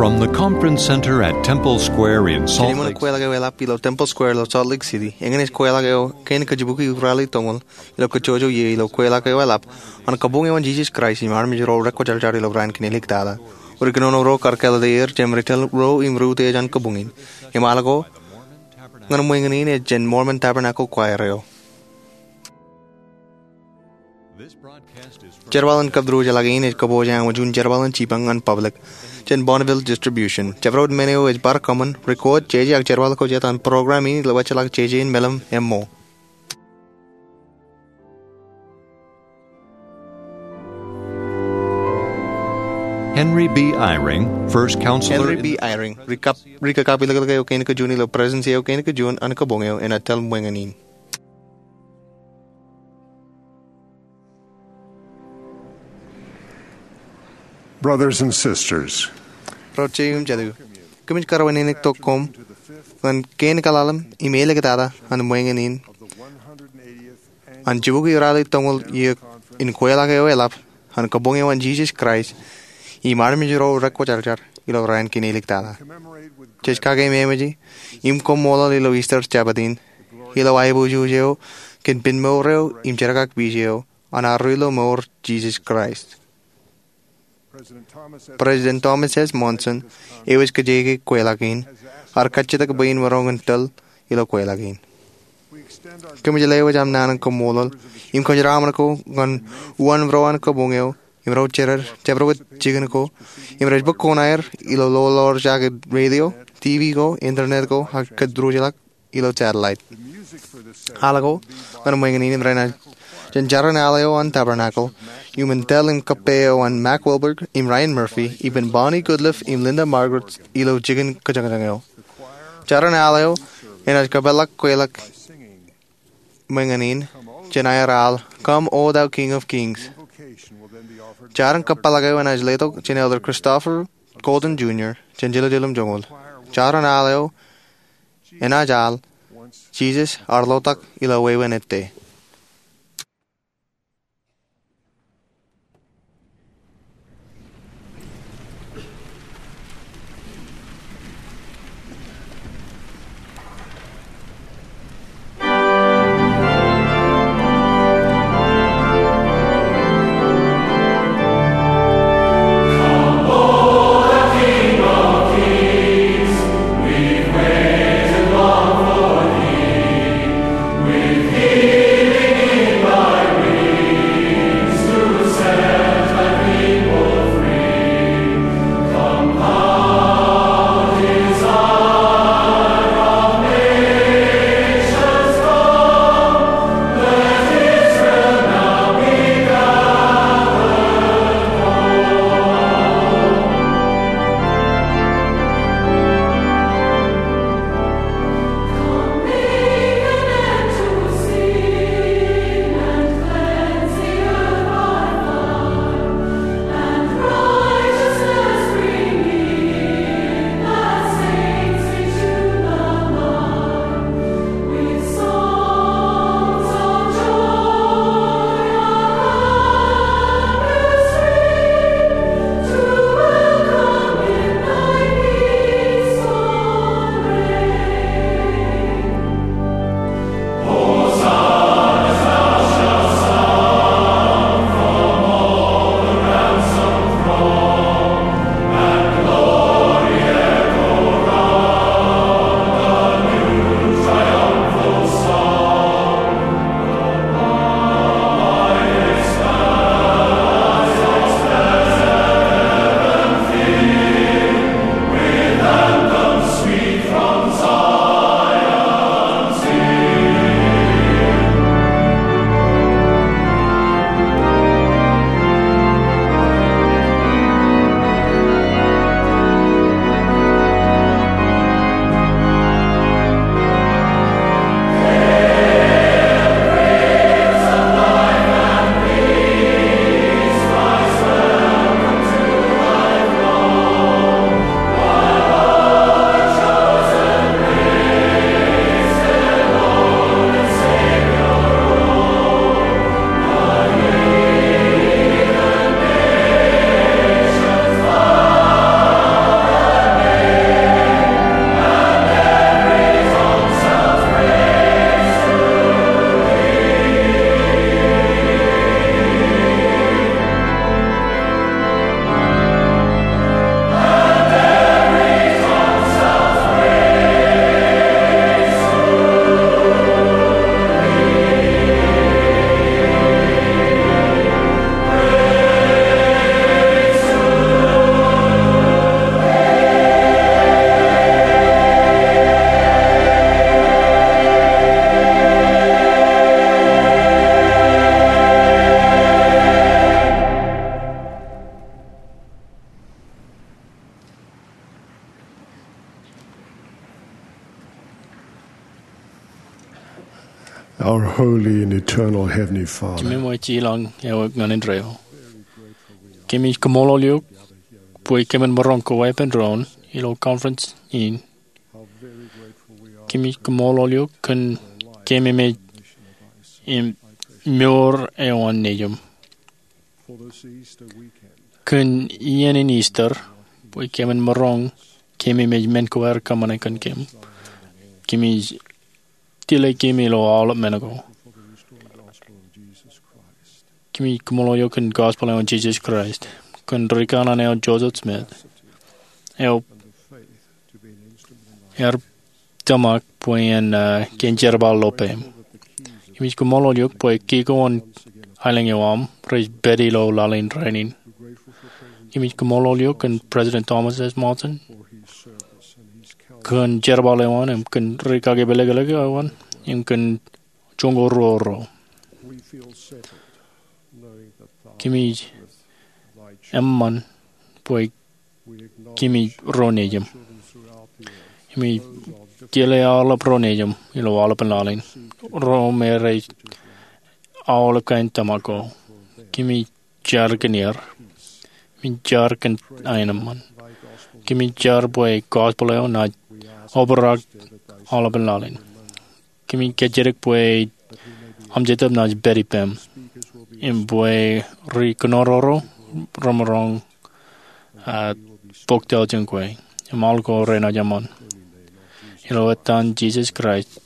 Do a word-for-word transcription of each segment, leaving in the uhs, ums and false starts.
From the Conference Center at Temple Square in Salt Lake City. Kweilọk eo eḷap ilo Temple Square ilo Salt Lake City, eñin ej kweilọk eo kein kajjibukwi rally toñoul ilo kajjojo iiō ilo kweilọk eo eḷap an kabuñ eo an Jisōs Kraist im armej ro rekwōjarjar ilo raan kinelik tata. Ri kōnono ro kar kāālōt er jemān ri tōl ro im ri utiej an kabuñ in. Im al ko ñan ṃweñin in ej jān Mormon Tabernacle Choir eo. Jerbal in kab diwōjḷọk in ej kōpooj aṃ juon jerbal in jipañ ñan public jān Bonneville Distribution. Jabdewōt men eo ej bar kōṃṃan, record, jeje ak jerbal ko jet an program in ilo wōjḷọk jeje in meḷeḷe im ṃool. Henry B. Eyring, first counselor Henry in B. Eyring, ri kab, ri kakapiliklik eo kein kajuon ilo presidency eo kein kajuon an kabuñ eo enaaj tōl ṃweñin in. Brothers and sisters, Ro jeiū im jatū, kōmij karuwaineniktok koṃ ñan kein kaḷalem im āliktata an ṃweñin in an jibukwi rally toñoul iiō in kweilọk eo eḷap an kabuñ eo an Jisōs Kraist im armej ro rekwōjarjar ilo raan kinelik tata. Jej kakeememej im koṃṃoolol ilo Easter Jabōt in ilo aiboojoj eo kōn pen mour eo im jerkakpeje eo an arro ilo mour Jisōs Kraist. President Thomas S. Monson, eo ej kōjeañ kweilọk in, ear kajjitōk bwe in maroñ in tōl ilo kweilọk in. Kōmij lewōj aṃ naan in koṃṃoolol im kōjeraṃṃan ko ñan uwañ ro an kabuñ eo im ro jered, jabdewōt jikin ko im rej bōk koṇaer ilo loḷoḷ jaake radio, TV ko, internet ko ak kōtdurjilọk ilo satellite. Al ko ñan ṃweñin in im renaaj jān jarin al eo an Tabernacle, iuṃwin tōl im kōppā eo an Mac Wilberg im Ryan Murphy, ippān Bonnie Goodliff im Linda Margaret ilo jikin kajañjañ eo. Jarin al eo enaaj kōpeḷḷọk kweilọk ṃweñin in jān aer al Come, O Thou King of Kings. Jarin kōpeḷḷọk eo enaaj letok jān Elder Christopher Golden Junior jān Jerusalem joñoul. Jarin al eo enaaj al Jisōs ear ḷotak ilo wāween ettā. Holy and eternal Heavenly Father. Kememej ilañ eo ñan indeeo. Kemij kaṃṃoolol eok bwe kōmin maroñ kōweepen doon ilo conference in. Kemij kaṃṃoolol eok kōn kememej im mour eo an Nejiṃ. Kōn iien in Easter, bwe kōmin maroñ kememej men ko aer kōṃṃane kōn kōm. Kemij tile kōm ilo aolep men ko. Kemij kaṃṃoolol eok kōn gospel eo an Jesus Christ, kōn rikanaan eo Joseph Smith, eo ear tōmak bwe en, uh, kōn jerbal ilo peiṃ. Kemij kaṃṃoolol eok bwe kikōn aelōñ eo aṃ rej pād ilo laḷ in rainin. Kemij kaṃṃoolol eok kōn President Thomas S. Monson kōn jerbal eo an im kōn ri kakepelekḷọk eo an im kōn joñoul ruo ro. Kemij eṃṃan bwe kōmij ro Nejiṃ. Kōmij tile aolep ro Nejiṃ ilo aolepān laḷ in, ro me rej aolep kain tōmak ko. Kōmij jar kōn er. Kōmij jar kōn aenōṃṃan. Kōmij jar bwe gospel eo naaj obrak aolepān laḷ in. Kōmij kajjitōk bwe Aṃ Jetōb naaj pād ippām im bwe ri kōnono ro remaroñ, uh, bōk tautien kwe im aḷ ko renaaj eṃṃan. Ilo etan Jesus Christ,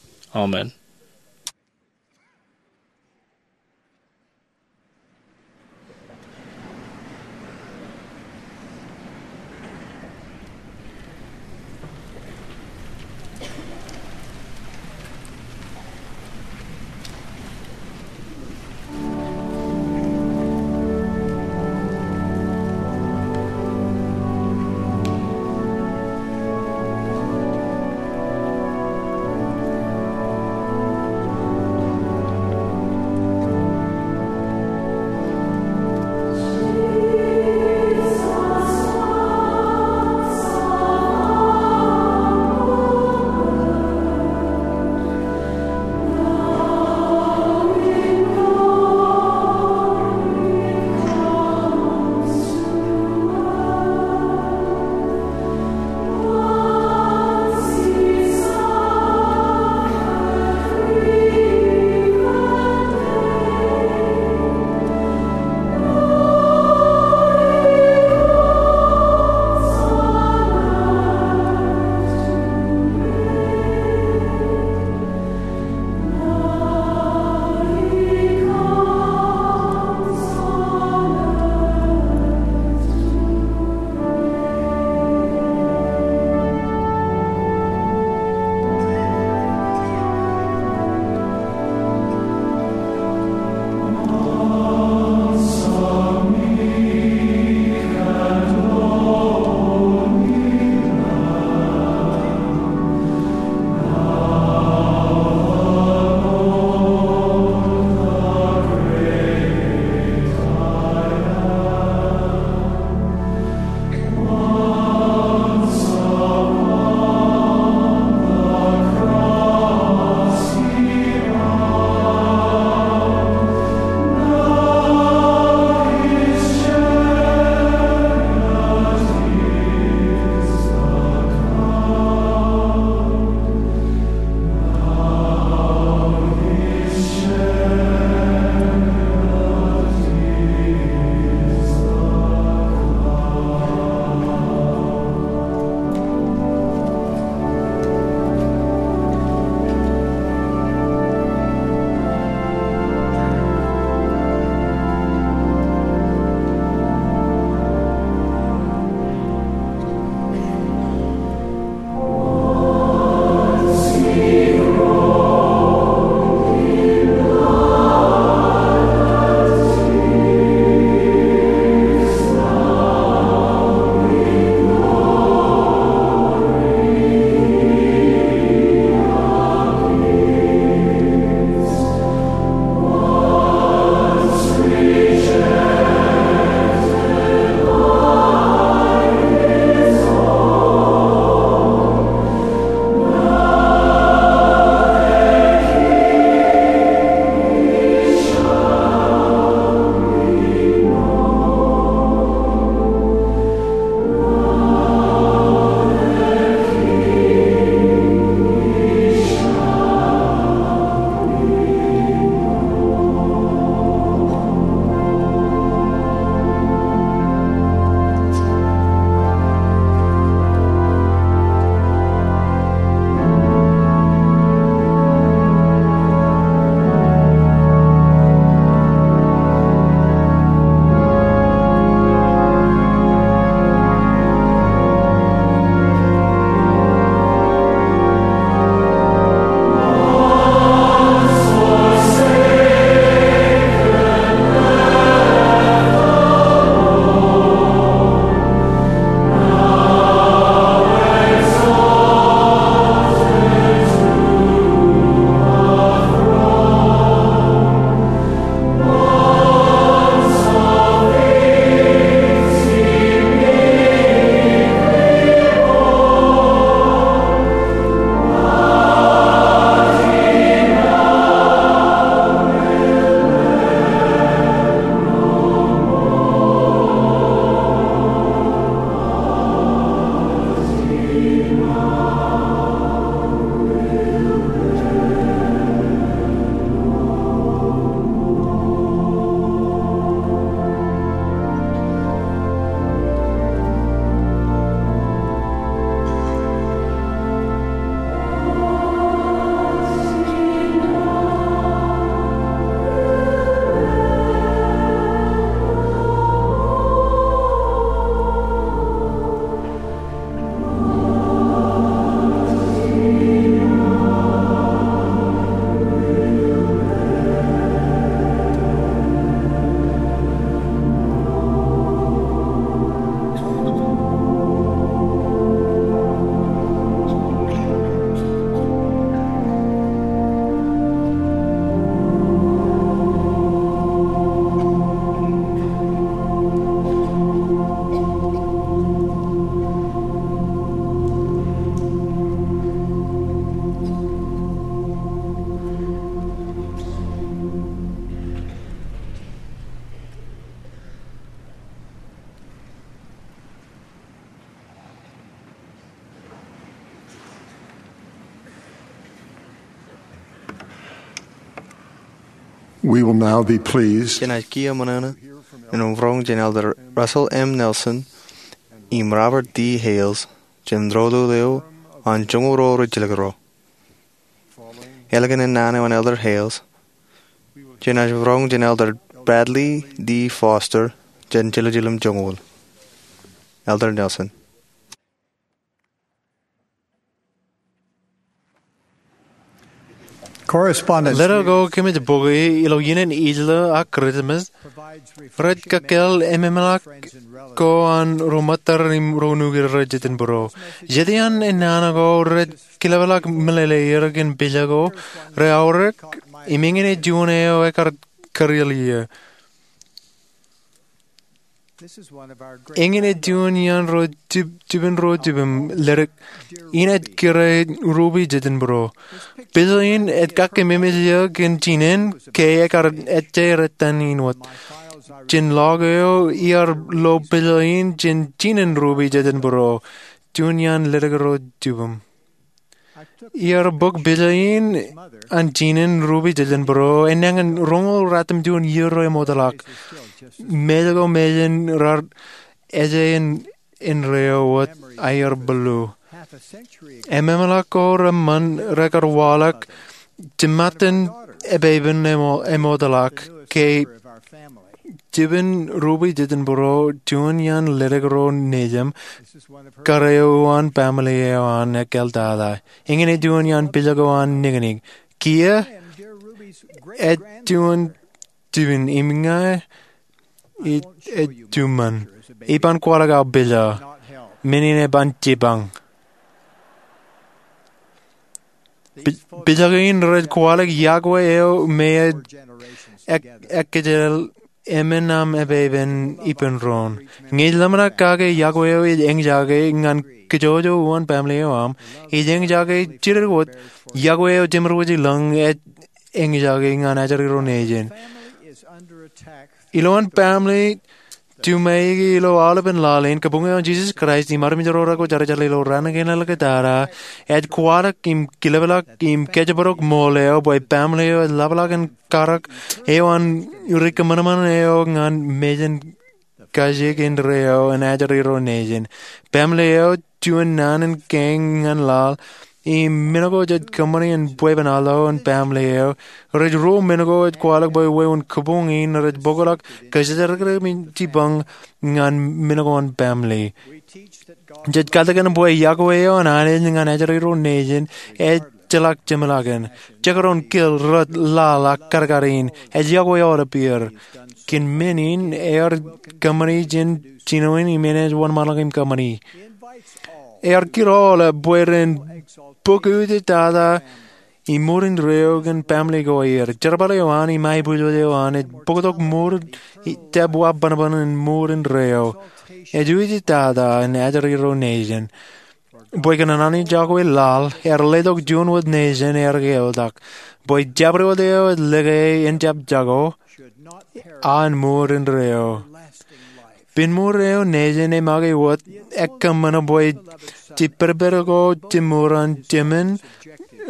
amen. We will now be pleased. Jenaaj kiiō ṃōṇōṇō im roñ jān Elder Russell M. Nelson im Robert D. Hales jān doulul eo an joñoul ruo rijjilōk ro. Ālikin naan eo an Elder Hales, jenaaj roñ jān Elder Bradley D. Foster jān jiljilimjuon joñoul. Elder Nelson. Correspondence. Letter ko kōmij bōki ilo iien in Ijiḷa ak Kūrjimōs rej kōkkāāl ememḷọk ko an ro ṃōttad im ro nukūr ro jitōnbōro. Jet iaan ennaan ko rej kileplọk meḷeḷe er kōn pejako rej aorōk im eñin ej juon eo ekar kariel ie. Eñin ej juon iaan ro jibin ro jibim ledik in ej kūr rupe jitōnbōro. Pejo in ej kakkememej eō kōn jinen ke ekar ejjeer ettan in wōt. Jān ḷọk eo iar lo pejo in jān jinen rupe jitōnbōro, juon iaan ledik ro jibim. Iar bōk pejo in an jinen rupe jitōnbōro, enañin roñoul ratimjuon iiō ro eṃootḷọk. Mej ko mejān raar ejjein indeeo wōt aer bōllu. Ememḷọk ko reṃṃan rekar waḷọk jiṃṃaten epeipen eṃootḷọk ke jibin rupe jitōnbōro, juon iaan ledik ro nejin, kar eo uwaan pamle eo an ekkaltata. Eñin ej juon iaan pejako an nikinik. Kiiō, ej juon jibin im ña ij juṃṃan. Iban kwaḷọk aō pejo. Men in eban jipañ. Pejako in rej kwaḷọk iọkwe eo me ej ekkejel emān aṃ epeipen ippān doon. Ñe ij ḷōmṇak kake iọkwe eo ej eñjake ñan kajjojo uwaan pamle eo aṃ, ij eñjake jidik wōt iọkwe eo jemedwōj ilōñ ej eñjake ñan ajri ro nejin. Ilowaan pamle juṃae ilo aolepān laḷ in, kabuñ eo an Jisōs Kraist im armej ro rekwojarjar ilo raan kein ḷọk tata ej kwaḷọk im kileplọk im kōjparok ṃool eo bwe pamle eo ej ḷapḷọk in karōk eo an ri kōṃanṃan eo ñan mejān kajjien indeeo an ajri ro nejin. Pamle eo juon naan in kein ñan laḷ im men ko jej kōṃṃani in bwebwenato in pamle eo. Rej ruo men ko ej kwaḷọk bwe wāween kabuñ in rej bōkḷọk kōjatdikdik im jipañ ñan men ko an pamle. Jej kaltikin bwe iọkwe eo an Anij ñan ajri ro nejin ejjeḷọk jeṃḷọkin. Jekdọọn kil, rot, laḷ ak kadkad in ej iọkwe aolep er. Kōn men in ear kōṃṃani jān jinoin im enaaj wōnṃaanḷọk im kōṃṃani. Ear kid aolep bwe ren bōk eo ej tata im mour indeeo kōn pamle ko aer. Jerbal eo an im aebwiljel eo an ej bōktok mour jab wabbanban in mour indeeo. Ej eo ej tata in ajri ro nejin. Bwe kōn an Anij iọkwe laḷ ear letok juon wōt nejin ear ke eltak, bwe jabdewōt eo ej lōke en jab jako an mour indeeo. Pen mour eo nejin e make wōt ekkōṃṃan bwe jipedped ko jimor an jemān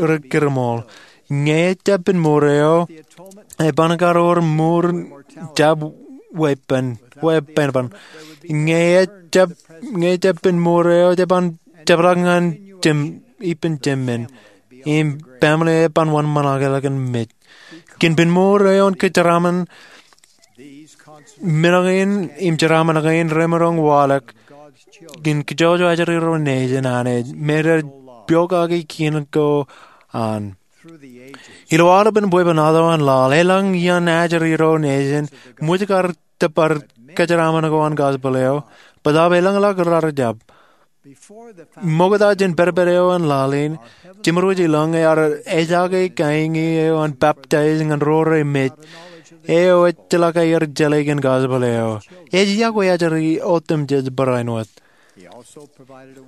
ri kōrṃool. Ñe ejjab pen mour eo, eban kar wōr mour jab weeppān, weeppān. Ñe ejjab, ñe ejjab pen mour eo, jeban jepḷaak ñan jemān, ippān jemān. Im pamle eban wōnṃaanḷọk ḷọk in mej. Kōn pen mour eo an kōjeraaṃṃan, men kein im jeraaṃṃan kein remaroñ waḷọk kōn kajjojo ajri ro nejin an Anij me rej pokake kien ko an. Ilo aolepān bwebwenato an laḷ, elōñ iaan ajri ro nejin ṃōj kar tōpar kōjeraaṃṃan ko an gospel eo, bōtaab elōñḷọk raar jab. Ṃokta jān pedped eo an laḷ in, jemedwōj ilōñ ear ejaake kaiñe eo an peptaij ñan ro remej eo ejjeḷọk aer jeḷā kōn gospel eo. Ej iọkwe ajri otemjej barāinwōt.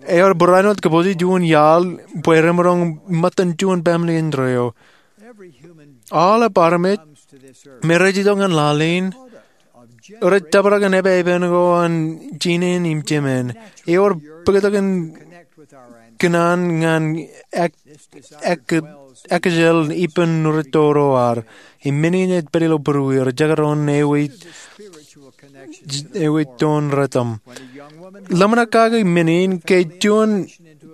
Ear barāinwōt kōpooje juon iaḷ bwe remaroñ ṃōttan juon pamle indeeo. Aolep armej me rej itok ñan laḷ in rej tōprak in epeipen ko an jinen im jemān. Ewōr bōktok in kōṇaan ñan ak- ak- akijel ippān ri tōro ad. Im men in ej pād ilo būruwier, jekdọọn ewi- ewi toon rōtam. Ḷōmṇak kake men in ke juon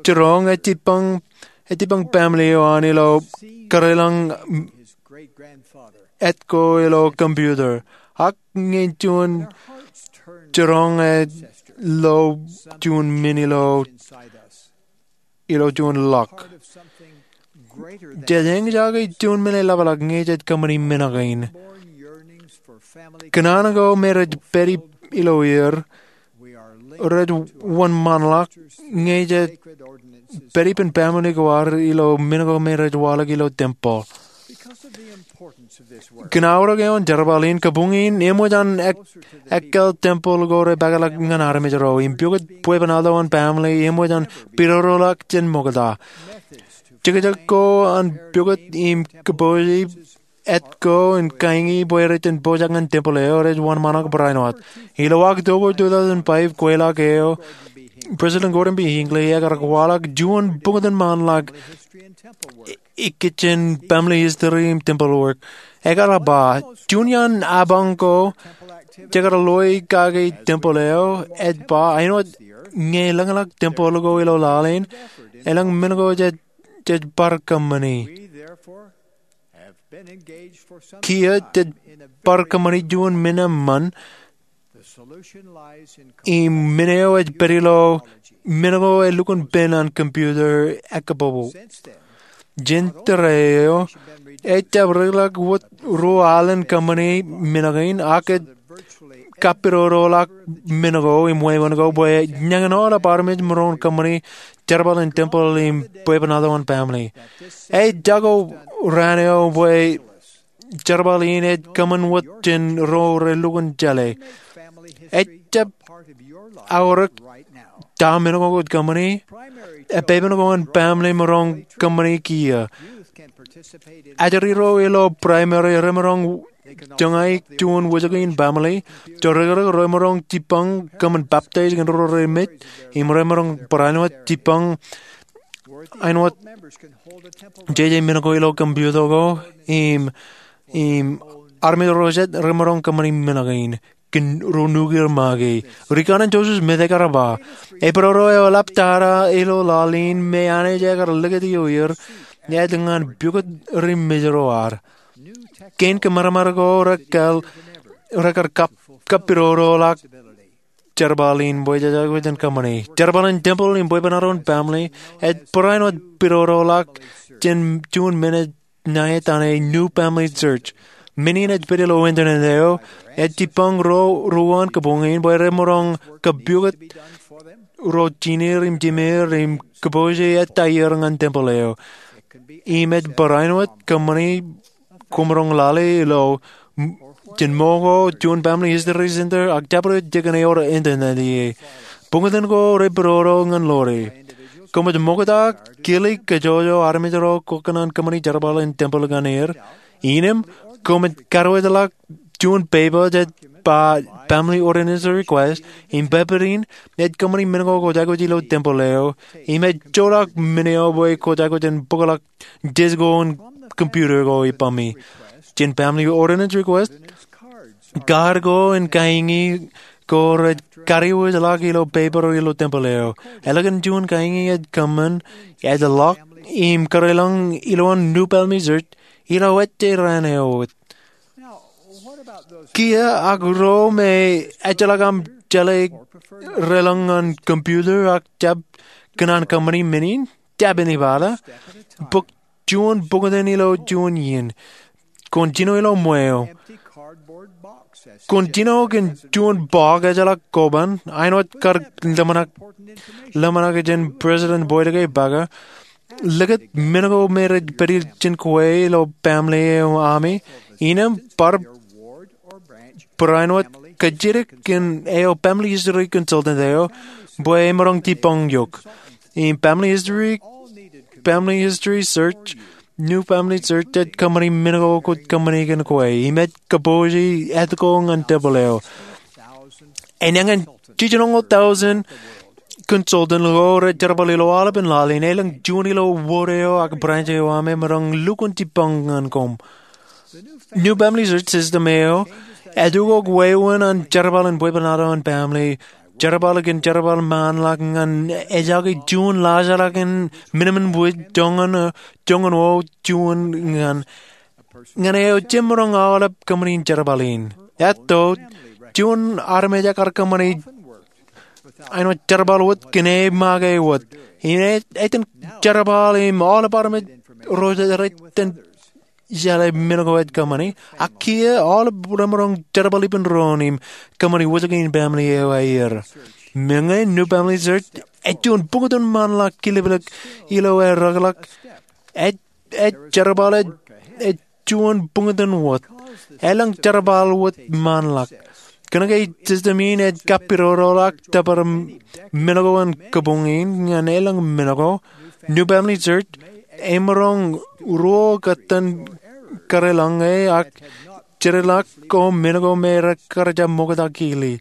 jiroñ ej jibboñ, ej jibboñ baaṃle eo an ilo kōrā lañ etko ilo computer. Ak ñe juon jiroñ ej lo juon men ilo, ilo juon ḷọk. Jej eñjake juon men eḷapḷọk ñe jej kōṃṃani men kein. Kōṇaan ko me rej pād ilo er, rej wōnṃaanḷọk ñe jej pād ippān baaṃle ko ad ilo men ko me rej waḷọk ilo tempeḷ. Kōn aorōk eo an jerbal in, kabuñ in eṃōj an ek- ekkal tempeḷ ko rej pād ḷọk ñan armej ro. Im pukot bwebwenato an baaṃle eṃōj an pidodoḷọk jān ṃokta. Jekjek ko an pukot im kōpooje etko in kaiñi bwe rej jen pojak ñan tempeḷ eo rej wōnṃaanḷọk barāinwōt. Ilo October two thousand five kweilọk eo, President Gordon B. Hinckley ekar kwaḷọk juon buñtōn ṃaanḷọk ikijjien family history im temple work. Ekar ba, juon iaan apañ ko jekar loi kake tempeḷ eo ej ba āinwōt ñe elōñḷọk tempeḷ ko ilo laḷ in, elōñ men ko jej, jej bar kōṃṃani. Kiiō jej bar kōṃṃani juon men eṃṃan im men eo ej pād ilo men ko elukkuun pen an computer ekkabōbō. Jān tōre eo, ej jab ri ḷọk wōt ruo alen kōṃṃani men kein ak ej kapidodoḷọk men ko im wāween ko bwe ñan aolep armej maroñ kōṃṃani jerbal in tempeḷ im bwebwenato an baaṃle. Ej jako raan eo bwe jerbal in ej kōṃṃan wōt jān ro relukkuun jeḷā. Ej jab aorōk ta men ko kwōj kōṃṃani, epepen ko an baaṃle maroñ kōṃṃani kiiō. Ajri ro ilo primary remaroñ joñaik juon wōjke in baaṃle. Jorikrek remaroñ jibboñ kōṃṃan baptize kōn ro remej, im remaroñ barāinwōt jibboñ āinwōt jeje men ko ilo computer ko, im, im armej ro jet remaroñ kōṃṃani men kein kōn ro nukier make. Ri kaṇe Joseph Smith ekar ba, epidodo eo eḷap tata ilo laḷ in me Anij ekar likūt ioer, ej ñan pukot ri mej ro ad. Kein kōmatamat ko rekar, rekar kap, kapidodoḷọk jerbal in bwe jej aikuj in kōṃṃani. Jerbal in tempeḷ im bwebwenato an baaṃle ej barāinwōt pidodoḷọk jān juon men ej ṇa etan e New Family Search. Men in ej pād ilo internet eo, ej jibboñ ro ruo an kabuñ in bwe remaroñ kapukot ro jineer im jimeer im kōpooje ettā ier ñan tempeḷ eo. Im ej barāinwōt kōṃṃani koṃ maroñ lale ilo, m-, jān ṃōko, juon Family History Center, ak jabdewōt jikin ewōr internet ie. Buñtōn ko repidodo ñan ḷoore. Koṃij ṃokta kile kōjọjọ armej ro kwōkōṇaan kōṃṃani jerbal in tempeḷ ñan er. Innām, koṃij kadiwōjḷọk juon pepa jej ba Family Ordinance Request, im pepa in ej kōṃṃani men ko kwōj aikuj ilo tempeḷ eo, im ej joḷọk men eo bwe kwōj aikuj in bōkḷọk disk ko an computer ko ippaṃmi. Jān Family Ordinance Request, kaad ko im kaiñi ko rej kadiwōjḷọk ilo pepa ilo tempeḷ eo. Ālikin juon kaiñi ej kōṃṃan, ej ḷọk, im kōrā lañ ilowaan New Family Search, ilo ejje raan eo wōt. Kiiō ak ro me ejjeḷọk aṃ jeḷā relōñ ñan computer ak jab kōṇaan kōṃṃani men in, jab ānbata. Bōk juon buñtōn ilo juon iien. Kwōn jino ilo ṃweo. Kwōn jino kōn juon box ejjeḷọk koban, āinwōt kar ḷōmṇak, ḷōmṇak jān President Boyd K. Packer. Likūt men ko me rej pād ijin kwe ilo baaṃle eo ami. Innām bar barāinwōt kajjitōk kōn eo Family History Consultant eo, bwe emaroñ jibboñ eok. Im Family History, Family History Search, New Family Search ej kōṃṃani men ko kwōj kōṃṃani kōn kwe. Im ej kōpooje etko ñan tempeḷ eo. Enañin jiljinoñoul tọujin consultant ko rej jerbal ilo aolepān laḷ in elōñ juon ilo wōd eo ak branch eo aṃ emaroñ lukkuun jibboñ ñan koṃ. New FamilySearch system eo ej ukok wāween an jerbal in bwebwenato an family. Jerbal kōn jerbal ṃaanḷọk ñan ejake juon laajrak in minimum wage joñan, joñan wōt juon ñan ñan eo jemaroñ aolep kōṃṃani jerbal in. Etto, juon armej ekar kōṃṃani āinwōt jerbal wōt kōn e make wōt. Im ej, ej itōn jerbal im aolep armej ro rej itōn jeḷā men ko ej kōṃṃani. Ak kiiō aolep remaroñ jerbal ippān doon im kōṃṃani wōjke in family eo aer. Meñe New FamilySearch ej juon buñtōn ṃaanḷọk kiliplik ilo aer rōkḷọk. Ej ej jerbal ej, ej juon buñtōn wōt. Elōñ jerbal wōt ṃaanḷọk. Kōnke system in ej kappidoroḷọk tōpar men ko an kabuñ in ñan elōñ men ko, New FamilySearch emaroñ ruo kōttan kadeḷọñe ak jedeḷọk ko men ko me rej kar jab ṃokta kili.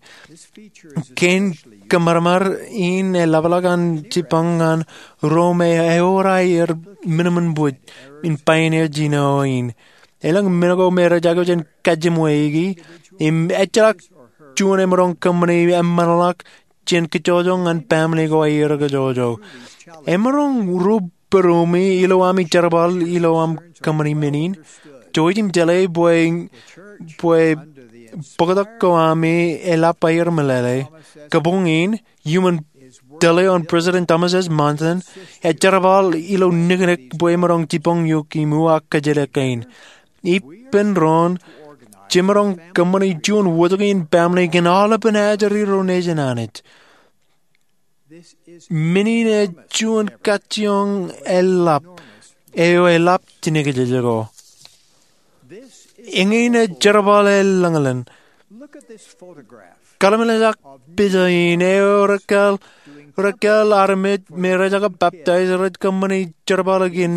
Kein kōṃadṃōd in eḷapḷọk an jibboñ ñan ro me ewōr aer minimum wage in pioneer jino in. Elōñ men ko me rej aikuj in kajjimweiki im ejjeḷọk juon emaroñ kōṃṃani eṃṃanḷọk jān kōjojooñ ñan family ko aer kōjojoo. Emaroñ ro pedumi ilo ami jerbal ilo aṃ kōṃṃani men in. Jouj im jeḷā bwe, bwe bōktok ko ami eḷap aer meḷeḷe. Kabuñ in, iuṃwin tōl eo an President Thomas S. Monson, ej jerbal ilo niknik bwe emaroñ jibboñ eok im uwaak kōjjeḷā kein. Ippān doon, jemaroñ kōṃṃani juon wōjke in family kōn aolepān ajri ro nejin Anij. Men in ej juon kajjioñ eḷap, eo eḷap jinōkjeje ko. Eñin ej jerbal eḷaññe. Kōḷmānḷọkjeṇ pija in eo rekāāl, rekāāl armej me rejjab baptize rej kōṃṃani jerbal kōn,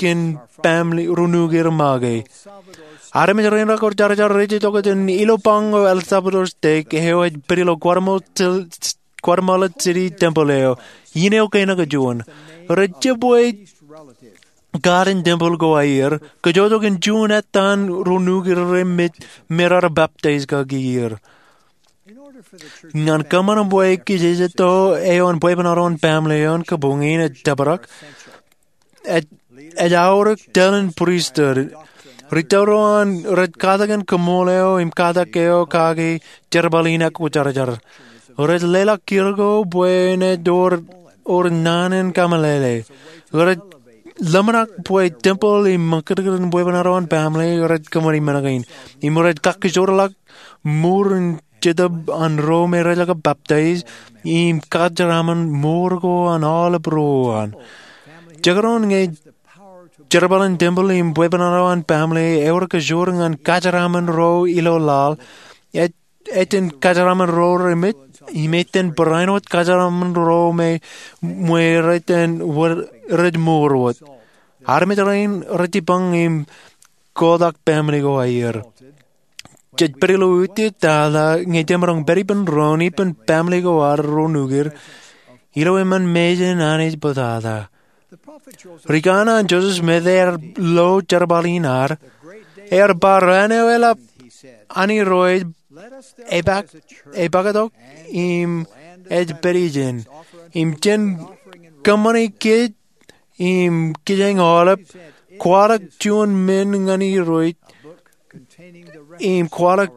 kōn family ro nukwier make. Armej rein rekor jar jar rej itok jān ilo bañ eo El Salvador State eo ej pād ilo Guatemala Guatemala City temple eo, in eo kein eo juon. Rej jab bwe katak in temple ko aer, kōjojoo kōn juon etan ro nukwier remej me raar baptize kaki er. Ñan kōṃṃan bwe kijejeto eo an bwebwenato an family eo an kabuñ in ej tōprak, ej, ej aorōk tōl in priesthood. Ri tōl ro an rej katak in kaṃṃoolol eo im katak eo kaki jerbal in ekwojarjar. Rej leḷọk kiiō ko bwe enaaj wōr, wōr naan in kameḷeḷe. Rej ḷōmṇak bwe temple im ṃōkūtkūt in bwebwenato an family rej kōṃṃani men kein. Im rej kakkijorḷọk mour in Jetōb an ro me rej jab baptize im kajeraṃṃan mour ko an aolep ro an. Jekdọọn ñe jerbal in temple im bwebwenato an family ewōr kajoor ñan kajeraṃṃan ro ilo laḷ, ej, ej itōn kajeraṃṃan ro remej, im ej itōn barāinwōt kajeraṃṃan ro me, me rej itōn wōr, rej mour wōt. Armej rein rej jibboñ im kotak family ko aer. Jej pād ilo utiej tata ñe jemaroñ pād ippān doon ippān family ko ad ro nukwier ilo eṃṃan mejān Anij bōtata. Ri kanaan Joseph Smith ear lo jerbal in ad, ear ba raan eo eḷap an Irooj ej pak, ej paktok im ej pād ijin. Im jen kōṃṃani kōj im kijeñ aolep, kwaḷọk juon men ñan Irooj, im kwaḷọk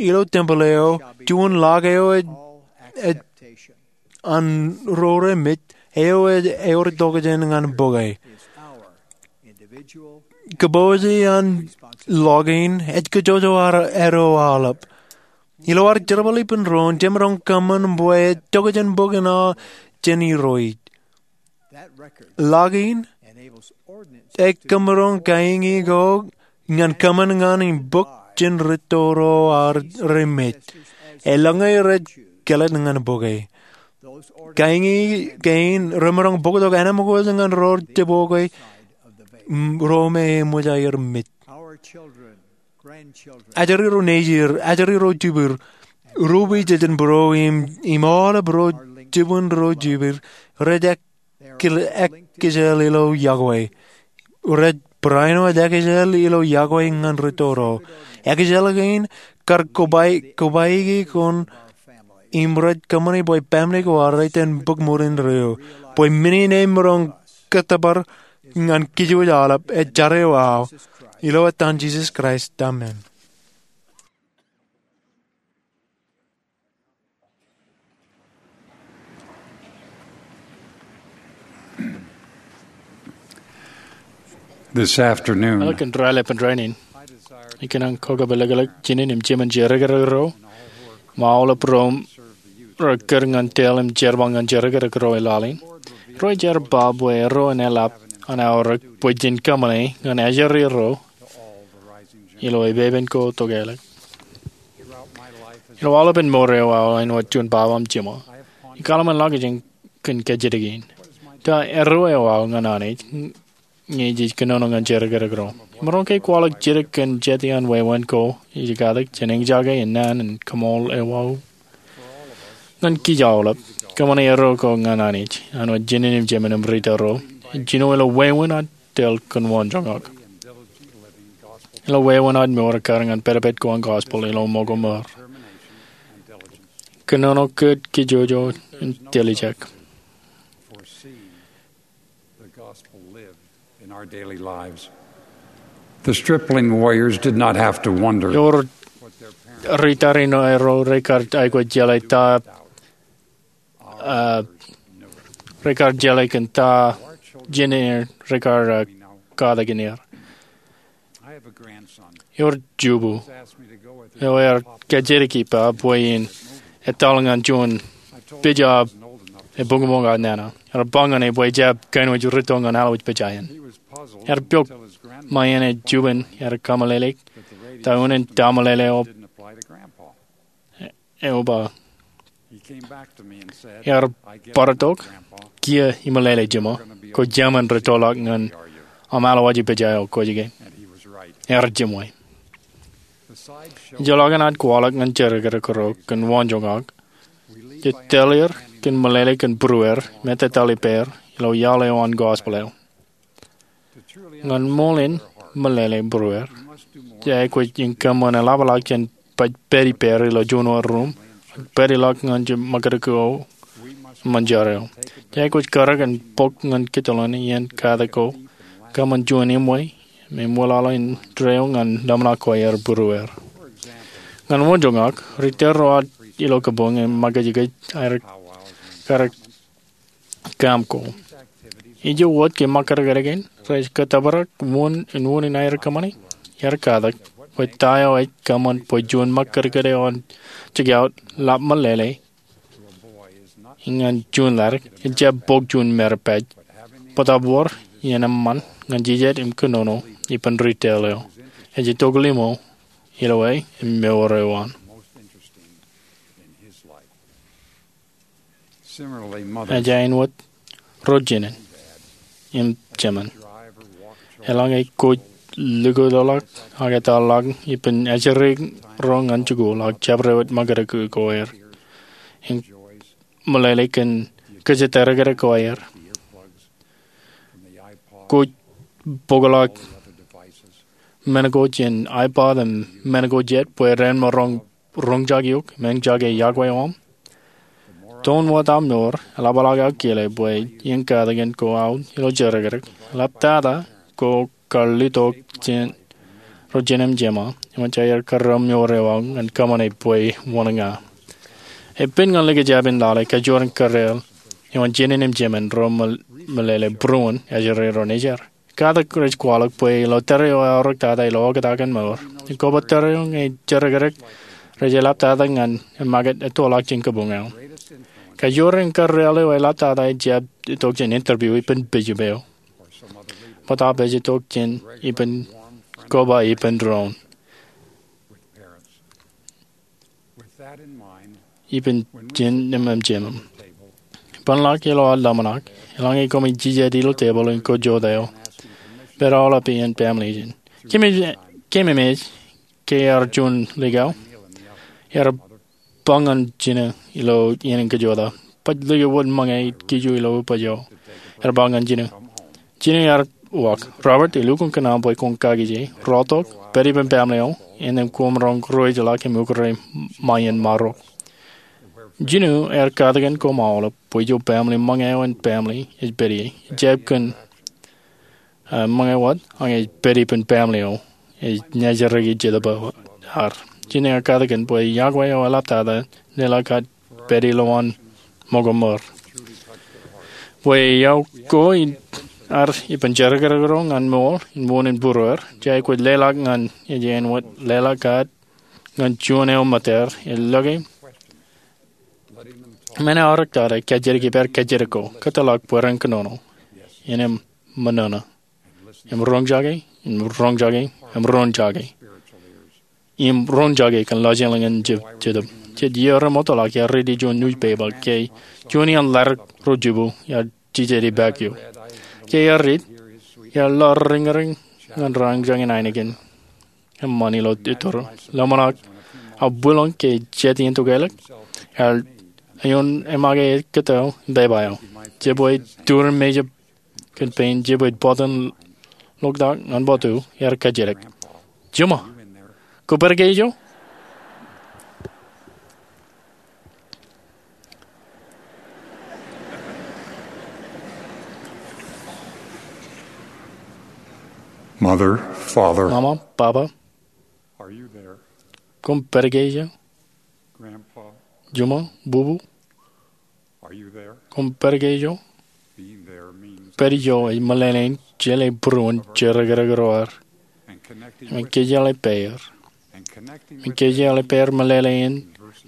ilo temple eo, juon ḷọk eo ej, ej an ro remej, eo ej ewōr tokjān ñan bōke. Kōpooje an ḷọk in, ej kōjojoo ad ro aolep. Ilo ad jerbal ippān doon, jemaroñ kōṃṃan bwe ej tokjān bōk in aō jān Irooj. Ḷọk in, ej kōmaroñ kaiñi ko ñan kōṃṃan ñan im bōk jān rūtto ro ad remej. Eḷaññe rej kelōt ñan bōke. Kaiñi kein remaroñ bōktok enaaj ṃōkaj ñan ro jebokwe ro me eṃōj aer mej. Ajri ro nejier, ajri ro jibwid, ro ijin būro im, im aolep ro jibwin ro jibwid, rej ekkejel ilo yokwe. Rej barāinwōt ekkejel ilo yokwe ñan rūtto ro. Ekkejel kein kar kobaiki kōn im rej kōṃṃani bwe pāmle ko ad rej itōn bōk ṃōn in ro, bwe men in emaroñ kōttōpar ñan Kōjwōj aolep. Ij jar eo aō ilo etan Jisōs Kraist, amen. This afternoon, Eḷap kōn rālepen rainin, ikōṇaan kokōpelōklōk jinen im jemān jerkakakrak ro, im aolep ro rekōr ñan tōl im jerbal ñan jerkakakrak ro ilaḷ in. Ro ej jar ba bwe erro en eḷap an aorōk bwe jen kōṃṃane ñan ajri ro ilo epepen ko tokālik. Ilo aolepen mour eo aō āinwōt juon baba im jiṃa, ikōḷmānḷọkjeṇ kōn kajjitōk in. Ta erro eo aō ñan Anij ñe jej kōnono ñan jerkakakrak ro? Imaroñ ke kwaḷọk jidik kōn jete an wāween ko ej katak jān eñjake in naan in kaṃool eo aō? Ñan kij aolep, kōṃṃane erro ko ñan Anij, āinwōt jinen im jemān im rūtto ro, ej jino ilo wāween ad tōl kōn wōnjoñak, ilo wāween ad mour ekkar ñan pedped ko an gospel ilo ṃōko mour. Kōnono kōt kijojo im tiljek. The gospel lived in our daily lives. The stripling warriors did not have to wonder. Ewōr ri tariṇae ro rekar aikuj jeḷā ta, uh, rekar jeḷā kōn ta jinen rekar, uh, katak in er. Ewōr jubu eo ear kajjitōk ippa bwe in etal ñan juon pija ebuñbuñ aō nana. Ear ba ñan e bwe ejjab kōinwōj rūtto ñan allowōj pija in. Ear pok ṃae en ej juon ear kameḷeḷeik ta unin ta meḷeḷe eo eo ba. Ear bar tok, kiiō imeḷeḷe jiṃa, kwō jemān rūttoḷọk ñan aṃ allowōj pija eo kwōj ke. Ear jiṃwe. Ejjeḷọk an ad kwaḷọk ñan jerkakakrak ro kōn wōnjoñak, jej tōl er kōn meḷeḷe kōn būrueir im ettōtōl ippāer ilo iaḷ eo an gospel eo. Ñan ṃool in meḷeḷe būrueir, jej aikuj in kōṃṃan eḷapḷọk jān pād ippāer ilo juon wōt ruum, ak pād ilọk ñan ṃōkadikdik eo im ṃōn jar eo. Jej aikuj karōk in bōk ñan kōjatdikdik iien katak ko, kōṃṃan juon eṃṃan im eṃwilaḷ in tōre eo ñan ḷōmṇak ko aer būrueir. Ñan wōnjoñak, ri tōl ro ad ilo kabuñ im ṃōkajkōj aer karōk kaṃ ko. Ijo wōt ke ṃōkadkdik in rej kōttōpar wōn in wōn in aer kōṃṃane? Ear katak bwe ta eo ej kōṃṃan bwe juon ṃōkadkōt eo an jikiaut ḷap meḷeḷe ñan juon ḷadik ejjab bōk juon maripaj, bōtaab wōr iien eṃṃan ñan jijet im kōnono ippān ri tōl eo ej itok limo ilo e im mour eo an. Ej āinwōt ro jinen im jemān. Eḷaññe kwōj likūtḷọk ak etal ḷọk ippān ajri ro ñan jikuuḷ ak jabdewōt ṃōkadkōj ko aer im meḷeḷe kōn kōjatdikdik ko aer, kwōj bōkḷọk men ko jān iPod im men ko jet bwe ren maroñ roñjake eok im eñjake yokwe eo aṃ. Toon wōt aṃ mour eḷapḷọk aō kile bwe iien katak in ko aō ilo jerkakakrak, eḷaptata ko kar litok jān ro jinen im jemān, eṃōj aer karreo mour eo aō ñan kōṃṃane bwe wōn ña. Epen ñan likjab in lale kajoor in karreo eo an jinen im jemān ro meḷeḷe būruon ajri ro najar. Katak rej kwaḷọk bwe ilo tōre eo eaorōktata ilo oktak in mour, im koba tōre eo ñe jerkakakrak rej eḷaptata ñan eṃṃakūt ettoḷọk jān kabuñ eo. Kajoor in karreo eo eḷaptata ejjab itok jān interview ippān bishop eo, bōtaab ej itok jān ippān koba ippān doon ippān jinen im jemān. Bōkḷọk ilo ad ḷōmṇak, eḷaññe koṃij jijet ilo tebōḷ in kōjota eo, pād aolep iien pāmle ijin. Keememej ke ear juon likao, ear ba ñan jino ilo iien in kōjota, Baj lōke wōt ṃōñā kiju ilo ubōjro. Ear ba ñan Jinu, Jinu ear uwaak, Robert, elukkuun kōṇaan bwe kwōn kakije, rọọltok, pād ippān baaṃle eo, innām koṃ roñ ruwōjḷọk im ukōrā ṃae in marok. Jinu ear katakin koṃ aolep bwe ijo baaṃle ṃōñā eo an baaṃle ej pād ie. Ejjab kōn ṃōñā wōt, ak ej pād ippān baaṃle eo ej najeraki Jetōb ad. Jinu ear katakin bwe iọkwe eo eḷaptata leḷọk kōn pād ilowaan ṃōko ṃōr. Bwe iọkwe in ad ippān jerkakakrak ro ñan ṃool in wūnin būrueir, jej aikuj leḷọk ñan ej āinwōt leḷọk kōn ñan juon eo ṃōttaer, elōke men eo aorōktata, kajjitōk ippāer kajjitōk ko, kōtḷọk bwe ren kōnono, innām ṃōṇōṇō, im roñjake, im roñjake, im roñjake, im roñjake kōn lọjilñin Jetōb. Jet iiō remootḷọk iar riiti juon newspaper ke juon iaan ḷadik ro jibu iar jijet ippākiiō. Ke iar riit, iar ḷọk riñriñ ñan roñjake in ainikien eṃṃan ilo ettōr. Ḷōmṇak, aō bwilōñ ke jet iien tokālik, ear eoon eṃake kōto im pepa eo. Jebwe turin mejab kōn pein, jebwe bọtin loktak ñan bọtu, ear kajjitōk, Juma, kwō pād ke ijo? Mother, Father, Mama, Papa, are you there? Koṃ pād ke ijo? Grandpa, Juma, Bubu, are you there? Koṃ pād ke ijo? Being there means Pād ijo ej meḷeḷein jeḷā būruon jerkakakrak ro ad, and connecting im with kōjeḷā ippāer, and connecting im with kōjeḷā ippāer meḷeḷein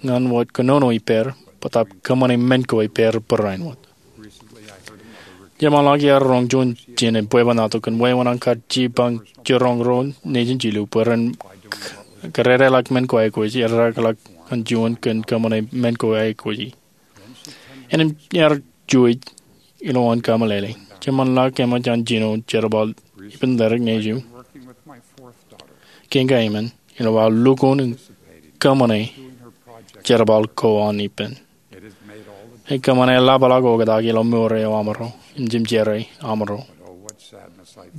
ñan wōt kōnono ippāer, bōtaab kōṃṃane men ko ippāer barāinwōt. Jeṃḷọk iar roñ juon jen in bwebwenato kōn wāween an kar jipañ jiroñ ro nejin jilu bwe ren kōdōdōḷọk men ko aikuji, eddekḷọk an juon kōn kōṃṃane men ko aikuji. Innām ear juuej ilowaan kameḷeḷe. Jeṃḷọk eṃōj an jino jerbal ippān ḷadik nejū, Kinga Eamon, ilo aō lukkuun in kōṃṃane jerbal ko an ippān. Ekōṃṃane ḷapḷọk oktak ilo mour eo amro im jemjerā amro.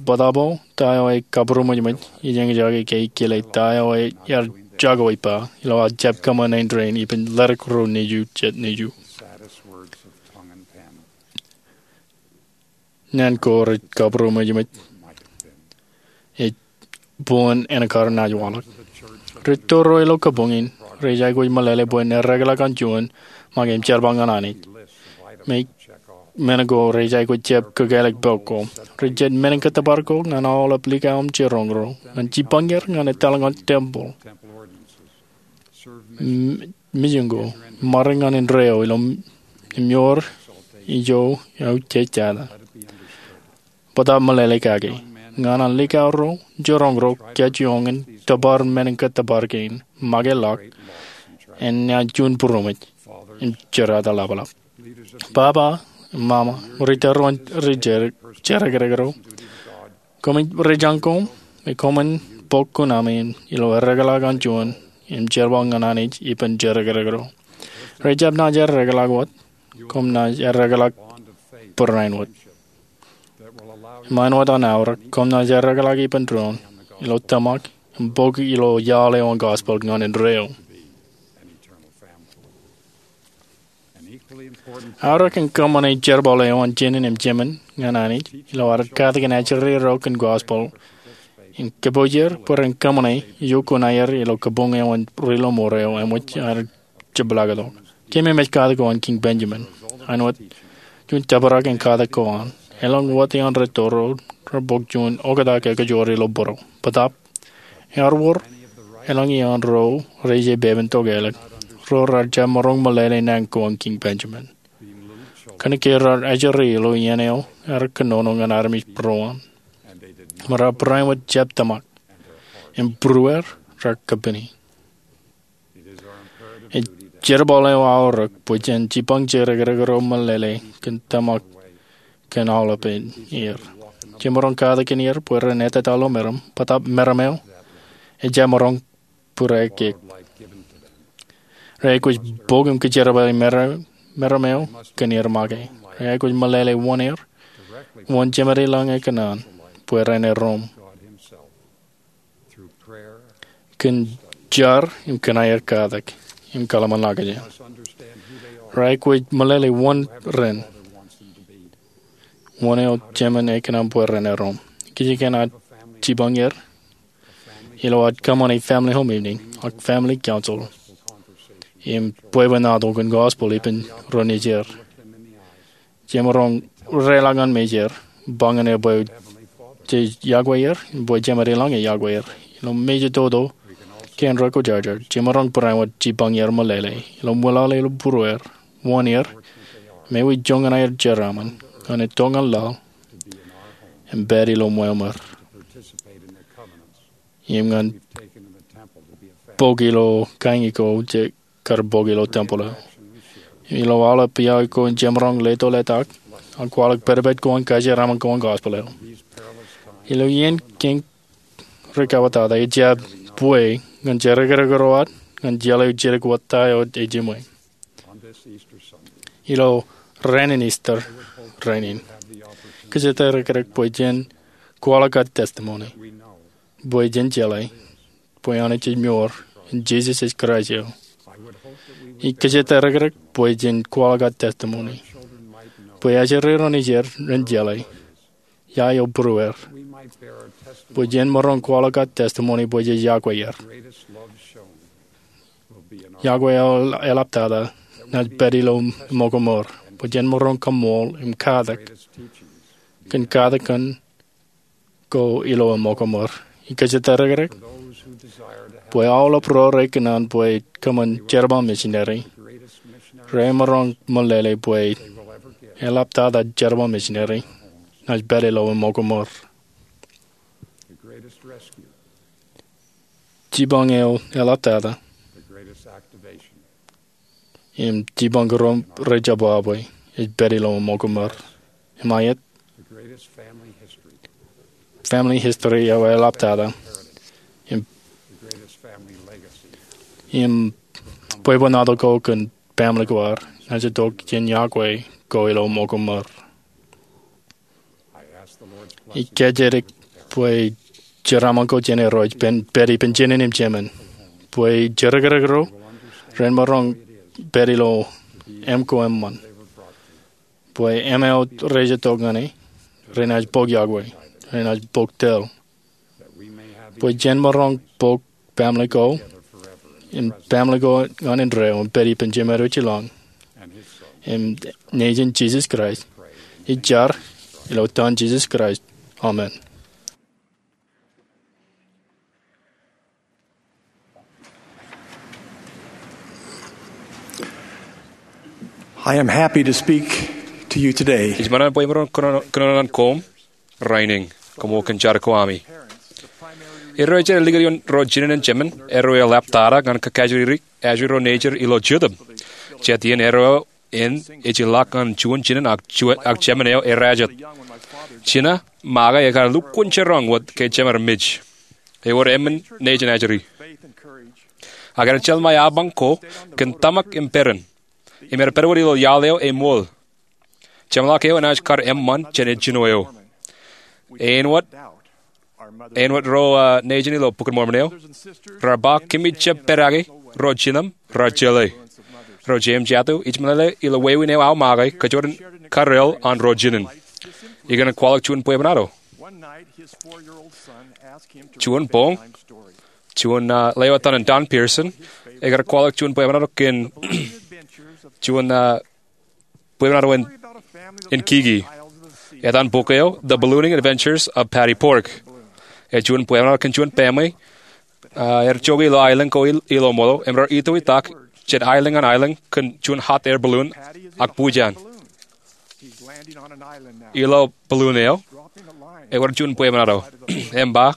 Bōtaab ta eo ekabūroṃōjṃōj ij eñjake ke ij kile ta eo ear jako ippa ilo aō jab kōṃṃane rein ippān ḷadik ro nejū jet nejū. Naan ko rej kabūroṃōjṃōj ej buon āne kar naaj waḷọk. Rej tōro ilo kabuñ in rej aikuj meḷeḷe bwe en eddekḷọk an juon make im jerbal ñan Anij. Im men ko rej aikuj jab kōkālik pok ko. Rej jet men in kōttōpar ko ñan aolep likao im jiroñ ro ñan jipañ er ñan etal ñan tempel mijin ko, ṃare ñan indeeo ilo im ewōr ijo eo jej jata. Bōtaab meḷeḷe kake ñan an likao ro jiroñ ro kajjioñ in tōpar men in kōttōpar kein make ḷọk, en naaj juon būroṃōj im jerata ḷapḷap. Papa, mama, ri tōre ro, ri jerkakakrak ro, koṃij rijañ koṃ me koṃwin bōk kuṇaṃ in ilo eddekḷọk an juon im jerbal ñan Anij ippān jerkakakrak ro. Rej jab naaj eddekḷọk wōt, koṃ naaj eddekḷọk barāinwōt. Im āinwōt an aorōk, koṃ naaj eddekḷọk ippān doon ilo tōmak im bōk ilo iaḷ eo an gospel ñan indeeo. Aorōk en kōṃṃane jerbal eo an jinen im jemān ñan Anij ilo ad katakin ajri ro kōn gospel im kōpoojar bwe ren kōṃṃane ijo kuṇaer ilo kabuñ eo an ri-lọmọọr eo eṃōj ad jepḷaaktok. Kōmij katak ko an Kiiñ Benjamin āinwōt juon tōprak in katak ko an. Elōñ wōt iaan rej tōro rej bōk juon oktak ekajoor ilo būruō. Bōtaab ear wōr elōñ iaan ro rej pepen tokālik ro rej jab maroñ meḷeḷe naan ko an Kiiñ Benjamin. Kōnke rej ajri ilo iien eo ear kōnono ñan armej būruon im rej barāinwōt jab tōmak im būrueir rej kōpini. Ej jerbal eo aorōk bwe jen jipañ jerkakakrak ro meḷeḷe kōn tōmak kōn aolepān er. Jemaroñ katakin er bwe ren ettā ilo meram, bōtaab meram eo ejjab maroñ būreik. Rej aikuj bōk im kōjerbale meram meram eo kōn er make. Reaikuj meḷeḷe wōn er, wōn Jemed ilañ ekōṇaan bwe ren erom kōn jar im kōn aer katak im kōḷmānḷọkjeṇ. Reaikuj meḷeḷe wōn ren, wōn eo Jemed ekōṇaan bwe ren erom. Kōjkan aō jipañ er ilo aō kōṃṃane family home evening ak family council im bwebwenato kōn gospel ippān ro nejier. Jemaroñ reḷọk ñan mejāer, ba ñan er bwe jej yokwe er, bwe Jemed ilañ ej yokwe er. Ilo mejatoto kein ro kwōjarjar, jemaroñ barāinwōt jipañ er meḷeḷe ilo ṃwilaḷ ilo būrueir, wōn er, im ewi joñan aer jeraaṃṃan ñan itok ñan laḷ im pād ilo ṃweo ṃōr im ñan bok ilo kañin ko jej kar bok ilo tempel eo. Ilo aolep piaik ko jemaroñ leto letak ak kwaḷọk pedped ko an kajeraaṃṃan ko an gospel eo. Ilo iien kein rikabatata, ij jab bwe ñan jerkerekrō aō ñan jeḷā jidik wōt ta eo ejiṃwe. Ilo rainin Easter rainin, kōjatdikdik rikdik bwe jen kwaḷọk aō testimony bwe jen jeḷā bwe Anij ej mour im Jisōs ej Kraist eo. Ij kōjatdikdik rikdik bwe jen kwaḷọk aō testimony bwe ajri ro nejier ren jeḷā ia eo būrueir, bwe jen maroñ kwaḷọk aō testimony bwe jej yokwe er. Yokwe eo eḷaptata naaj pād ilo ṃōko ṃōr, bwe jen maroñ kaṃṃool im katak kōn katak kein ko ilo ṃōko ṃōr. Ij kōjatdikdik rikdik bwe aolep ro rekōṇaan bwe kōṃṃan jerbal misineri, remaroñ meḷeḷe bwe eḷaptata jerbal misineri naaj pād ilo ṃōko ṃōr. Jipañ eo eḷaptata im jipañ ko rej jab wāween ej pād ilo ṃōko ṃōr. Im aet, family history eo eḷaptata im, im bwebwenato ko kōn family ko ad naaj itok jān yokwe ko ilo ṃōko ṃōr. Ij kōjatdikdik bwe jeraaṃṃan ko jān Irooj ej pād ippān jinōn im jemān, bwe jerkerekrō ren maroñ pād ilo eṃ ko eṃṃan, bwe eṃ eo rej itok ñan e renaaj bok yokwe, renaaj bok tōl, bwe jen maroñ bok family ko im family ko ñan indeeo im pād ippān Jemed eo ej ilañ im nejin Jisōs Kraist. Ij jar ilo etan Jisōs Kraist, amen. I am happy to speak to you today. Ij ṃōṇōṇō bwe imaroñ kōnono ñan koṃ rainin, koṃ kōn jar ko ami. Erro ej likūt ioon ro jinen in jemān, erro eḷaptata ñan kakajoor ajri ro nejid ilo Jetōb. Jet iien erro in ej ilọk ñan juon jinen ak jemān eo errā jet. Jinen make ekar lukkuun jiroñ wōt ke jemed mej. Ewōr emān nejin ajri. Ak enaaj jeḷā ṃae apañ ko kōn tōmak im peran. Im er pād wōt ilo iaḷ eo eṃool. Jeṃḷọk eo enaaj kar eṃṃan jān ejjino eo. Āinwōt, āinwōt ro nejin ilo Bok in Mormon eo, raar ba kōmij jab pedake ro jinen raar jeḷā. Ro jeiū im jatū, ij meḷeḷe ilo wāween eo aō make kōjatdikdik kōn ro jinen. Ikōṇaan kwaḷọk juon bwebwenato. Juon boñ, juon lewōj etan Don Pearson ekar kwaḷọk juon bwebwenato kōn juon bwebwenato in kiki. Etan bok eo The Ballooning Adventures of Patty Bourke. Ej juon bwebwenato kōn juon baaṃle er jokwe ilo aelōñ ko ilo ṃool im raar itoitak jān aelōñ ñan aelōñ kōn juon hot air balloon ak bujen. Ilo balloon eo ewōr juon bwebwenato im ba,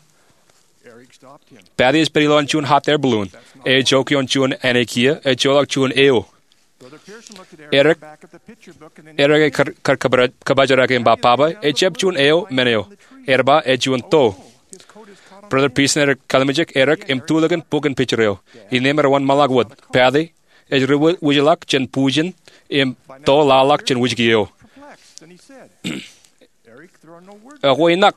Patty ej pād ilowaan juon hot air balloon. Ej jokwe ioon juon āne kiiō, ej joḷọk juon eo. Eric, Eric ej kar kōpojrake im ba, Papa, ejjab juon eo men eo. Ear ba ej juon to. Brother Pearson ear kallimjek Eric im tulikin bok in picture eo. Innām ear wōnṃaanḷọk wōt. Patty ej ri wūjḷọk jān bujen im to laḷḷọk jān wūjki eo. Ekwe inak,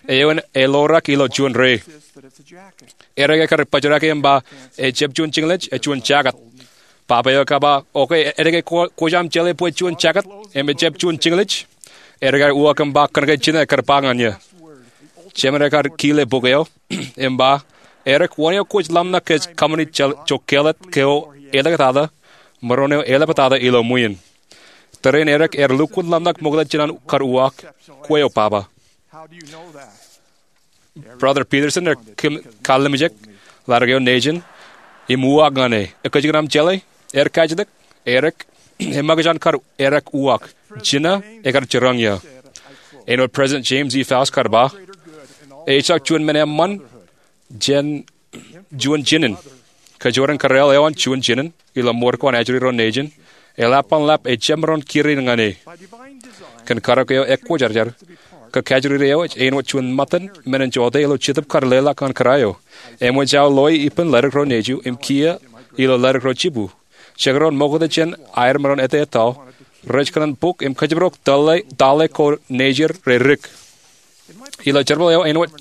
eoon eḷoorōk ilo juon re. Erik ekar bōjrak im ba, ejab juon jiñlej, ej juon jacket. Baba eo ekar ba, okay, edik, kwōj aṃ jeḷā bwe juon jacket im ejab juon jiñlej? Erik ekar uwaak im ba, kōnke jinō ekar ba ñan eō. Jemān ekar kile bok eo im ba, Erik, wōn eo kwōj ḷōmṇak kōj kōṃṃani jokālet keo eḷḷọk tata, maroñ eo eḷap tata ilo ṃwiin? Tōre in Erik ear lukkuun ḷōmṇak ṃokta jān an kar uwaak, kwe eo baba. Brother Peterson ear kallimjek ḷaddik eo nejin im uwaak ñan e, ekōjkan aṃ jeḷā? Ear kajjitōk, Erik, eṃṃakūt an kar Erik uwaak, jinō ekar jiroñ eō. Āinwōt President James E. Faust kar ba, ejjab juon men eṃṃan jān juon jinen. Kōjwōr in kōrā eo an juon jinen ilo ṃoor ko an ajri ro nejin, eḷap an lap ejjab maroñ kūr in ñan e. Kōn karōk eo ekwōjarjar, kōkajriri eo ej āinwōt juon ṃōttan men in jote ilo Jetōb kar leḷọk ñan kōrā eo. Eṃōj aō loe ippān ledik ro nejier im kiiō ilo ledik ro jibū. Jekdọọn ṃokta jān aer maroñ ettā etto, rej kōṇaan bōk im kōjparok tale ko nejir redik. Ilo jerbal eo āinwōt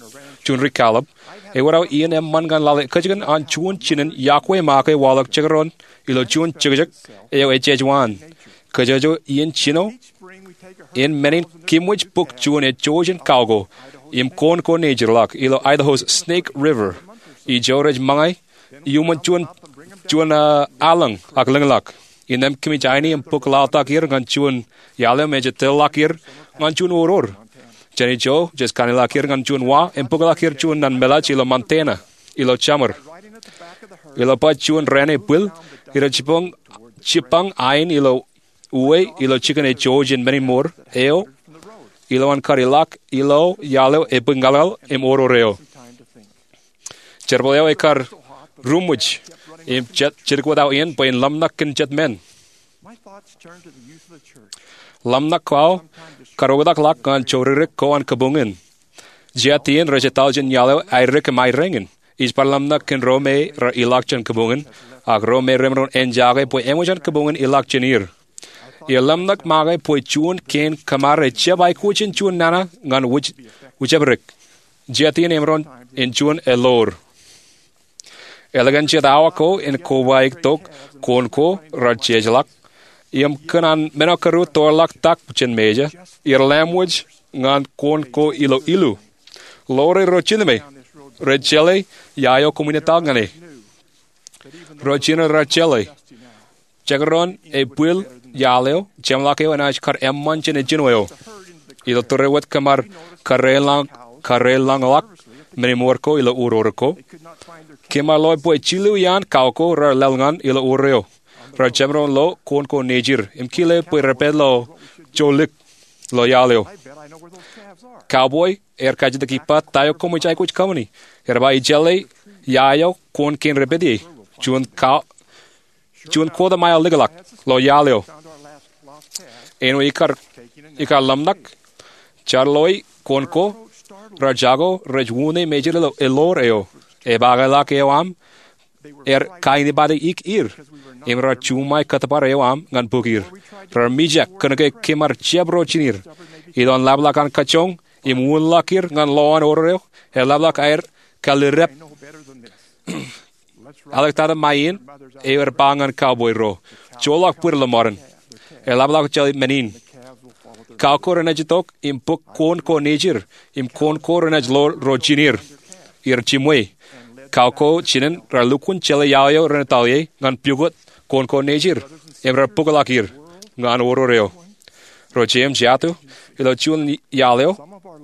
juon ri kallib, ewōr aō iien eṃṃan ñan lale kōjkan an juon jinen yokwe make waḷọk jekdọọn ilo juon jekjek eo ejejwaan. Kōjwōj iien jino in men in kōmwōj bōk juon ejouj in kauko im koon ko nejirḷọk ilo Idaho's Snake River. Ijo rej ṃōñā iuṃwin juon, juon, ah, aḷañ ak lōñḷọk. Innām kōmij aini im bōk laḷtak er ñan juon iaḷ eo me ej tōrḷọk er ñan juon oror. Jān ijo jej kaṇeḷọk er ñan juon wa im bōkḷọk er juon naan meḷaaj ilo Montana ilo jeṃor. Ilo baj juon raan ebwil, irej jibboñ, jibboñ ain ilo uwe ilo jikin ejouj in men in ṃoor eo, ilo an kar ilọk ilo iaḷ eo ebōñalñal im oror eo. Jerbal eo ekar ruṃwij im jet, jidik wōt aō iien bwe in ḷōmṇak kōn jet men. Ḷōmṇak ko aō karuoktakḷọk ñan jourerek ko an kōbuñ in. Jatien rej etal jān iaḷ eo airik im aerāñin. Ij bar ḷōmṇak kōn ro me rej ilọk jān kōbuñ in, ak ro me remaroñ en jake bwe eṃōj an kōbuñ in ilọk jān er. Iar ḷōmṇak make bwe juon kein kōṃare ejjab aikuj in juon nana ñan wūj, wūjabdek. Jatien emaroñ in juon eḷoor. Ālikin jet awa ko in kobaik tok, koon ko rej jejeḷọk. Im kōn an men eo kōrā tōrḷọk tak jān Mejā, iar lamwōj ñan koon ko ilo ilu. Ḷoor ro jinō me rej jeḷā ia eo koṃwin etal ñan e. Ro jinō rej jeḷā. Jekdọọn ebwil iaḷ eo, jeṃḷọk eo enaaj kar eṃṃan jān ejino eo. Ilo tōre wōt kōmar karreoḷọk, karreoḷọk men in ṃoor ko ilo oror ko. Kōmar loe bwe jilu iaan kau ko rej lōḷ ñan ilo oror eo. Rej jemaroñ lo koon ko nejir im kile bwe rej pād ilo jolik ilo iaḷ eo. Cowboy ear kajjitōk ippa ta eo koṃij aikuj kōṃṃani. Ear ba ij jeḷā ia eo koon kein rej pād ie. Juon ka, juon kōta mael likḷọk ilo iaḷ eo. Āinwōt ikar, ikar ḷōmṇak, jaar loe koon ko rej jako rej uññā mejād ilo eḷoor eo. Epaakḷọk eo aṃ, er kainepata ik er, im rej juṃae kōttōpar eo aṃ ñan bōk er. Rej mijak kōnke kōmar jab ro jinir. Ilo an laplap an kajjoñ im uñlọk er ñan lo an oror eo, eḷapḷọk aer kallirdep. Āliktata ṃae in, eo ear ba ñan cowboy ro, joḷọk bwir ilo ṃōran. Eḷapḷọk jeḷā men in. Kau ko renaaj itok im bōk koon ko nejir, im koon ko renaaj lo ro jinir. Iar jiṃwe. Kau ko jinen rej lukkuun jeḷā iaḷ eo ren etal ie ñan pukot koon ko nejir, im rej bōkḷọk er ñan oror eo. Ro jeiū im jatū, ilo juon iaḷ eo,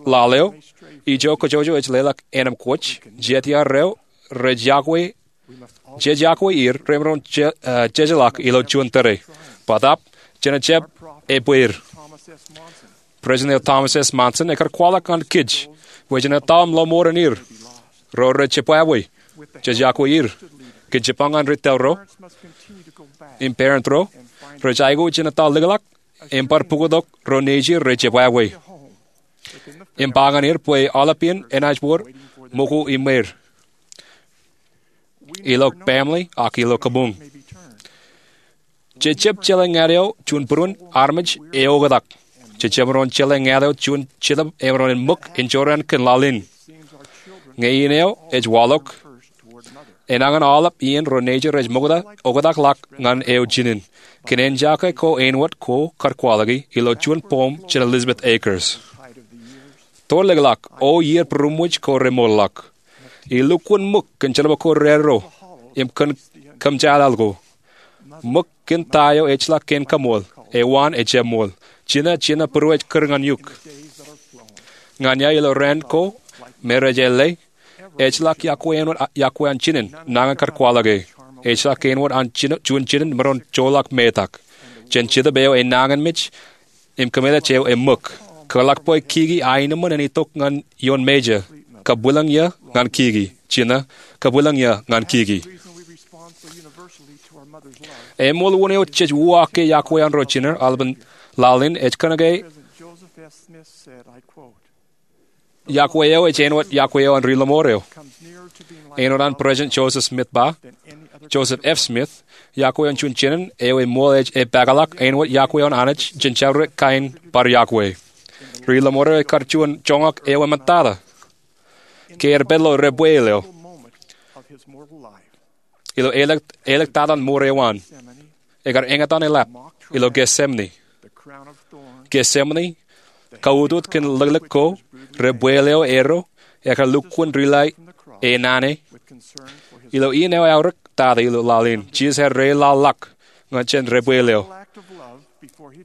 laḷ eo, ijo kōjwōj ej leḷọk ānōm kōj, jetiar eo rej yokwe, jej yokwe er remaroñ je, eh, jejeḷọk ilo juon tōre. Bōtab, jen jab ebbeer. President eo Thomas S. Monson ekar kwaḷọk ñan kōj bwe jen etal im lo ṃoran er. Ro rej jebwābwe, jej yokwe er. Kōn jibboñ an ri tōl ro im parent ro, rej aikuj in etal likḷọk im bar pukot ro nejir rej jebwābwe. Im ba ñan er bwe aolepān enaaj wōr ṃōko iṃweer ilo family ak ilo kōbuñ. Jejjab jeḷā ñāāt eo juon būruon armej eoktak. Jejjab maroñ jeḷā ñāāt eo juon jetōb emaroñ en ṃōk in jorrāān kōn laḷ in. Ñe in eo ej waḷọk, enañin aolep iien ro nejū rej ṃokta oktakḷọk ñan eo jinen. Kōn ejjake ko āinwōt ko kar kwaḷọki ilo juon poem jān Elizabeth Akers. Torḷọkḷọk, O iier būruṃwij ko remootḷọk. Eḷukkuun ṃōk kōn jerbal ko raarro im kōn kōmjaaḷaḷ ko. Ṃōk kōn ta eo ejjeḷọk kein kaṃool, ewaan ejjab ṃool. Jino, jino būruō ej kūr ñan eok. Ñan ia ilo raan ko me rej ālle, ejjeḷọk iọkwe āinwōt iọkwe an jinen nañin kar kwaḷọke. Ejjeḷọk āinwōt an jino, juon jinen maroñ joḷọk metak. Jān Jetōb eo enañinmej im kōmeḷeḷe eo eṃōk. Kōḷak bwe kiki aenōṃṃan en itok ñan ioon mejā. Kabwilōñ eō ñan kiki. Jino, kabwilōñ eō ñan kiki. Eṃool wōn eo jej uwaak ke iọkwe an ro jiner aolepān laḷ in ej kōnke iọkwe eo ej āinwōt iọkwe eo an ri-lọmọọr eo. Āinwōt an President Joseph Smith ba, Joseph F. Smith, iọkwe an juon jinen eo eṃool ej epaakḷọk āinwōt iọkwe an Anij jān jabdewōt kain bar iọkwe. Ri-lọmọọr eo ekar juon joñak eo eṃōttata ke er pād ilo debwāāl eo. Ilo āliktata in mour eo an, ekar eñtaan eḷap ilo Gethsemane. Gethsemane, kautiej kōn liklik ko, debwāāl eo ero, ekar lukkuun dilae e naan e. Ilo in eo eaorōk tata ilo laḷ in, Jisōs ear deḷọñḷọk ñan jān debwāāl eo.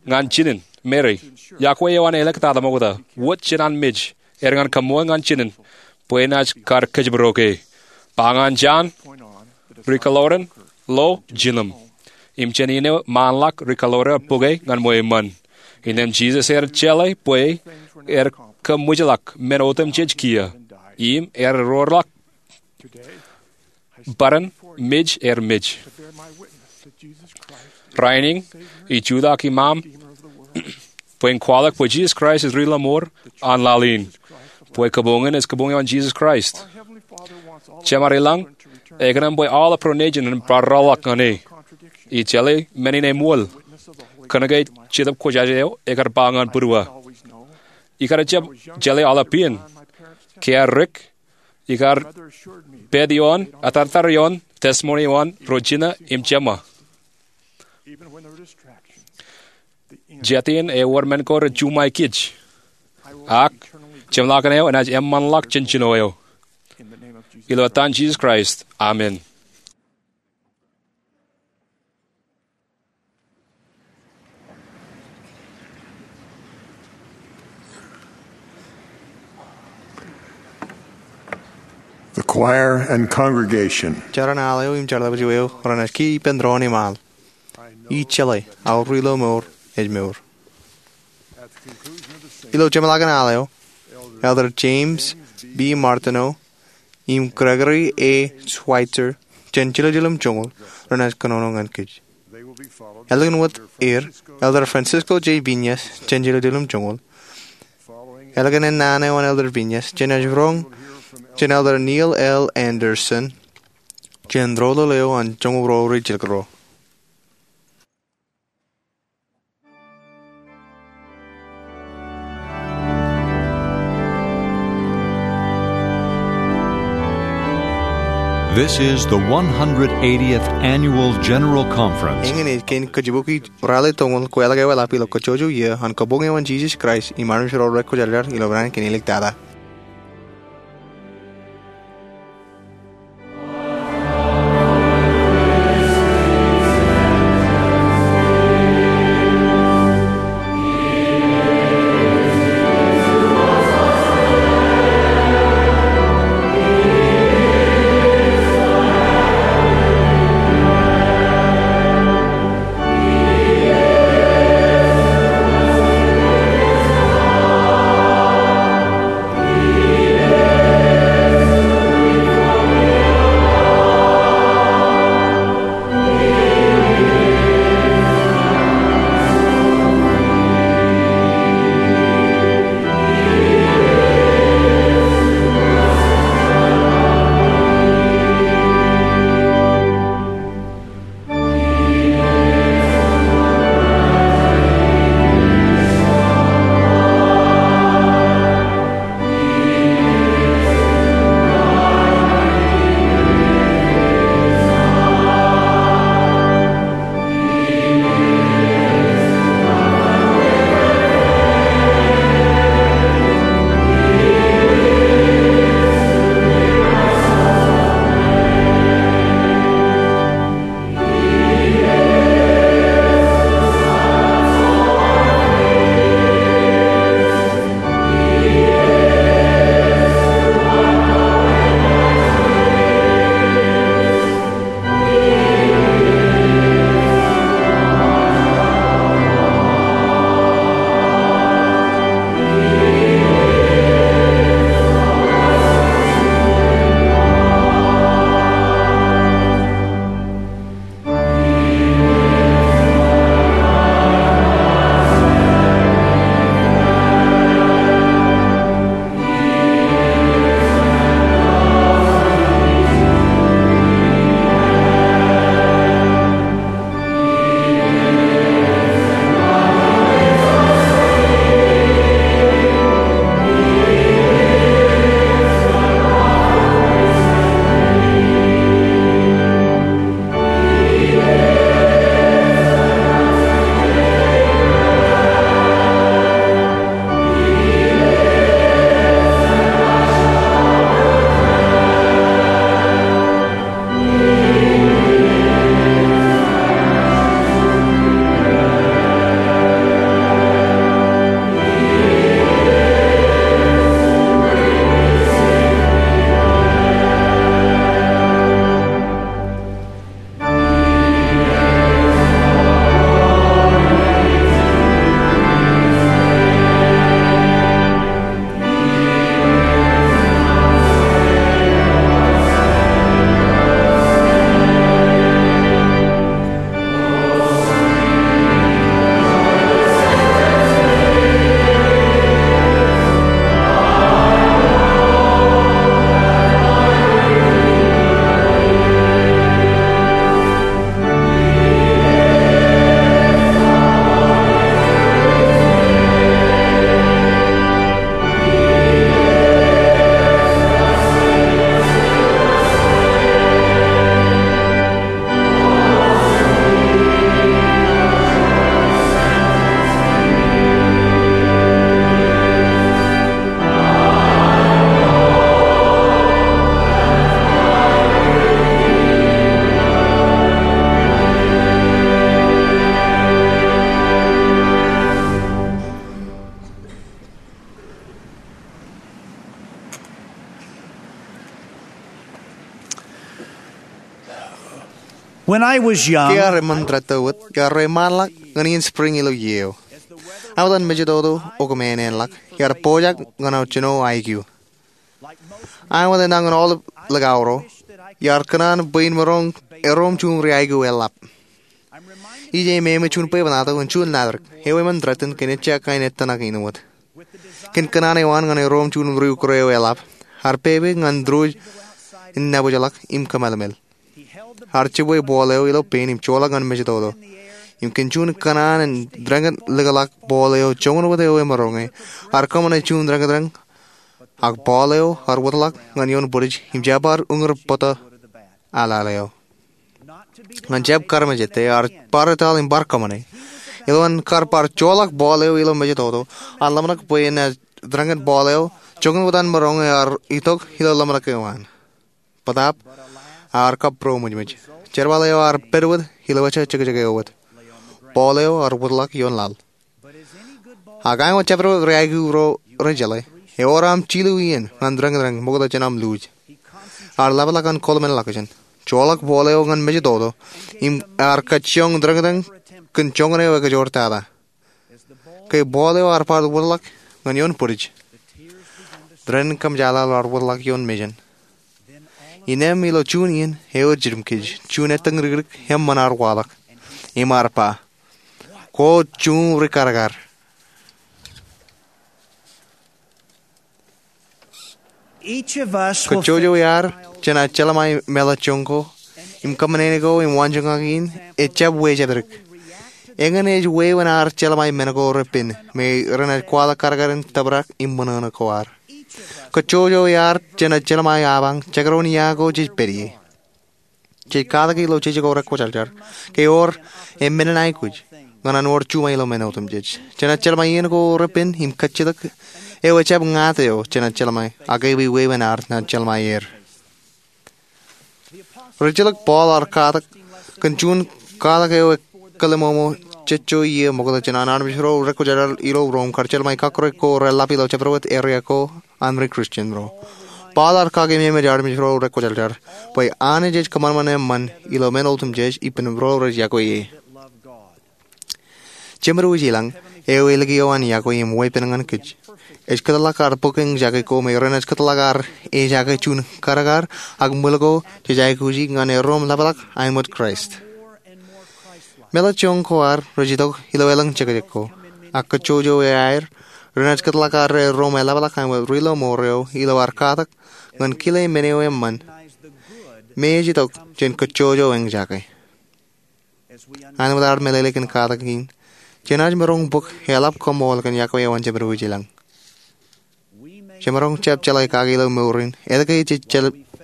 Ñan jinen, Meri, iọkwe eo an āliktata ṃokta, wōt jān an mej, er ñan kaṃṃool ñan jinen, bwe enaaj kar kōjparok e. Ba ñan Jon, ri-kōḷoran, lo jilōm. Im jān in eo ṃaanḷọk ri-kōḷoran bōke ñan ṃweo eṃṃan. Innām Jisōs ear jeḷā bwe er kōṃwijḷọk men otemjej kiiō. Im ear roorḷọk bōran mej er mej. Rainin, ij jutak iṃaaṃ bwe in kwaḷọk bwe Jisōs Kraist ej ri-lọmọọr an laḷ in. Bwe kabuñ in ej kabuñ eo an Jisōs Kraist. Jemād ilañ ekōṇaan bwe aolep ro nejin en bar rọọlḷọk ñan e. Ij jeḷā men in eṃool. Kōnke Jetōb Kwōjarjar eo ekar ba ñan būruō. Ikar jab jeḷā aolep iien. Ke iar dik, ikar pād ioon, atartar ioon testimony eo an ro jino im jeṃḷọk. Jet iien ewōr men ko rej juṃae kōj. Ak, jeṃḷọkin eo enaaj eṃṃanḷọk jān jino eo. Ilo etan Jisōs Kraist, amen. The choir and congregation. Jeran al eo im jerbal eo renaaj kiiō ippān doon im al. Ij jeḷā aō ri-lọmọọr ej mour. Ilo jeṃḷọkin al eo, Elder James B. Martineau im Gregory A. Switzer jān jiljilimjuonñoul renaaj kōnono ñan kōj. Ālikin wōt er, Elder Francisco J. Peñas jān jiljilimjuonñoul. Ālikin ennaan eo an Elder Peñas, jenaaj roñ jān Elder Neil L. Andersen jān doulul eo an joñoul ruo rijjilōk ruo. This is the one hundred eightieth Annual General Conference. Eñin ej kein kōjibukwi ralitōñoul ko ālikin eḷap ilo kajjojo iiō an kabuñ eo an Jisōs Kraist im armej ro rej kwōjarjar ilo raan kein āliktata. Ke iar eṃṃan tōre wōt, iar reiṃaanḷọk ñan iien spring ilo iiō eo. Aō etan mejatoto eo kōṃṃan āinḷọk, iar pojak ñan aō jino aikiu. Aō etan aolep likao ro, iar kōṇaan bwe in maroñ erom juon ri aikiu eḷap. Ij aememej juon bwebwenato in juon laḷ eo eṃṃan tōre in kōn ejja kain ettōṇak in wōt. Kōn kōṇaan eo an ñan erom juon ri ukure eo eḷap, ear pepe ñan tōre in nabōjḷọk im kōmālmel. Ear jibwe ball eo ilo pein im joḷọk ñan mejatoto. Im kōn juon kōṇaan in dānkōt likḷọk ball eo joñan wōt eo emaroñe, ear kōṃṃane juon dānkōtdōn, ak ball eo ear wōtḷọk ñan ioon bwidej im jab bar uñūr bōtō aḷaḷ eo. Ñan jab karmejete, ear bar etal im bar kōṃṃane. Ilo an kar bar joḷọk ball eo ilo mejatoto, ear ḷōmṇak bwe enaaj dānkōt ball eo joñan wōt an maroñe ear itok ilo ḷōmṇak eo an. Bōtaab, ear kab būroṃōjṃōj. Jerbal eo ear pād wōt ilo ejja jekjek eo wōt. Ball eo ear wōtḷọk ioon laḷ. Ak āinwōt jabdewōt ri aikiu ro rej jeḷā, ewōr aṃ jilu iien ñan dānkōtdōn ṃokta jān aṃ luuj. Ear ḷapḷọk an kōḷmānḷọkjeṇ, joḷọk ball eo ñan mejatoto, im ear kajjioñ dānkōtdōn kōn joñan eo ekajoor tata. Ke ball eo ear bar wōtḷọk ñan ioon bwidej, dānkōtdōn kōmjaaḷaḷ ear wōtḷọk ioon mejān. Innām ilo juon iien, ewōr jidim kōj, juon ettōñ rikdik eṃṃan ear waḷọk. Im ear ba, "Kwōj juon ri karkar." Kajjojo iaar jenaaj jeḷmāe mālōtjoñ ko im kōṃṃane ko im waanjoñak in ejjab wejatdikdik. Eñin ej wāween ad jeḷmāe men ko repen me renaaj kwaḷọk karkar in tōprak im ṃōṇōṇō ko ad. Kajjojo iaar jenaaj jeḷmāe apañ jekdọọn ia ko jej pād ie. Jej katak ilo jeje ko rekwōjarjar ke ewōr emān in aikuj ñan an wōr juṃae ilo men otemjej. Jenaaj jeḷmāe iien ko repen im kajjitōk eo ejjab ñāāt eo jenaaj jeḷmāe, ak ewi wāween ad naaj jeḷmāe er. Rijilōk Paul ear katak kōn juon katak eo ekōḷmānḷọkjeṇ eo ṃokta jān an armej ro rekwōjarjar ilo Rom kar jeḷmāe kọkkure ko reḷap ilo jabdewōt eria ko an ri Kristian ro. Paul ear kakememej armej ro rekwōjarjar bwe Anij ej kōṃanṃan eṃṃan ilo men otemjej ippān ro rej yokwe e. Jemedwōj ilañ eo elikio an yokwe im weeppān ñan kōj ej kōtḷọk ad bōk eñjake ko me renaaj kōtḷọk ad ejake juon karkar ak ṃwil ko jej aikuji ñan erom ḷapḷọk āinwōt Kraist. Mālōtjoñ ko ad rej itok ilo elōñ jekjek ko, ak kajjojo iaer renaaj kōtḷọk ad erom eḷapḷọk āinwōt ri-lọmọọr eo ilo ad katak ñan kile men eo eṃṃan me ej itok jān kajjojo eñjake. Āinwōt ad meḷeḷe kōn katak in, jenaaj maroñ bōk eḷap koṃṃool kōn yokwe eo an jemedwōj ilañ. Jemaroñ jab jeḷā kake ilo mour in etke jej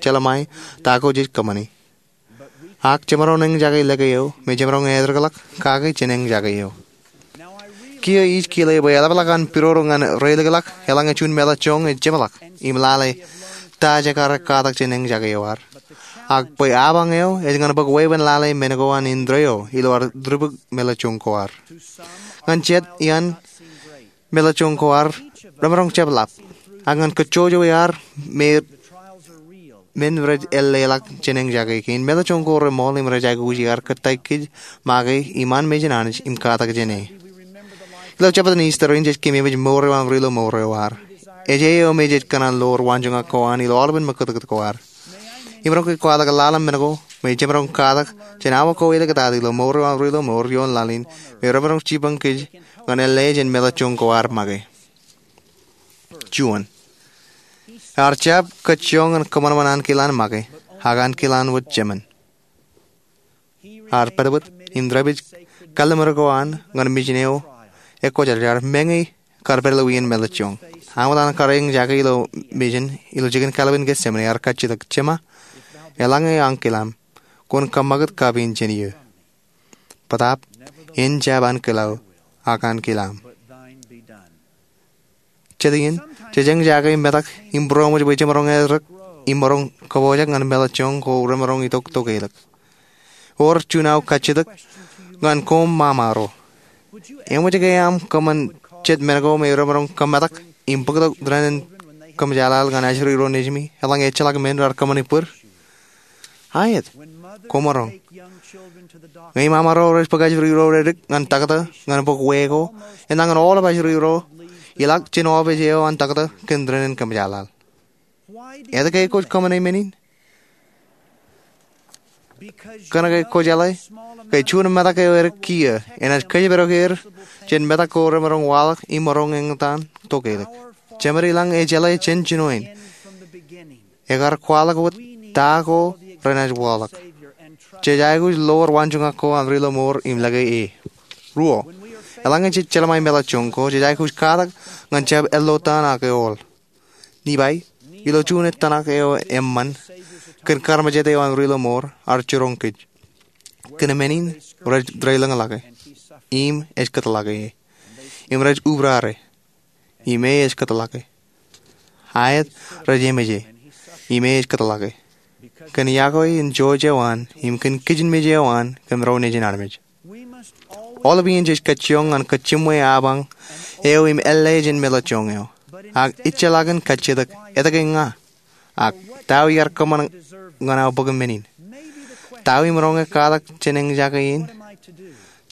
jeḷmāe ta ko jej kōṃṃane. Ak jemaroñ eñjake lōke eo me jemaroñ etōrḷọk kake jān eñjake eo. Kiiō ij kile bwe eḷapḷọk an pidodo ñan reilikḷọk eḷaññe juon mālōtjoñ ej jemḷọk im lale ta jekar katak jān eñjake eo ad, ak bwe apañ eo ej ñan bōk wāween lale men ko an indeeo ilo ad tūbuk mālōtjoñ ko ad. Ñan jet iaan, mālōtjoñ ko ad remaroñ jab ḷap, ak ñan kajjojo iaar me men rej ālleḷọk jān eñjake kein, mālōtjoñ ko reṃool im rej aikuji ad kōttāik kōj make iṃaan mejān Anij im katak jāne. Ilo jabōt in Easter in jej kememej mour eo an ri-lọmọọr eo ad. Ej eo me jej kōṇaan ḷoor waanjoñak ko an ilo aolepān ṃakūtkūt ko ad. Im maroñ ke kwaḷọk lale men ko me jemaroñ katak jān awa ko āliktata ilo mour eo an ri-lọmọọr ioon laḷ in me remaroñ jipañ kōj ñan ālle jān mālōtjoñ ko ad make. Juon, ear jab kajjioñ ñan kōṃanṃan ankilaan make, ak ankilaan wōt jemān. Ear pād wōt im dāpij kalliṃur ko an ñan mejān eo ekwōjarjar, meñe kar pād ilo wien mālōtjoñ. Āinwōt an kar eñjake ilo mejān ilo jikin kalbwin Getsemane, ear kajjitōk, Jema, eḷaññe ankilaṃ, kwōn kōṃakūt kapin jān iiō. Bōtaab, en jab ankilao, ak ankilaṃ. Jet iien, jej eñjake metak im būroṃōj bwe jemaroñ etōrōk im maroñ kōpojak ñan mālōtjoñ ko remaroñ itok tokeḷọk. Ewōr juon aō kajjitōk ñan koṃ ṃaṃaro. Eṃōj ke aṃ kōṃṃan jet men ko me remaroñ kōmetak im bōktok dān in kōmjaaḷaḷ ñan ajri ro nejimi eḷaññe ejjeḷọk men raar kōṃṃani bōd? Aet, kwōmaroñ. Ñe imamaro rej bōk ajri ro redik ñan taktō ñan bok weko, enañin aolep ajri ro ilọk jān opiij eo an taktō kōn dān in kōmjaaḷaḷ. Etke kwōj kōṃṃane men in? Kōnke kwō jeḷā ke juon metak eo edik kiiō enaaj kōjparok er jān metak ko remaroñ waḷọk im maroñ eñtaan tokālik. Jemed ilañ ejeḷā jān jinoin. Ekar kwaḷọk wōt ta ko renaaj waḷọk. Jej aikuj lowar waanjoñak ko an ri-lọmọọr im lōke e. Ruo, eḷaññe jej jelṃae meḷọkjeṇ ko, jej aikuj katak ñan jab ello taan ak eool. Nifai, ilo juon ettōṇak eo eṃṃan, kōn karmejād eo an ri-lọmọọr, ear jiroñ kōj. Kōn men in, rej deḷọñḷọke, im ej kōtḷọke e. Im rej ubrare, im e ej kōtḷọke. Aet, rej emeje, im e ej kōtḷọke. Kōn yokwe in jouj eo an, im kōn kijenmej eo an, kōm ro nejin armej. Aolep iien jej kajjioñ ñan kōjjiṃwe apañ eo im ālle jān meḷọkjeṇ eo. Ak ejjeḷọkin kajjitōk, etke ña? Ak ta eo iar kōṃṃan ñan aō bōk men in? Ta eo im roñe katak jān eñjake in?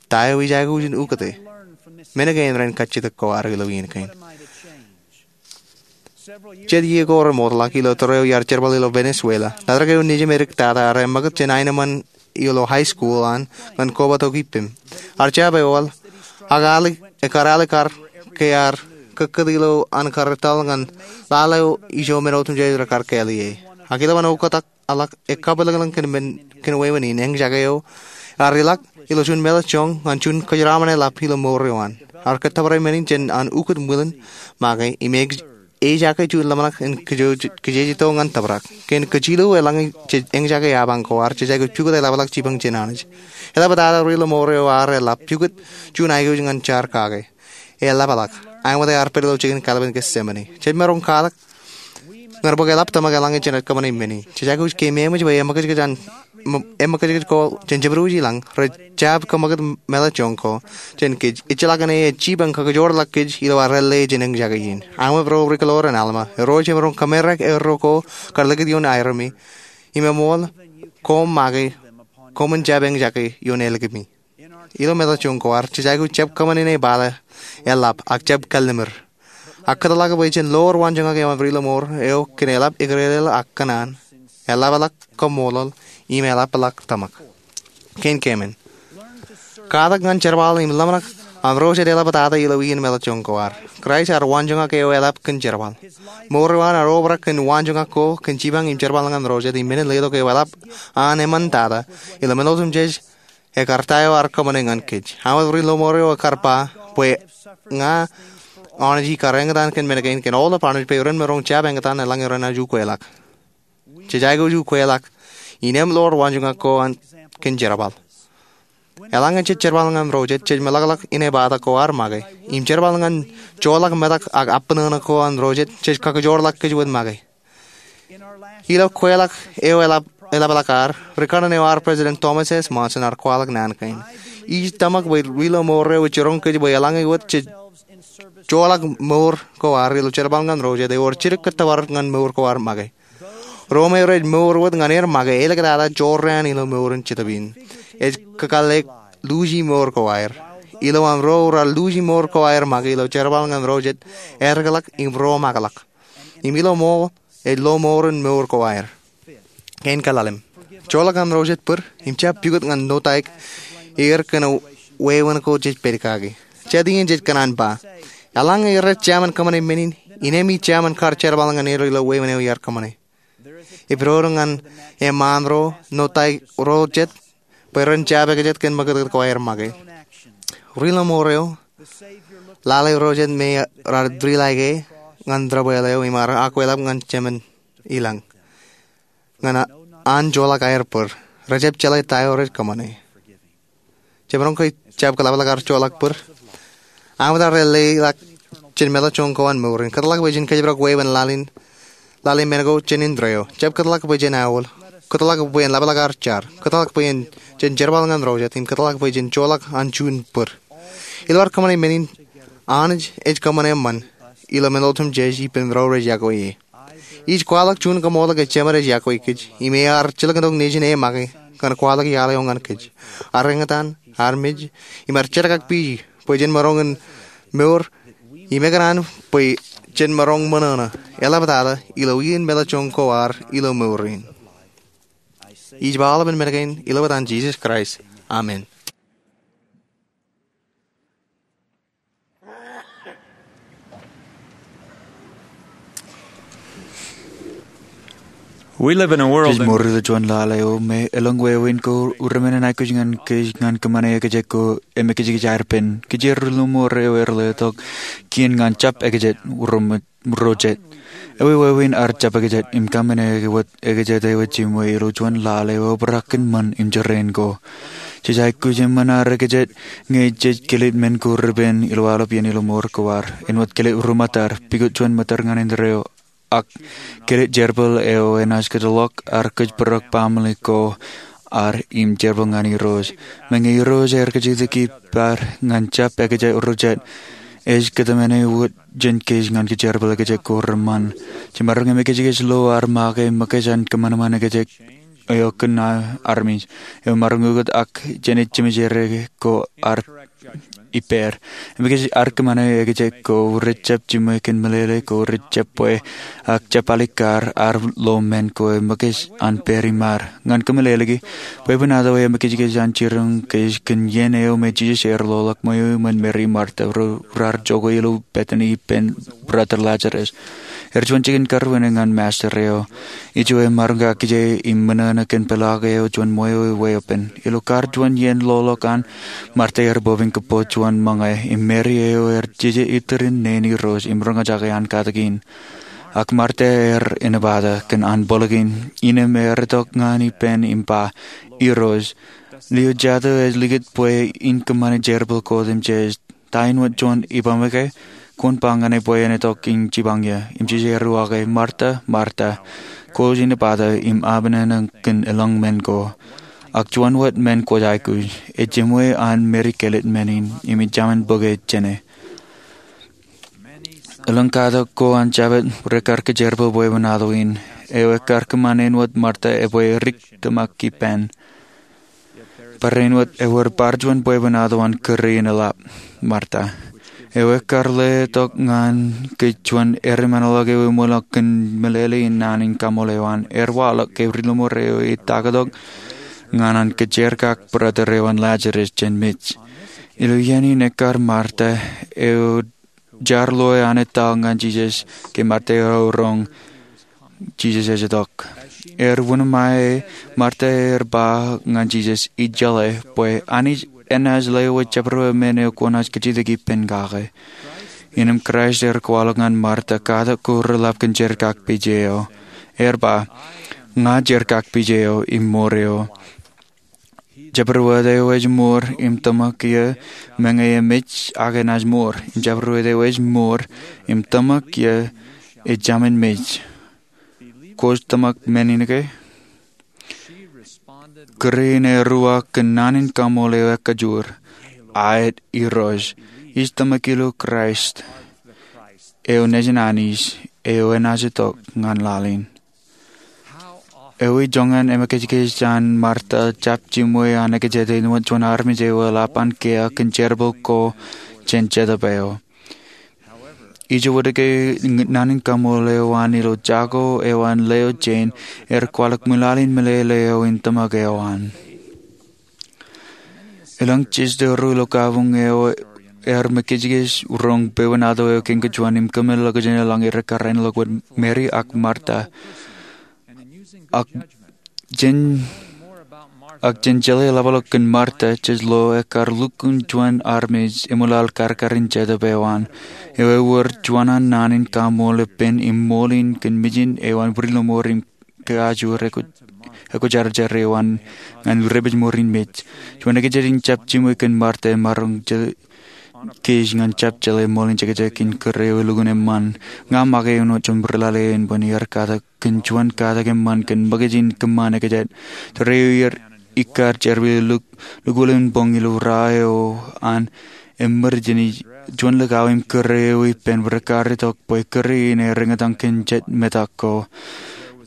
Ta eo ij aikuj in ukōte? Men kein ren kajjitōk ko ad ilo iien kein. Jet iiō ko remootḷọk ilo tōre eo iar jerbal ilo Venezuela, letok eo nejim edik tata ear eṃṃakūt jān aenōṃṃan ilo high school an ñan koba tokipim. Ear jab eool, ak ear alikkar ke ear kōkkūt ilo an kar etal ñan laḷ eo ijo men otemjej rekar kāālōt e. Ak ilowaan oktak ḷọk ekkapwilōñlōñ kōn men, kōn wāween in, eñjake eo ear ilọk ilo juon meḷọkjeṇ ñan juon kōjeraṃṃan eḷap ilo mour eo an. Ear kōttōpare men in jān an ukōt ṃwilen make im ej, ejake juon ḷōmṇak in kijeej, kijeejito ñan tōprak. Kōn kōjjilōk eḷaññe jej eñjake apañ ko ad, jej aikuj pukot eḷapḷọk jipañ jān Anij. Eḷaptata ri-lọmọọr eo ear eḷap pukot juon aikuj ñan jaar kake. Eḷapḷọk. Aṃ wōt ear pād ilo jikin kalpen Getsemane. Jej maroñ katak ñan bōk eḷap tōmak eḷaññe jenaaj kōṃṃane men in. Jej aikuj keememej bwe eṃōkajkōj an, eṃōkajkōj ko jān jabdewōt ilañ rej jab kōṃṃakūt meḷọkjeṇ ko jān kōj. Ejjeḷọkin e ej jipañ kakijoorḷọk kōj ilo ad ālle jān eñjake in. Aṃ wōt ro rikuḷoor in Alma, ro jemaroñ kōmerak erro ko kar likūt ioon aerōmi im eṃool koṃ make koṃwin jab eñjake ioon ālikimi. Ilo meḷọkjeṇ ko ad, jej aikuj jab kōṃṃan ine bata eḷap ak jab kallimur. Ak kōtḷọk bwe jen lowar waanjoñak eo an ri-lọmọọr eo kōn eḷap eklele ak kōṇaan, eḷapḷọk kaṃṃoolol, im eḷapḷọk tōmak. Kein keemān, katak ñan jerbal im ḷōmṇak an ro jet eḷaptata ilo iien meḷọkjeṇ ko ad. Kraist ear waanjoñak eo eḷap kōn jerbal. Mour eo an ear obrak kōn waanjoñak ko kōn jipañ im jerbal ñan ro jet im men in letok eo eḷap an eṃṃan tata ilo men otemjej. Ekar ta eo ear kōṃṃane ñan kōj. Aṃ wōt ri-lọmọọr eo ekar ba bwe ña aolep kar eñtaan kōn men kein kōn aolep armej bwe ren maroñ jab eñtaan eḷaññe renaaj ukweḷọk. Jej aikuj ukweḷọk innem lowar waanjoñak ko an kōn jerbal. Eḷaññe jej jerbal ñan ro jet, jej meḷọkḷọk ine bata ko ad make im jerbal ñan joḷọk metak ak abṇōṇō ko an ro jet jej kakijoorḷọk kōj wōt make. Ilo kweḷọk eo eḷap, eḷapḷọk ad, ri-kanaan eo ad President Thomas S. Monson ear kwaḷọk naan kein. Ij tōmak bwe ri-lọmọọr eo ej jiroñ kōj bwe eḷaññe wōt jej joḷọk mour ko ad ilo jerbal ñan ro jet, ewōr jidik kōttōpar ñan mour ko ad make. Ro me rej mour wōt ñan er make āliktata jorrāān ilo mour in jetōb in. Ej kakālle luuji mour ko aer. Ilo am ro raar luuji mour ko aer make ilo jerbal ñan ro jet, etikḷọk im romakḷọk. Im ilo ṃool ej lo mour in mour ko aer. Kein kaḷalem, joḷọk an ro jet bōd im jab pukot ñan notaik er kōn wāween ko jej pād kaki. Jet iien jej kōṇaan ba, eḷaññe rej jemān kōṃṃane men in, innem ij jemān kar jerbal ñan er ilo wāween eo iar kōṃṃane. Epidodo ñan eṃṃaan ro notaik ro jet bwe ren jab ekajet kōn ṃakūtkūt ko aer make. Ri-lọmọọr eo lale ro jet me raar tūrilaike ñan debwāāl eo im ear akweḷap ñan jemān ilañ ñan an joḷọk aer bōd. Rejjab jeḷā ta eo rej kōṃṃane. Jemaroñ ke jab kōḷapḷọk ad joḷọk bōd? Aṃ wōt ad ālleḷọk jān meḷọkjeṇ ko an mour in. Kōtḷọk bwe jen kōjparok wāween laḷ in, laḷ in men ko jān indeeo. Jab kōtḷọk bwe jen aolep. Kōtḷọk bwe en ḷapḷọk ad jar. Kōtḷọk bwe jen jerbal ñan ro jet. Im kōtḷọk bwe jen joḷọk an juon bōd. Ilo ad kōṃṃane men in, Anij ej kōṃṃan eṃṃan ilo men otemjej ippān ro rej yokwe e. Ij kwaḷọk juon kaṃoolol ke Jemed ej yokwe kōj im ear jilkintok Nejin e make kōn kwaḷọk iaḷ eo ñan kōj. Ar eñtaan, armej, im ar jerkakpeje bwe jen maroñ in mour im ekōṇaan bwe jen maroñ ṃōṇōṇō eḷaptata ilo iien meḷeḷe joñan ko ad ilo mour in. Ij ba aolepān men kein ilo etan Jisōs Kraist, amen. Kōj mour ilo juon lale eo me elōñ wāween ko remenjen aikuj ñan kōj ñan kōṃṃane ekōjek ko emekijkij aer pen. Kōj ri lọmọọr eo ear letok kien ñan jab ekōjek ro jet. Ewi wāween ad jab ekōjek im kōṃṃane wōt ekōjek eo jiṃwe ilo juon lale eo obrak kōn ṃōn im jerain ko? Jej aikuj eṃṃan ad ekōjek ñe jej kilit men ko repen ilo aolep iien ilo mour ko ad. Āinwōt kilit ruṃwij ad, pukot juon ṃōttar ñan indeeo, ak kilit jerbal eo enaaj kōtḷọk ad kōjparok baaṃle ko ad im jerbal ñan Irooj. Meñe Irooj ear kajjitōk ippaṃ ñan jab ekōjek ro jet, ej kōtmāne wōt jān kōj ñan kōjerbal ekōjek ko reṃṃan. Jemaroñ emekijkij lo ad make ṃōkaj an kōṃanṃan ekōjek eo kōn armej eo maroñ ukōt ak jenaaj jemjeer ko ad ippāer. Emekij ad kōṃṃane ekōjek ko rej jab jiṃwe kōn meḷeḷe ko rej jab bwe ak jab alikkar ad lo men ko ṃōkaj an pād im ad. Ñan kōmeḷeḷeiki, bwebwenato eo emekijkij an jiroñ kōj kōn iien eo me Jisōs ear loḷọk ṃweo iṃōn Meri im Marta ro raar jokwe ilo Betani ippān brother Lazarus. Ear juon jikin karuwene ñan Master eo. Ijo emaroñ kakije im ṃōṇōṇō kōn peḷaak eo juon ṃweo eo eoon. Ilo kar juon iien loḷọk an, Marta ear bōk im kōpooḷ juon ṃōñā, im Meri eo ear jeje itūrin neen Irooj im roñjake an katakin. Ak Marta ear enepata kōn an bōlōkin, innām ear itok ñan ippān im ba, Irooj, lio jatū ej likūt bwe in kōṃṃane jerbal ko otemjej? Ta āinwōt juon ibaṃ eke? Kwōn ba ñan e bwe en itok im jipañ eō. Im Jisōs ear uwaake, Marta, Marta, kwōj enepata im apnana kōn elōñ men ko. Ak juon wōt men kwōj aikuj. Ejiṃwe an Meri kilit men in, im ejāmin bōke jāne. Elōñ katak ko an Jabōt rekar kōjerbal bwebwenato in, eo ekar kōṃṃan āinwōt Marta ebwe rik tōmak ippān. Barāinwōt ewōr bar juon bwebwenato an kūr in eḷap, Marta, eo ekar letok ñan kōj juon eṃṃanḷọk eo eṃōḷọk kōn meḷeḷe in naan in kaṃool eo an. Ear waḷọk ke ri lọmọọr eo ej taktōk ñan an kōjerakak brother eo an Lazarus jān mej. Ilo iien in ekkar Marta eo jar loe an etal ñan Jisōs ke Marta ear roñ Jisōs ej itok. Ear wūnōṃṃa e, Marta ear ba ñan Jisōs, Ij jeḷā bwe Anij enaaj lewōj jabdewōt men eo kwōnaaj kajjitōk ippān kake. Innām Kraist ear kwaḷọk ñan Marta katak ko reḷap kōn jerkakpeje eo. Ear ba, Ña jerkakpeje eo im mour eo. Jabdewōt eo ej mour im tōmak eō, meñe emej ak enaaj mour. Im jabdewōt eo ej mour im tōmak eō, ejāmin mej. Kwōj tōmak men in ke? Kūr in ear uwaak kōn naan in kaṃool eo ekajoor, Aet, Irooj. Ij tōmak ilo Kraist, eo nejin Anij, eo enaaj itok ñan laḷ in. Ewi joñan emekijkij an Marta jab jiṃwe an ekōjek āinwōt juon armej eo eḷap an kiiō kōn jerbal ko jān Jetōb eo. Ijowōnōkwe, naan in kaṃool eo an ilo jako eo an leo jein ear kwaḷọk ṃwilaḷ in meḷeḷe eo in tōmak eo an. Elōñ jistō ro ilo kabuñ eo ear mekijkij roñ bwebwenato eo kein kajuon im kōmālḷọkjeṇ eḷaññe rekar āinḷọk wōt Meri ak Marta. Ak jen, ak jen jeḷā ḷapḷọk kōn Marta, jej lo ekkar lukkuun juon armej eṃwilaḷ karkarin Jetōb eo an. Eo ewōr juon an naan in kaṃool epen im ṃool in kōn mijin eo an ri lọmọọr im kakajoor eo ekwojarjar eo an ñan ri-rej mour in mej. Juon ekōjek in jab jiṃwe kōn Marta emaroñ kōj ñan jab jeḷā ṃool in jekjek in kūr eo elukkuun eṃṃan. Ña make āinwōt juon ri lale eo in bōn iaar katak kōn juon katak eṃṃan kōn ṃōkaj in kōṃṃan ekōjek. Tōre eo iar ikkar jerbal lukkuun boñ ilo raan eo an eṃṃan jān juon likao im kūr eo ippān rekar itok bwe kūr in ear eñtaan kōn jet metak ko.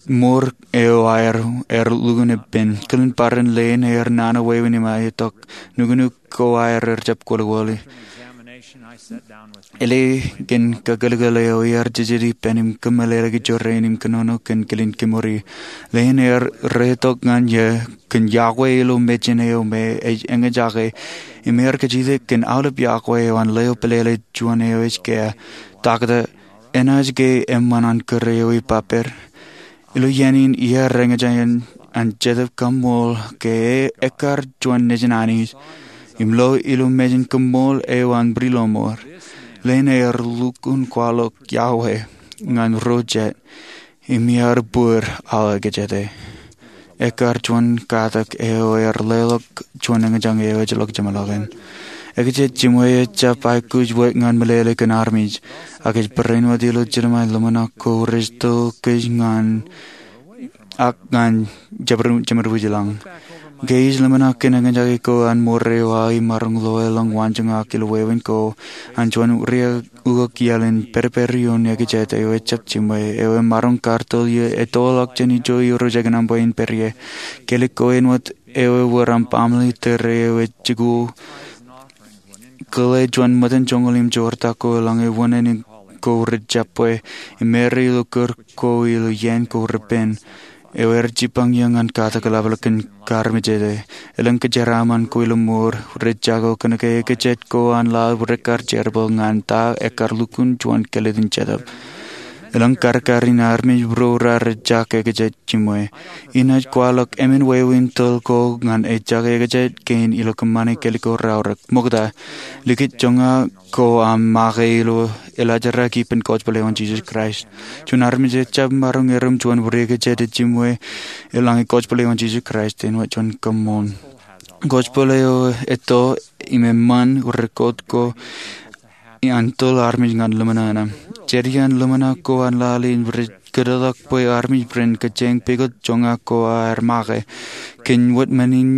mour eo aer, aer lukkuun ippān. Kilen barāinwōt leen aer nana wāween im aetok, nuknuk ko aer ejjab kwōlwōle. Elōñ kōn kakōlkōl eo iar jeje ippān im kōmeḷeḷeiki jorrāān im kōnono kōn kilen kemour. Leen aer reetok ñan iiō kōn iọkwe ilo mejān eo me ej eñjake, im iar kajjitōk kōn aolep iọkwe eo an leo pelele juon eo ej kea, Takta, enaaj ke eṃṃan an kūr eo ipāpād? Ilo iien in iar eñjake an Jetōb kaṃṃool ke ekkar juon Nejin Anij, im lo ilo mejān koṃṃool eo an Ri-lọmọọr. Leen aer lukkuun kwaḷọk iọkwe ñan ro jet, im iar bōd aō ekjete. Ekkar juon katak eo aer leḷọk juon eñjake eo ejjeḷọk jeṃḷọkin. Ekjete jiṃwe ejjab aikuj wōt ñan meḷeḷe kōn armej, ak ej barāinwōt ilo jeḷā ḷōmṇak ko rej to kōj ñan ak ñan jemedwōj ilañ. Ke ij ḷōmṇak kōn eñjake ko an mour eo aō imaroñ lo elōñ waanjoñak ilo wāween ko an juon riak ukok iaḷ in pedped ioon ekjete eo ejjab jiṃwe, eo emaroñ kar tōl iiō etoḷọk jān ijo irooj ekōṇaan bwe en pād ie. Kelōk ko āinwōt eo ewōr aṃ baaṃle tōre eo ej jikuuḷ kōḷḷe juon ṃōttan joñoul im joortak ko eḷaññe wōṇāān ko rej jab bwe, im ṃare ilo kūr ko ilo iien ko repen, eo aer jipañ iiō ñan katak eḷapḷọk kōn kaarmejede. Elōñ kōjeraaṃṃan ko ilo mour rej jako kōnke ekjete ko an laḷ rekkar jerbal ñan ta ekkar lukkuun juon kālōt in Jetōb. Elōñ karkar in armej ro raar ejjake ekjete jiṃwe. Inaaj kwaḷọk emān wāween tōl ko ñan ejjake ekjete kein ilo kōṃṃane kelōk ko raorōk. Ṃokta, likūt joñak ko aṃ make ilo eḷajaraki ippān gospel eo an Jisōs Kraist. Juon armej ejjab maroñ erom juon wūri ekjete jiṃwe eḷaññe gospel eo an Jisōs Kraist āinwōt juon kōṃṃool. Gospel eo etto im eṃṃan rekot ko an tōl armej ñan ḷōmṇak ṇe. Jet iaan ḷōmṇak ko an laḷ in rej kōtḷọk bwe armej ren kōjeañ pukot joñak ko aer make. Kōn wōt men in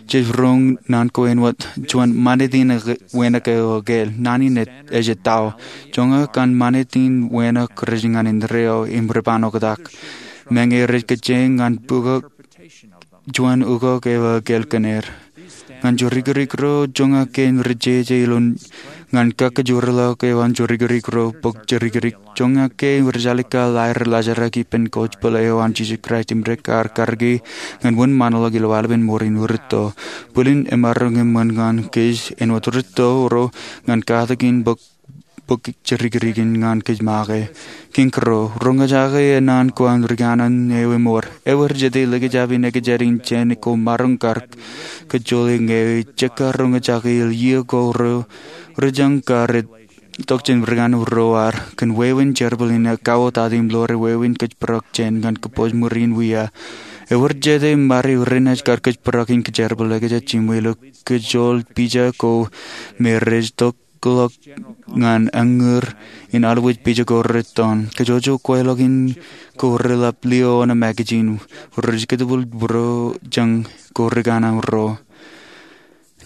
jej roñ naan ko āinwōt juon mānetin wānōk eo ekāāl. Naan in ej etto. Joñak an mānetin wānōk rej ñan indeeo im rej ban oktak. Meñe rej kōjeañ ñan pukot juon ukok eo ekāāl kōn er. Ñan jorikirik ro, joñak kein rej jeje ilo ñan kakkajorḷọk eo an jorikirik ro bōk jorikirik. Joñak kein rej alikkar aer lajaraki ippān gospel eo an Jisōs Kraist im rekar karōki ñan wōnṃaanḷọk ilo aolepen mour in rūtto. Bwilin emaroñ eṃṃan ñan kōj āinwōt rūtto ro ñan katak in bōk bōk jorikirik in ñan kōj make. Kiiñ kōrā, roñjake naan ko an rikōṇaan eo emour. Ewōr jete likjab in ekjete in jān ko maroñ kar kōjjoḷe ñe ej jekar roñjake ilo iiō ko ro rej jañ kar itok jān rikōṇaan ro ad kōn wāween jerbal in ekauwōtata im ḷoor wāween kōjparok jān ñan kōpooj ṃuri in wia. Ewōr jete ṃade renaaj kar kōjparok in kōjerbal ekjete jiṃwe ilo kōjjoḷ pija ko me rej tok ḷọk ñan añūr in alwōj pija ko rettoon. Kōjwōj kweilọk in ko reḷap lio oṇāān magazine rej kōtbōl būruō jān ko rikōṇaan ro.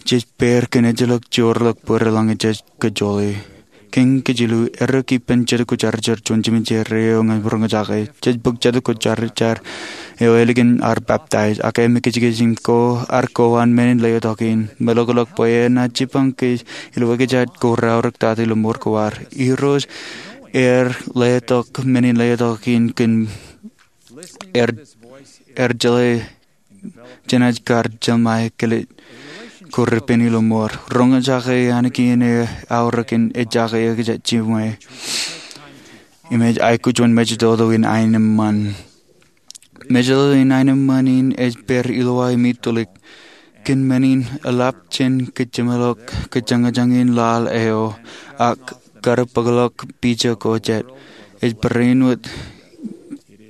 Jej pād kōn ejjeḷọk joorḷọk bwe eḷaññe jej kōjjoḷe. Kiiñ kajilu, errā ippān Jetōb Kwōjarjar juon jemān jerā eo ñan roñjake. Jej bōk Jetōb Kwōjarjar eo ālikin ad baptize, ak emān kajekjek in ko ad ko an men in letok in. Meḷọkḷọk bwe enaaj jipañ kōj ilo ekjat ko raorōktata ilo mour ko ad. Irooj ear letok men in letok in kōn er, er jeḷā jenaaj kar jeṃae kelōt ko repen ilo mour. Roñjake ankiin eo aorōk in ejjake ekjete jiṃwe. Im ej aikuj juon mejatoto in aenōṃṃan. Mejatoto in aenōṃṃan in ej pād ilo aō im itulik. Kōn men in eḷap jān kōjeṃḷọk kōjañjañ in laḷ eo ak karōk bōkḷọk pija ko jet. Ej barāinwōt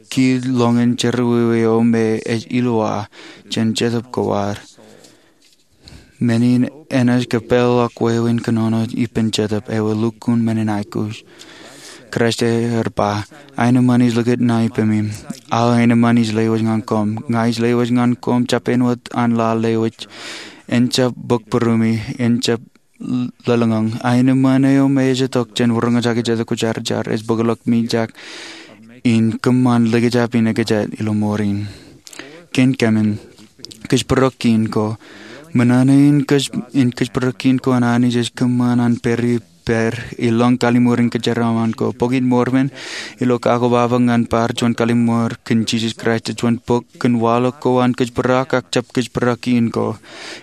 kiil ḷọñin jerọwiwi eo me ej ilowaan jān Jetōb ko ad. Men in enaaj kōpeḷḷọk wāween kōnono ippān Jetōb eo elukkuun men in aikuj. Kraist ear ba, aenōṃṃan ij likūt ṇae ippemi. Aō aenōṃṃan ij lewōj ñan koṃ. Ña ij lewōj ñan koṃ jab āinwōt an laḷ lewōj. En jab bōk būruemi, en jab lōḷñọñ. Aenōṃṃan eo me ej itok jān roñjake Jetōb Kwōjarjar ej bōkḷọk mijak in kōṃṃan likjab in ekjat ilo mour in. Kōn kōmin kōjparok kein ko, ṃōṇōṇō in kōj, in kōjparok kein ko an Anij ej kōṃṃan an pād ippād ilọñ kalliṃur in kōjeraaṃṃan ko. Bok in Mormon ilo kakobabañ ñan bar juon kalliṃur kōn Jisōs Kraist, juon bok kōn waḷọk ko an kōjparok ak jab kōjparok kein ko.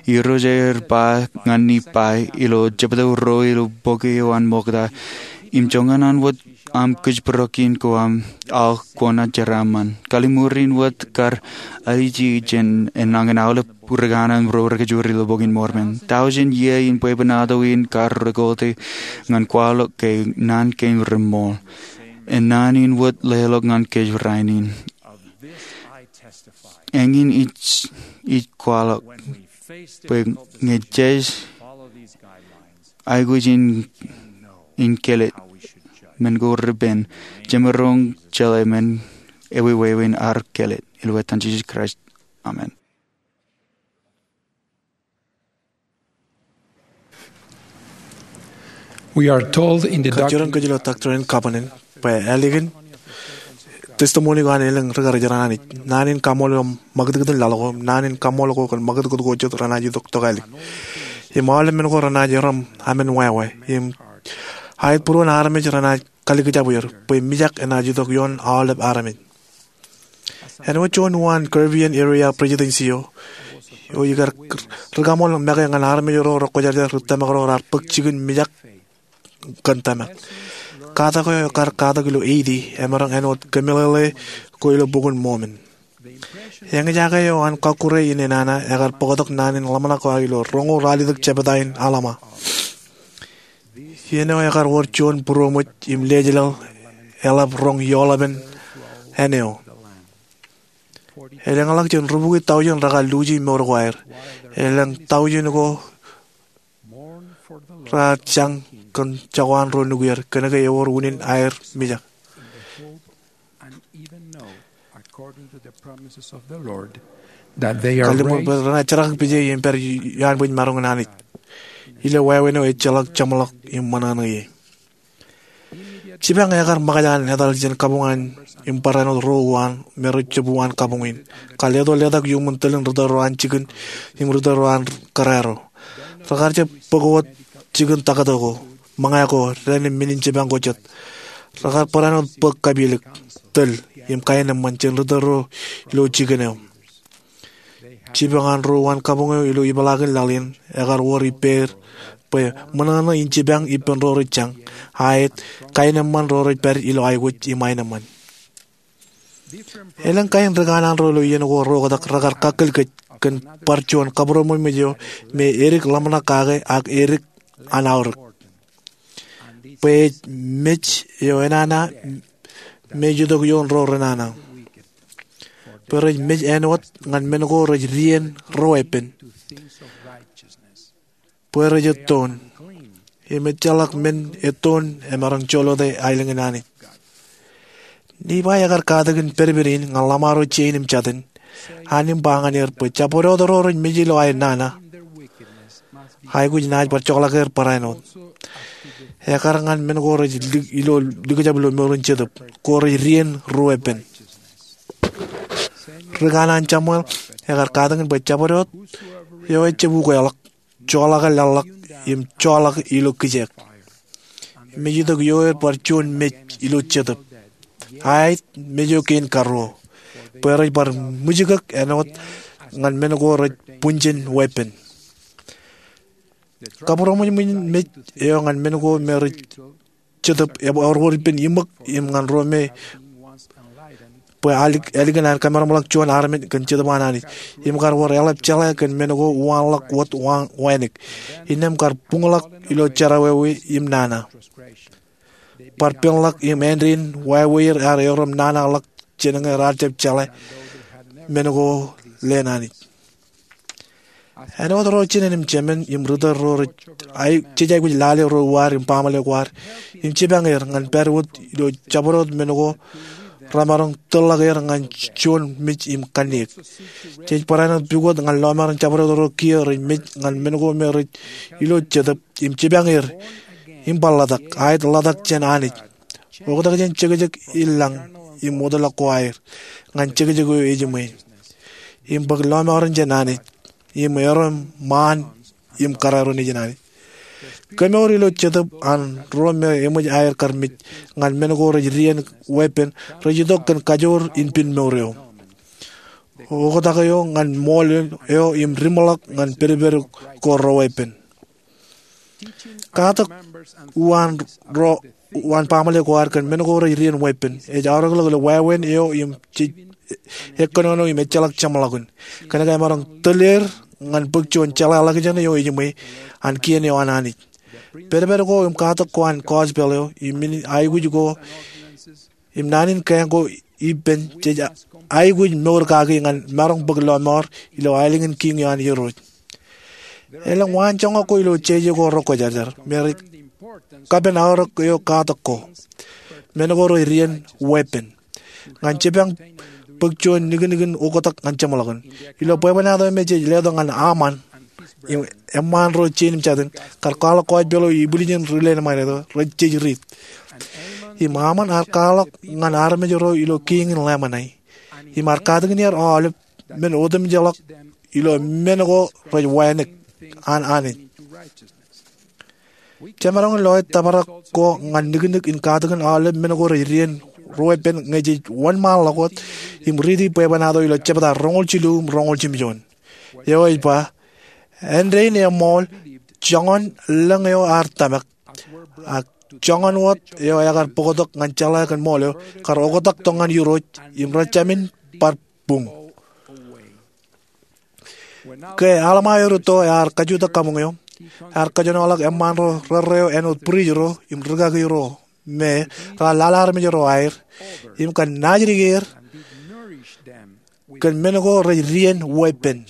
Irooj ear ba ñan Nifai ilo jebta ruo ilo bok eo an Ṃokta, im joñan an wōt aṃ kōjparok kein ko aṃ, aō kwōnaaj jeraaṃṃan. Kalliṃur in wōt kar aiji jān enañin aolep ri kanaan ro rej kajjojo ilo Bok in Mormon. Tọujin iiō in bwebwenato in kar rekote ñan kwaḷọk ke naan kein reṃool. Naan in wōt leḷọk ñan kōj rainin. Eñin ij, ij kwaḷọk bwe ñe jej aikuj in, in kelōt men ko repen, jemaroñ jeḷā men ewewāween ad kelōt. Ilo etan Jisōs Kraist, amen. Kajjioñ kōj ilo Doctrine and Covenants bwe ālikin testimony ko an elōñ ri karijer an Anij, naan in kaṃṃool eo ṃakūtkūt in laḷ ko, naan in kaṃṃool ko kōn ṃakūtkūt ko jet renaaj itok tokālik. Im aolep men ko renaaj erom amen wāween. Im aet būruon armej renaaj kalikjab er bwe mijak enaaj itok ioon aolep armej. Āinwōt juon uwaan Caribbean Area Presidency eo, eo ikar ri kaṃool make ñan armej ro rekwōjarjar ri tōmak ro raar bōk jikin mijak kōn tōmak. Katak eo ekar katak ilo Haiti emaroñ āinwōt kōmeḷeḷe ko ilo Bok in Mormon. Eñjake eo an kọkkure in enana ekar bōktok naan in ḷōmṇak ko aō ilo roñoul ralitōk jebta in Alma. Iien eo ekar wōr juon būroṃōj im lejeḷāḷ eḷap roñ eoḷapen āne eo. Elōñḷọk jān rubukwi tọujin rekar luuji mour ko aer. Elōñ tọujin ko raar jañ kōn jako an ro nukier kōnke ewōr unin aer mijak. Kalliṃur bwe renaaj jerakik pije im pād ioanbwijmaroñ in Anij ilo wāween eo ejjeḷọk jeṃḷọk im ṃōṇōṇō ie. Jipañ ekar ṃōkaj an etal jān kabuñ an im barāinwōt ro uwaan me rej jab uwaan kabuñ in. Kar leto letak iuṃwin tōl in ri tōl ro an jikin im ri tōl ro an kōrā ro. Rekar jab bōk wōt jikin taktō ko, ṃōñā ko, dān im men in jipañ ko jet. Rekar barāinwōt bōk kapilōk, tōl, im kaenōṃṃan jān ri tōl ro ilo jikin eo. Jipañ an ro uwaan kabuñ eo ilo ipeḷaakin laḷ in ekar wōr ippāer bwe ṃōṇōṇō in jipañ ippān ro rej jañ, aet, kaenōṃṃan ro rej pād ilo aikuj im aenōṃṃan. Elōñ kain ri kanaan ro ilo iien ko ro oktak rekar kakkōl kōj kōn bar juon kabūroṃōjṃōj eo me edik ḷōmṇak kake ak edik an aorōk. Bwe ej mej eo enana me ej itok ioon ro renana. Bwe rej mej āinwōt ñan men ko rej dien ruweeppān. Bwe rej ettoon. Im ejjeḷọk men ettoon emaroñ joḷote aelōñ in Anij. Nifai ekar katakin pedped in ñan ḷōṃaro jein im jatin, an im ba ñan er bwe jabdewōt ro rej mej ilo aer nana, aikuj naaj bar jokḷọk er barāinwōt. Ekar ñan men ko rej lik, ilo, likjab ilo mour in jetōb, ko rej dien ruweeppān. Ri kanaan Samuel ekar katakin bwe jabdewōt eo ejjab ukeḷọk, joḷọk laḷḷọk, im joḷọk ilo kijeek. Im ej itok ioer bar juon mej ilo jetōb. Aet, mej eo kein karuo. Bwe rej bar ṃwijkōk āinwōt ñan men ko rej punjen weeppān. Kabūroṃōjṃōj in mej eo ñan men ko me rej jetōb ewōr ippān iṃōk im ñan ro me bwe ālik, ālikin an kamaroñḷọk juon armej kōn Jetōb an Anij. Im kar wōr eḷap jeḷā kōn men ko uwaanḷọk wōt wa, wānōk. Innām kar buñḷọk ilo jerọwiwi im nana. Bar penḷọk im āindein wāween ear erom nanaḷọk jān ñe raar jab jeḷā men ko leen Anij. Āinwōt ro jinen im jemān im ri tōl ro rej, jej aikuj lale ro uwaad im baaṃle ko ad, im jipañ er ñan pād wōt ilo jabdewōt men ko remaroñ tōlḷọk er ñan juon mej im kanniōk. Jej barāinwōt pukot ñan lọmọọren jabdewōt ro kiiō rej mej ñan men ko me rej ilo jetōb im jipañ er im bar ḷotak, aet, ḷotak jān Anij. Oktak jān jekjek in lañ im wōtlọk ko aer ñan jekjek eo ejiṃwe, im bōk lọmọọren jān Anij, im erom ṃaan im kōrā ro nejin Anij. Kemour ilo jetōb an ro me eṃōj aer kar mej ñan men ko rej dien weeppān rej itok kōn kajoor in pen mour eo, oktak eo ñan ṃool eo im ri ṃōḷọk ñan pedped ko ro weeppān. Katak uwaan ro uwaan baaṃle ko ad kōn men ko rej dien weeppān ej aorōkḷọk ilo wāween eo im jej ekkōnono im ejjeḷọk jeṃḷọkin kōnke emaroñ tōl er ñan bōk juon jeḷāḷọkjeṇ eo ejiṃwe an kien eo an Anij. Pedped ko im katak ko an gospel eo im men aikuj ko im naan in kāāñ ko ippān jej aikuj mour kaki ñan maroñ bōk lọmọọr ilo aelōñ in kiiñ eo an Irooj. Elōñ waanjoñak ko ilo jeje ko rekwōjarjar me rej kapen aorōk eo katak ko, men ko rej dien weeppān, ñan jipañ bōk juon niknikin oktak ñan jeṃḷọkin. Ilo bwebwenato me jej letok ñan Aṃaan, eṃṃaan ro jein im jatin kar kwaḷọk gospel eo ibwiljin ri Lemanite ro rej jej riit. Im Aṃaan ear kwaḷọk ñan armej ro ilo kiiñ in Lemanite, im ear katakin er aolep men otemjeḷọk ilo men ko rej wānōk an Anij. Jemaroñ in loe tōprak ko ñan niknik in katakin aolep men ko rej dien weeppān ñe jej wōnṃaanḷọk wōt im riiti bwebwenato ilo jebta roñoul jilu im roñoul jimjuon, eo ej ba, āindein eṃool joñan lōñ eo ear tōmak, ak joñan wōt eo ekar bōktok ñan jeḷā kōn ṃool eo, kar oktak tok ñan Irooj im rejāmin bar buñ. Ke Alma eo rūtto ear kajutak kabuñ eo, ear kōjenolọk eṃṃaan ro rerreo āinwōt priest ro im rūkaki ro me raar lale armej ro aer im kōn naajdik er kōn men ko rej dien weeppān.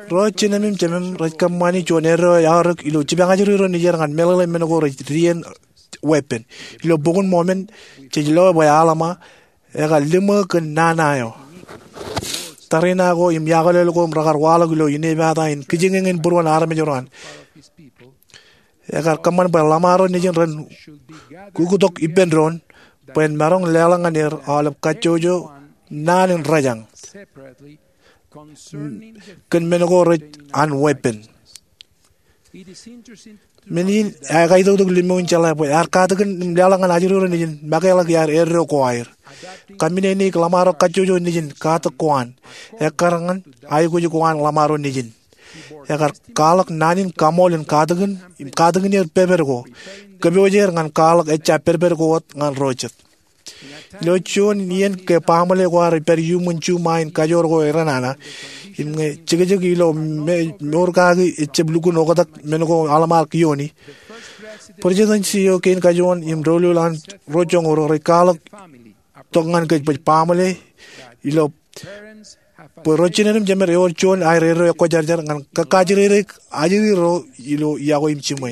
Ro jinōm im jemem rej kōṃṃani juon eddo ej aorōk ilo jipañ ajri ro nejier ñan meḷeḷe men ko rej dien weeppān. Ilo Bok in Mormon jej loe bwe Alma ekar liṃō kōn nana eo. Tariṇae ko im iakoḷeḷ ko im rekar waḷọk ilo inepata in kijeñeñin būruon armej ro an, ekar kōṃṃan bwe ḷōṃaro nejin ren uktok ippān doon bwe en maroñ leḷọk ñan er aolep kajjojo naan in rōjañ kōn men ko rej an weeppān. Men in ekaitoktok limōj in jeḷā bwe ear katakin im leḷọk ñan ajri ro nejin makeḷọk iaar eddo ko aer. Kōmmeneneik ḷōṃaro kajjojo nejin katak ko an ekkar ñan aikuj ko an ḷōṃaro nejin. Ekar kwaḷọk naan in kaṃool in katakin im katakin er pedped ko, kōpooje er ñan kwaḷọk ejja pedped ko wōt ñan ro jet. Ilo juon iien ke baaṃle ko ad ej pād iuṃwin juṃae in kajoor ko eran nana im ñe jekjek ilo mour kaki ejab lukkuun oktak men ko Alma ear kiooni, Presidency eo kein kajuon im doulul an ro joñoul ro rej kwaḷọk tok ñan kōj bwe baaṃle ilo bwe ro jined im jemed ewōr juon aer eddo ekwōjarjar ñan kōkajjirere ajri ro ilo iọkwe im jiṃwe.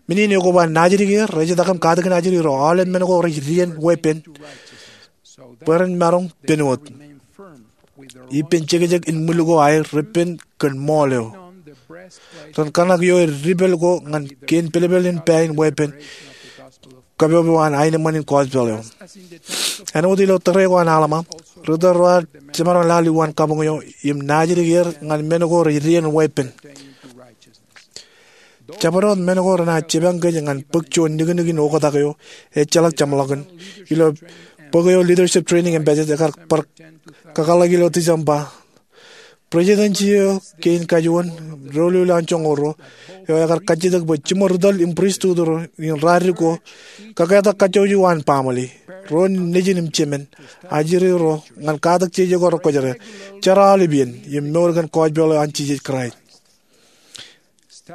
Men in ekoba naajdik er, rejetak im katakin ajri ro, aolep men ko rej dien weeppān, bwe ren maroñ pen wōt ippān jekjek in ṃwil ko aer reppen kōn ṃool eo. Ren kōṇak ioer dipel ko ñan kien pelpel in pā in weeppān, kōpopo an aenōṃṃan in gospel eo. Āinwōt ilo tōre ko an Alma, ri tōl ro ad jemaroñ lale uwaan kabuñ eo im naajdik er ñan men ko rej dien weeppān. Jabdewōt men ko renaaj jipañ kōj ñan bōk juon niknik in oktak eo ejjeḷọk jeṃḷọkin. Ilo bok eo Leadership Training in Budget ekar bar kakōḷḷe ilo December, Presidency eo kein kajuon, doulul an joñoul ro, eo ekar kajjitōk bwe jiṃor ri tōl im pristut ro in raar dikko, kōketak kajjojo an baaṃle, ro nejin im jemān, ajri ro, ñan katak jeje ko rekwōjarjar, jerọọlep iien, im mour kōn gospel eo an Jisōs Kraist.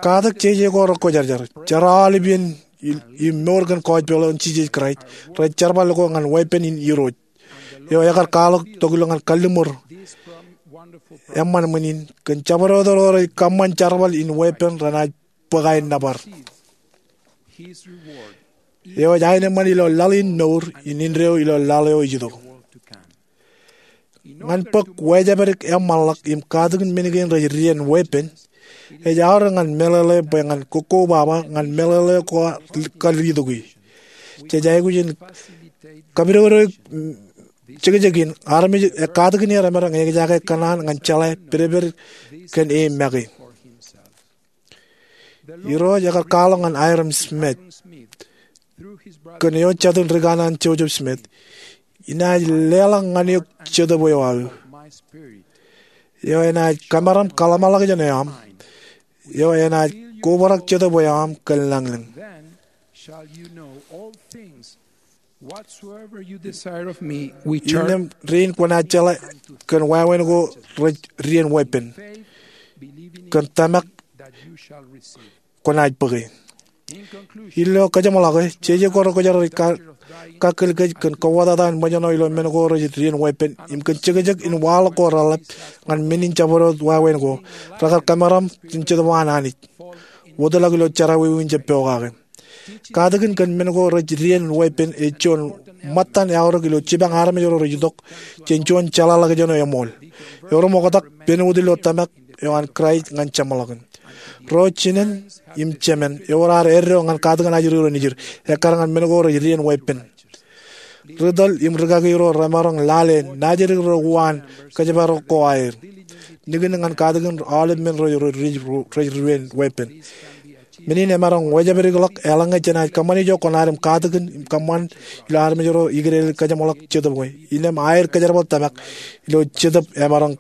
Katak jeje ko rekwōjarjar, jerọọlep iien, im mour kōn gospel eo an Jisōs Kraist, rej jerbal ko ñan weeppān in Irooj eo ekar kwaḷọk tok ilo ñan kalliṃur eṃṃan ṃwiin in, kōn jabdewōt ro rej kōṃṃan jerbal in weeppān renaaj bōk aer nōbar. Eo ej aenōṃṃan ilo laḷ in mour in indeeo ilo laḷ eo ej itok. Ñan bōk wājepdik eṃṃanḷọk im katakin men kein rej dien weeppān, ej aorōk ñan meḷeḷe bwe ñan kokkobaba ñan meḷeḷe ko kar itokwe. jej aikuj in kapidodoik jekjekin armej, katakin er emaroñ ejaake kōṇaan ñan jeḷā pedped kōn e make. Irooj ekar kwaḷọk ñan Hyrum Smith kōn eo jatū in rikanaan Joseph Smith, inaaj leḷọk ñan eok Jetōb eo aō, eo enaaj kamaroñ im kōḷmānḷọkjeṇ eo aṃ, eo enaaj kobrak Jetōb eo aṃ kōn lañlōñ. Innām rein kwōnaaj jeḷā kōn wāween ko rej dien weeppān, kōn tōmak kwōnaaj bōke. Ilo kajeṃḷọke, jeje ko rekwōjarjar ej kakkōl kōj kōn kōwōtata in ṃōjṇọ ilo men ko rej dien weeppān im kōn jekjek in waḷọk ko reḷap ñan men in jabdewōt wāween ko, rekar kamaroñ im jetōb an Anij, wōtlọk ilo jerọwiwi in jab pokake. Katakin kōn men ko rej dien weeppān ej juon ṃōttan eaorōk ilo jipañ armej ro rej itok jān juon jeḷāḷọkjeṇ eo eṃool. Erom oktak pen wōt ilo tōmak eo an Kraist ñan jeṃḷọkin. Ro jinen im jemān ewōr ad eddo ñan katakin ajri ro nejid, ekkar ñan men ko rej dien weeppān. Ri tōl im rikaki ro remaroñ lale, naajdik ro uwaan kōjparok ko aer. Nikin ñan katakin aolep men ro rej dien weeppān. Men in emaroñ wōjāpdik ḷọk eḷaññe jenaaj kōṃṃani ijo kwōnaaj katakin im kōṃṃan ilo armej ro ikōṇaan kajeṃḷọk jetōb eo. Innām aer kōjerbal tōmak ilo jetōb emaroñ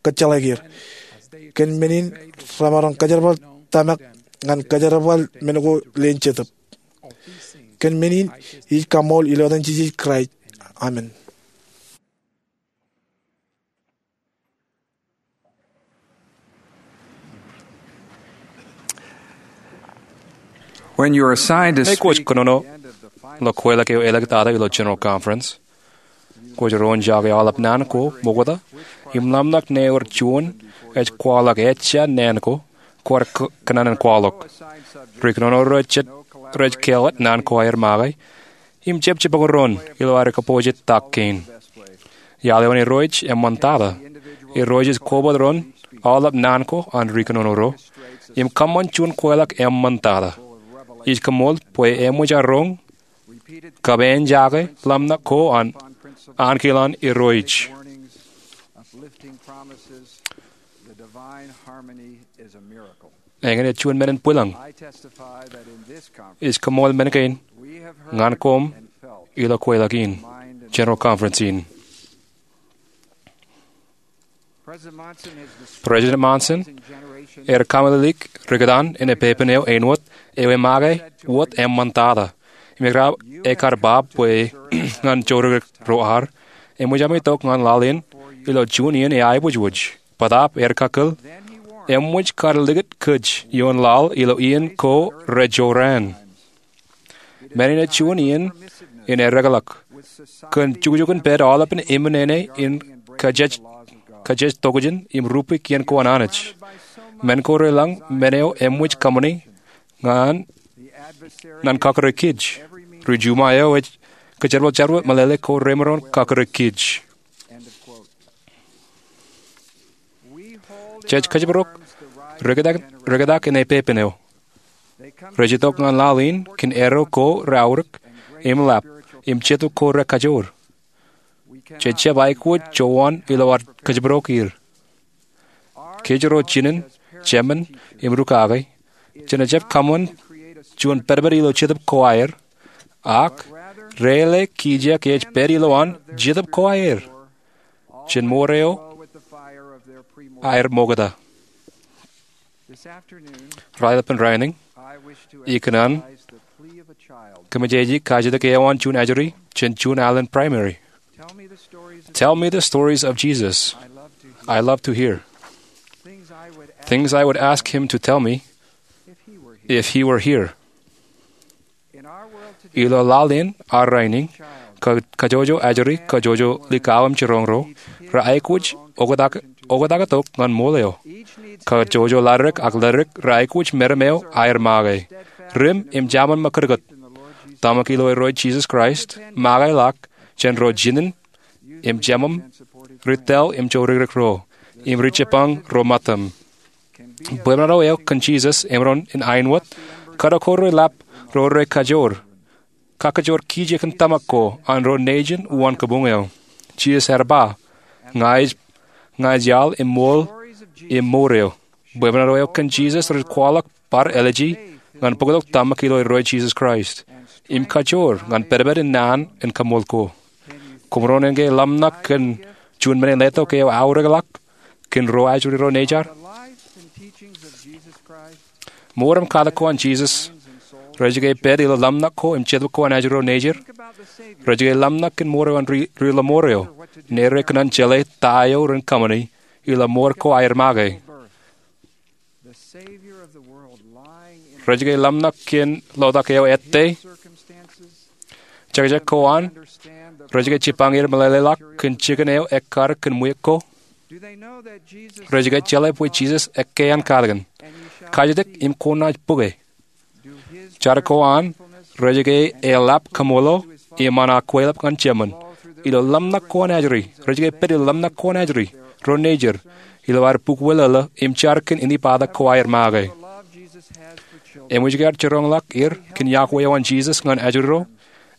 kōjjeḷāik er. Kōn men in remaroñ kōjerbal tōmak ñan kōjerbal men ko leen jetōb. Kōn men in ij kaṃṃool ilo etan Jisōs Kraist, amen. When you are assigned to speak, kwōj kōnono ilo kweilọk eo āliktata ilo General Conference, kwōj roñjake aolep naan ko ṃokta im ḷōmṇak ṇe ewōr juon ej kwaḷọk ejja naan ko kwaar kōnono in kwaḷọk. Ri kōnono ro jet rej kāālōt naan ko aer make im jab jibboñ doon ilo ad kabbokbok jet tak kein. Iaḷ eo an Irooj eṃṃantata. Irooj ej koba doon aolep naan ko an ri kōnono ro im kōṃṃan juon kweilọk eṃṃantata. Ij koṃṃool bwe eṃōj aō roñ kab āinjake ḷōmṇak ko an ankilaan Irooj. Eñin ej juon men in bwilōñ. Ij koṃṃool men kein ñan koṃ ilo kweilọk in, General Conference in. President Monson ear kaṃṃoolol rikōtaan in epepen eo āinwōt ewi make wōt eṃṃantata im ekar ba bwe ñan jodikdik ro ad, eṃōj ami tok ñan laḷ in ilo juon iien eaibwijwij. Bōtaab ear kakkōl, eṃōj kar likūt kōj ioon laḷ ilo iien ko rejorrāān. Men in ej juon iien in eddekḷọk kōn jukjukin pād aolepān eṃṃan ṇe in kajjitōk jān im rupe kien ko an Anij. Men ko relōñ men eo eṃōj kōṃṃani ñan kọkkure kōj. Ri-juma eo ej kōjerbal jerbal meḷeḷe ko remaroñ kọkkure kōj. Jej kōjparok rikōtak in epepen eo. Rej itok ñan laḷ in kōn arrow ko reaorōk im lap im jetōb ko rekajoor. Jej jab aikuj jowaan ilo ad kōjparok er. Kōj ro jinen, jemān im rūkaki, jenaaj jab kōṃṃan juon pedped ilo jetōb ko aer, ak reilōñ kijeek ej pād ilowaan jetōb ko aer jān ṃoor eo aer ṃokta. Raelepin rainin, ikōṇaan kōmmejeje kajjitōk eo an juon ajri jān juon alen primary. Tell me the stories of Jesus. I love to hear things I would ask him to tell me if he were here. Ilo laḷ in ak rainin, kajjojo ajri, kajjojo likao im jiroñ ro, reaikuj oktak tok ñan ṃool eo. Kajjojo ḷaddik ak ḷaddik reaikuj meram eo aer make. Rim im jaṃṃan ṃakūtkūt. Tōmak ilo Irooj Jisōs Kraist, make ḷọk jān ro jinen im jemān, ri-tōl im jodikdik ro, im ri-jibboñ ro ṃōttam. Bwebwenato eo kōn Jisōs emaroñ in āinwōt kōtokore lap ro rekajoor. kakkōjor kijeek in tōmak ko an ro nejin uwaan kabuñ eo. Jisōs ear ba, ña ij, ña ij iaḷ im ṃool im mour eo. Bwebwenato eo kōn Jisōs rej kwaḷọk bar āliji ñan bōktok tōmak ilo Irooj Jisōs Kraist im kajoor ñan pedped in naan in kaṃṃool ko. Koṃ roñ ke ḷōmṇak kōn juon men in letok eo aorōkḷọk kōn ro ajri ro nejar? Mour im katak ko an Jisōs rej ke pād ilo ḷōmṇak ko im jetōb ko an ajri ro nejar. Rej ke ḷōmṇak kōn mour eo an ri, ri lọmọọr eo, ñe rej kōṇaan jeḷā ta eo ren kōṃṃani ilo mour ko aer make. Rej ke ḷōmṇak kōn lotak eo ettā. Jekjek ko an rej ke jipañ er meḷeḷeḷọk kōn jikin eo ekkar kōn ṃwiik ko. Rej ke jeḷā bwe Jisōs ekkā an katakin, kajjitōk im kwōnaaj bōke. Jar ko an rej ke eḷap kaṃṃoolol im an akwālep ñan Jemān. Ilo ḷōmṇak ko an ajri, rej ke pād ilo ḷōmṇak ko an ajri ro nejar ilo aer bukweḷeḷe im jar kōn inepata ko aer make. Eṃōj ke ear jiroñḷọk er kōn yokwe eo an Jisōs ñan ajri ro,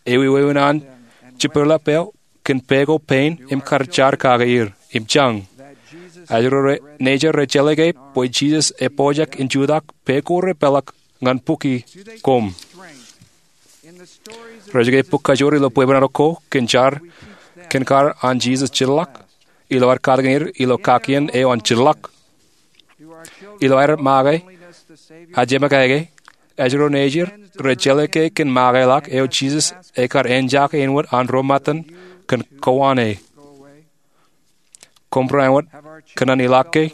ewi wāween an jibboḷọk eo kōn pā ko pein im kar jar kake er im jañ. Ajri ro nejar rej jeḷā ke bwe Jisōs epojak in jutak pā ko repeḷḷọk ñan bukwi koṃ. Rej ke bōk kajoor ilo bwebwenato ko kōn jar kōn kar an Jisōs jitḷọk ilo aer katakin er ilo kakien eo an jitḷọk. Ilo aer make ajemekaike, ajri ro nejar rej jeḷā ke kōn makeḷọk eo Jisōs ekar enjake āinwōt an ro ṃōttan kōn kowaan e. Koṃ bar āinwōt kōṇaan ilọk ke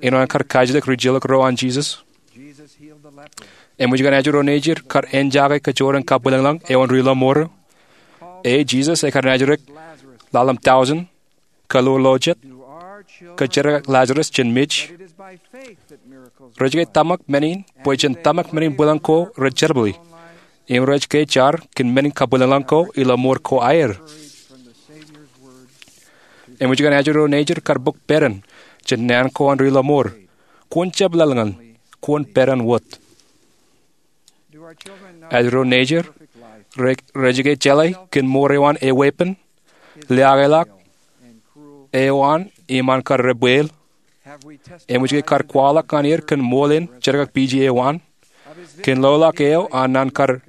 āinwōt an kar kajjitōk rijilōk ro an Jisōs? Eṃōj ke ajri ro nejar kar enjake kajoor in kabwilōñlōñ eo an ri lọmọọr eo? E, Jisōs ekar naajdik ḷalem tọujin, kōḷoor lo jet, kōjerkakik Lazarus jān mej. Rej ke tōmak men in bwe jān tōmak men in bwilōñ ko rej jerbali im rej ke jar kōn men in kabwilōñlōñ ko ilo mour ko aer. Eṃōj ke ajri ro nejar kar bōk pād in jān naan ko an ri lọmọọr, kwōn jab laḷ ñan, kwōn pād in wōt. Ajri ro nejar rej ke jeḷā kōn mour eo an eweeppān, liaakḷọk eo an im an kar debweel? Eṃōj ke kar kwaḷọk ñan er kōn ṃool in jerkakpeje eo an, kōn loḷọk eo an naan kar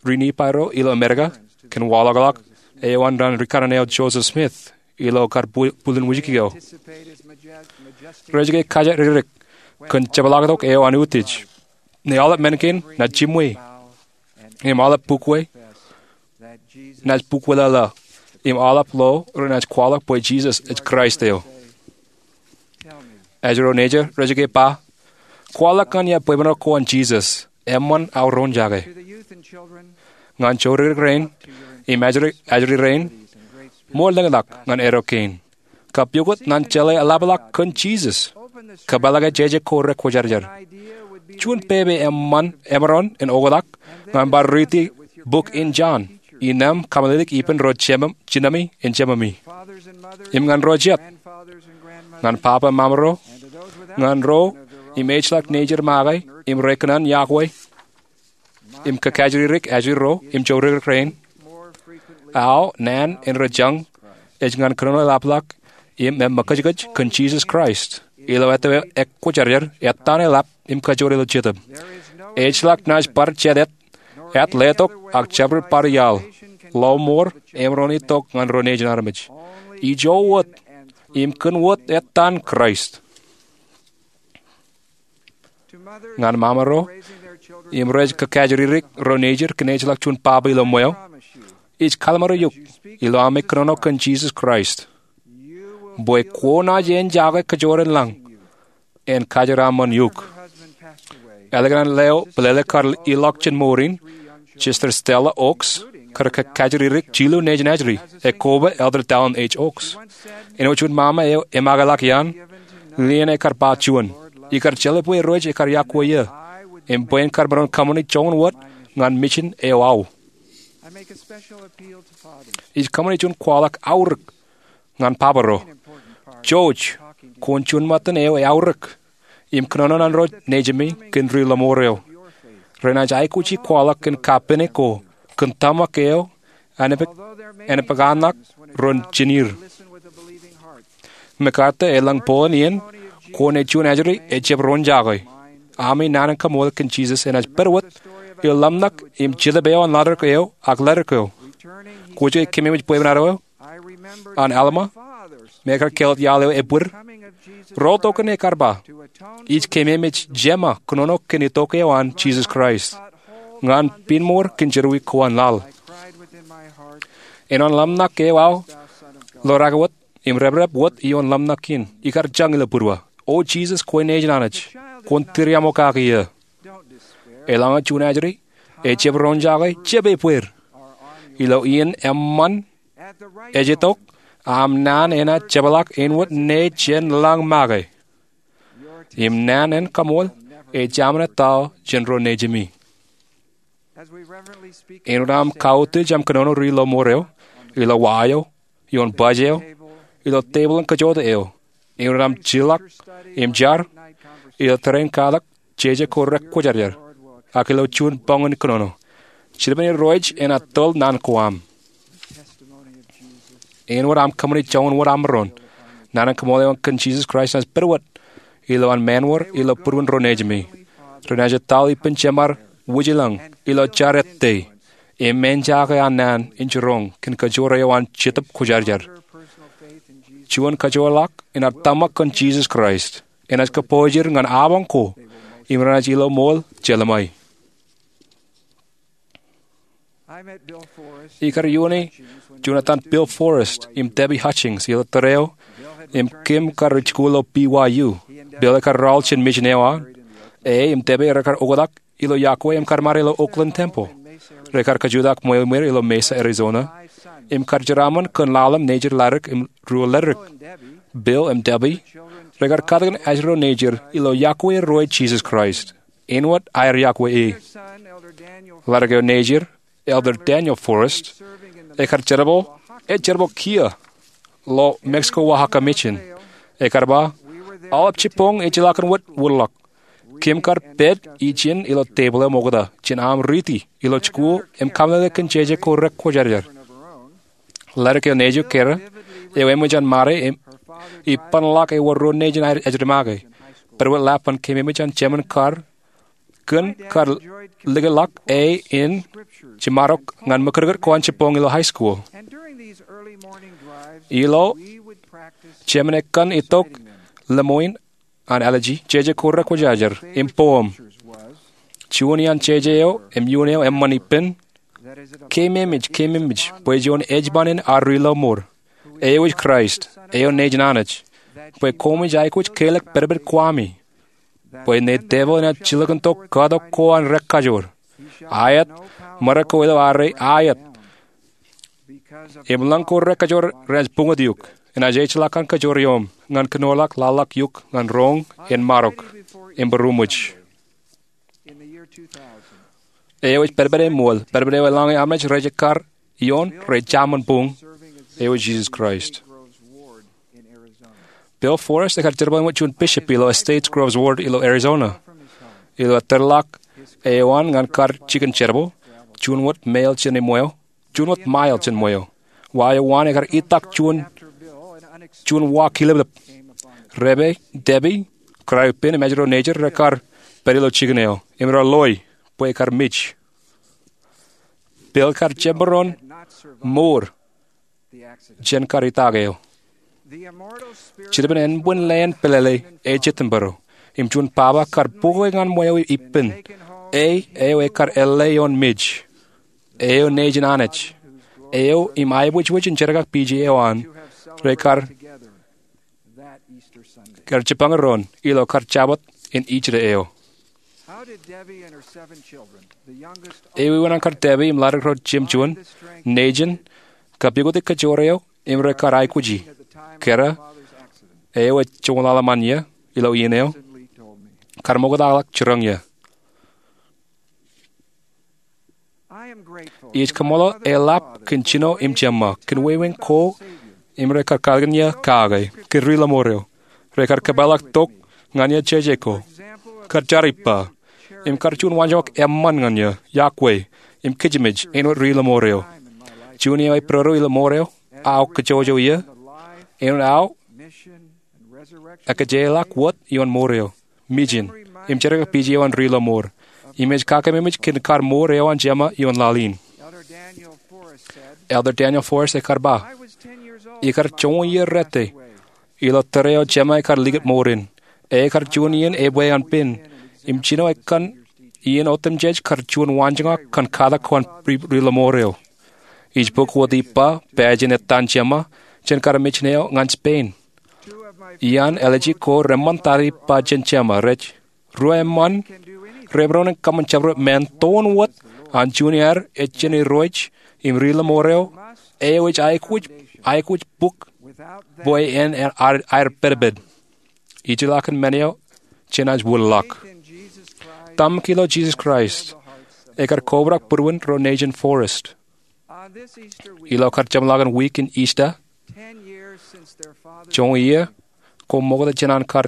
ri Nifai ro ilo Amerika, kōn waḷọkḷọk eo an naan rikaṇan eo Joseph Smith ilo kar bwilin wūjki eo? Rej ke kajjitōk kōn jepḷaaktok eo an utiej, ñe aolep men kein naaj jimwe, im aolep bukwe naaj bukweḷeḷe, im aolep lo renaaj kwaḷọk bwe Jisōs ej Kraist eo? Ajri ro nejar rej ke ba, kwaḷọk ñan ia bwebwenato ko an Jisōs, eṃṃan aō roñjake. Ñan jodikdik rein im ajri rein, ṃool lōñtak ñan eddo kein. Kab pukot ñan jeḷā eḷapḷọk kōn Jisōs, kōpeḷḷọk jeje ko rekwōjarjar. Juon pepe emaroñ in oktak ñan bar riiti buk in Jon, innām kōmālilik ippān ro jinemi in jememi, im ñan ro jet, ñan papa im mama ro, ñan ro im ejjeḷọk nejier make im rekōṇaan yokwe im kōkajjitōk ajri ro im jodikdik rein. Aō naan in rej jañ ej ñan kōnono eḷapḷọk im ṃōkajkaj kōn Jisōs Kraist ilo ettō ekwōjarjar, ettaan eḷap im kajoor ilo jetōb. Ejjeḷọk naaj bar jet, jet letok ak jabdewōt bar iaḷ, lọmọọr, emaroñ in itok ñan ro nejin armej. Ijo wōt im kōn wōt ettaan Kraist. Ñan mama ro im rej kōkajjitōk ro nejier kōn ejjeḷọk juon papa ilo ṃweo, ij kallim̧ur eok ilo ami kōnono kōn Jisōs Kraist bwe kwōnaaj enjake kajoor in lañ en kajeraṃṃan eok. Ālikin an leo bōlele kar ilọk jān mour in, Sister Stella Oaks, kar kōkajjitōk jilu nejin ajri, ekkoba Elder Dallin H. Oaks. Āinwōt juon mama eo emakeḷọk iaan, lien ekar ba juon, ikar jeḷā bwe Irooj ekar yokwe eō im bwe en kar maroñ kōṃṃani joñan wōt ñan mijin eo aō. Ij kōṃṃani juon kwaḷọk aorōk ñan papa ro. Jouj, kwōn juon ṃōttan eo eaorōk im kōnono ñan ro nejimi kōn ri lọmọọr eo. Renaaj aikuji kwaḷọk kōn kapene ko kōn tōmak eo an epakānak ro jinir. MacArthur elōñ boon iien, kwōn ej juon ajri ejjab roñjake. Ami naan in kaṃool kōn Jesus enaaj pād wōt ilo ḷōmṇak im Jetōb eo an laḷ eo ak ledik eo. Kwōj ke kememej bwebwenato eo an Alma, me ekar kelōt iaḷ eo ebwid? Ro tok in ekkar ba, ij kememej jema kōnono kōn itok eo an Jesus Christ ñan piin ṃour kōn jerọwiwi ko an laḷ. Āinwōt ḷōmṇak eo aō lorake wōt im reprep wōt ioon ḷōmṇak in, ikar jañ ilo būruō, O Jesus, kwe nejin Anij, kwōn tūriaṃo kaki eō. Eḷaññe juon ajri ejjab roñjake, jab ebwed. Ilo iien eṃṃan ej itok, aṃ naan enaaj jepḷaak āinwōt ṇe jān lañ make. Im naan in kaṃool ej aṃ naan tao jān ro nejimi. Āinwōt aṃ kautiej aṃ kōnono ri lọmọọr eo, ilo wa eo, ioon baj eo, ilo tebōḷ in kōjota eo, āinwōt aṃ jilọk im jar, ilo tōre in katak jeje ko rekwōjarjar, ak ilo juon boñ in kōnono, jiljilimjuon irooj enaaj tōl naan ko aṃ. Āinwōt aṃ kōṃṃani joñan wōt aṃ maroñ, naan in kaṃool eo kōn Jesus Christ enaaj pād wōt ilowaan mānwōr ilo būruon ro nejimi. Renaaj etal ippān Jeṃaar wūjilōñ ilo jar ettā im eñjake an naan in jiroñ kōn kajoor eo an Jetōb Kwōjarjar. Juon kajoorḷọk in ad tōmak kōn Jesus Christ enaaj kōpooj er ñan abañ ko im renaaj ilo ṃool jelṃae. Ikar iioone juon etan Bill Forrest im Debbie Hutchings ilo tōre eo im Kim kar jikuuḷ ilo B Y U. Bill ekar raoḷ jān mission eo an. E im Debbie rekar oktak ilo yokwe im kar ṃade ilo Oakland Temple. Rekar kajutak ṃweo iṃweir ilo Mesa, Arizona, im kar jeraaṃṃan kōn lale im nejid ladik im ruo ledik. Bill im Debbie rekar katakin ajri ro nejid ilo yokwe ro e Jesus Christ āinwōt aer yokwe e. Ladik eo nejid, Elder Daniel Forrest, ekar jerbal, ej jerbal kiiō ilo Mexico Oaxaca Mission. Ekar ba, aolep jibboñ ejjeḷọkin wōt wōtlọk. Kim kar pād ijin ilo tebōḷ eo ṃokta jān aṃ riiti ilo jikuuḷ im kaṃṃōle kōn jeje ko rekwōjarjar. Ladik eo nejū, Kara, eo eṃōj an ṃade im ippānḷọk ewōr ro nejin ajri make. Pād wōt lap ban keememej an jemān kar kōn kar likeḷọk e in jiṃadok ñan ṃōkūtkūt ko an jibboñ ilo high school. Ilo jemān ekkā itok lemñoul an allergy, jeje ko rekwōjarjar im poem. Juon iaan jeje eo im iuun eo eṃṃan ippān, Keememej, keememej bwe juon ejṃan in ad ri lọmọọr, eo ej Kraist, eo nejin Anij, bwe koṃij aikuj kelōk pedped Kwami, bwe ṇe devil enaaj jilkintok katok ko an rekajoor. Aet, ṃōrā ko ilo arre aet. Im lōñ ko rekajoor renaaj buñut eok, enaaj ejjeḷọk an kajoor ioom ñan kōnoorḷọk laḷḷọk eok ñan roñ en ṃadok im būruṃwij. Eo ej pedped eṃool, pedped eo eḷaññe armej rej ekkar ioon rej jaṃṃan buñ, eo ej Jisōs Kraist. Bill Forrest ekar jerbal wōt juon bishop ilo Estates Groves Ward ilo Arizona. Ilo ettōrḷọk eo an ñan kar jikin jerbal, juon wōt mail jān ṃweo, juon wōt mail jān ṃweo, wa eo an ekar itak juon, juon wa kilōblōb. Rebe, Debbie, kōrā ippān im ajri ro nejid rekar pād ilo jikin eo im raar loi bwe ekar mej. Bill kar jab maroñ mour jān kar itak eo. Jiljilimjuon ānbwin leen pelele ej jet im bōro, im juon baba kar bukwe ñan ṃweo ippān, e eo ekar ālle ioon mej, eo nejin Anij, eo im aebwijwij in jerkakpeje eo an rekar, kar jipañ doon ilo kar Jabōt in Ijda eo. Ewi wōn an kar Debbie im ladik ro jemjuon nejin kapukoti kajoor eo im rekar aikuji? Kōrā, eo ej joñoul ḷalem an iiō ilo iien eo, kar ṃoktaḷọk jiroñ iiō. Ij kaṃṃoolol eḷap kōn jino im jeṃṃa kōn wāween ko im rekar katakin iiō kake kōn ri lọmọọr eo. Rekar kōpeḷḷọk tok ñan iiō jeje ko, kar jar ippa, im kar juon waanjoñak eṃṃan ñan iiō, yokwe, im kijimej āinwōt ri-lọmọọr eo. Juon iiō ej pād ilo mour eo, aō kōjọjọ iiō, āinwōt aō ekōjeḷọk wōt ioon mour eo, mijin, im jerkakpeje eo an ri-lọmọọr, im ej kakememej kōn kar mour eo an Jema ioon laḷ in. Elder Daniel Forrest ekar ba, ikar joñoul iiō rōte ilo tōre eo Jema ekar likūt mour in, ekar juon iien ebwe an pen, im jino ekkā iien otemjej kar juon waanjoñak kōn katak ko an ri-lọmọọr eo. Ij bōk wōt ippa pāājen ettaan Jema jān kar mejān eo ñan Spain. Iaan ālije ko reṃṃan tata ippa jān Jema rej, ruo eṃṃan, reproṇ in kōṃṃan jabdewōt men toon wōt an juon iaer ej jān irooj im ri-lọmọọr eo, eo ej aikuj bōk bwe en aer pedped. Ijellọkin men eo jenaaj wōnḷọk. Tamōk ilo Jisōs Kraist ekar kobrak būruon ro nejin Forrest. Ilo kar jeṃḷọkin wiik in Easter, joñoul iiō ko ṃokta jān an kar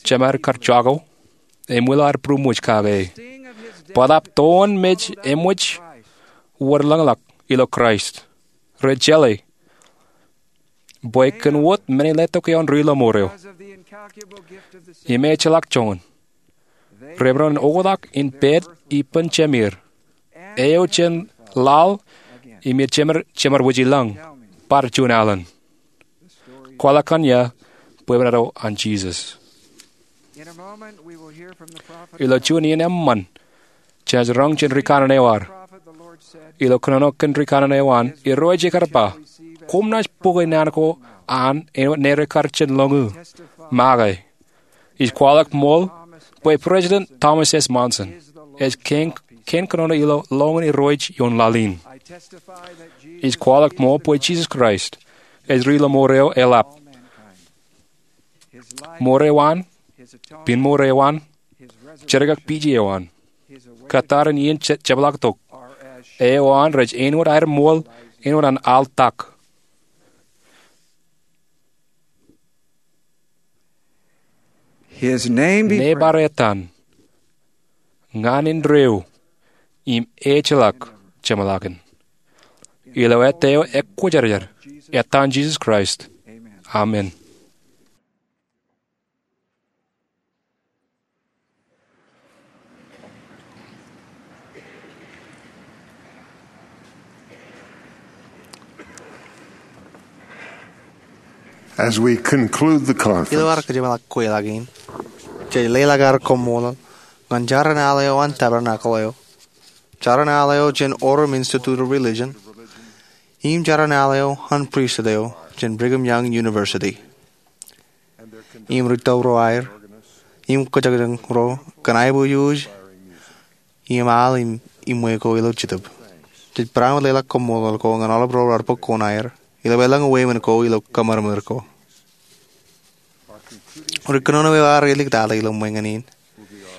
jemād kar jako, eṃwilaḷ aer būruṃwōj kake. Bōtaab toon mej eṃōj wōtlōñḷọk ilo Kraist. Rej jeḷā bwe kōn wōt men in letok eo an ri-lọmọọr eo im ejjeḷọk joñan, reproṇ in oktak in pād ippān Jemeer, eo jān laḷ im ej jemād wōjilōñ, bar juon alen. Kwaḷọk kōn iiō bwebwenato an Jisōs. Ilo juon iien eṃṃan jenaaj roñ jān rikanaan eo ad. Ilo kōnono kōn rikanaan eo an, irooj ekar ba, koṃ naaj bōke naan ko an āinwōt ne rekar jān lọñiō, make. Ij kwaḷọk ṃool bwe President Thomas S. Monson ej kein kōnono ilo lọñin irooj ioon laḷ in. Ij kwaḷọk ṃool bwe Jisōs Kraist ej ri-lọmọọr eo eḷap. Mour eo an, piin mour eo an, jerkakpeje eo an, kōttar in iien jepḷaaktok eo an rej āinwōt aer ṃool āinwōt an al tak. His name be Ne bar ettan ñan indeeo im ejjeḷọk jeṃḷọkin. Ilo ettā eo ekwōjarjar, ettaan Jisōs Kraist, amen. As we conclude the conference, Ilo ad kōjeṃḷọk kweilọk in, jej leḷọk ad koṃṃool ñan jaran al eo an Tabernacle eo, jaran al eo jān Orem Institute of Religion, im jaran al eo an pristut eo jān Brigham Young University, im ri-tōl ro aer, im kōjañjañ ro kōn aiboojoj im al im iṃwe ko ilo Jetōb. Jej barāinwōt leḷọk koṃṃool ko ñan aolep ro raar bōk koṇaer ilo elōñ wāween ko ilo kōṃadṃōd ko. Ri kōnono eo ad āliktata ilo ṃweiñān in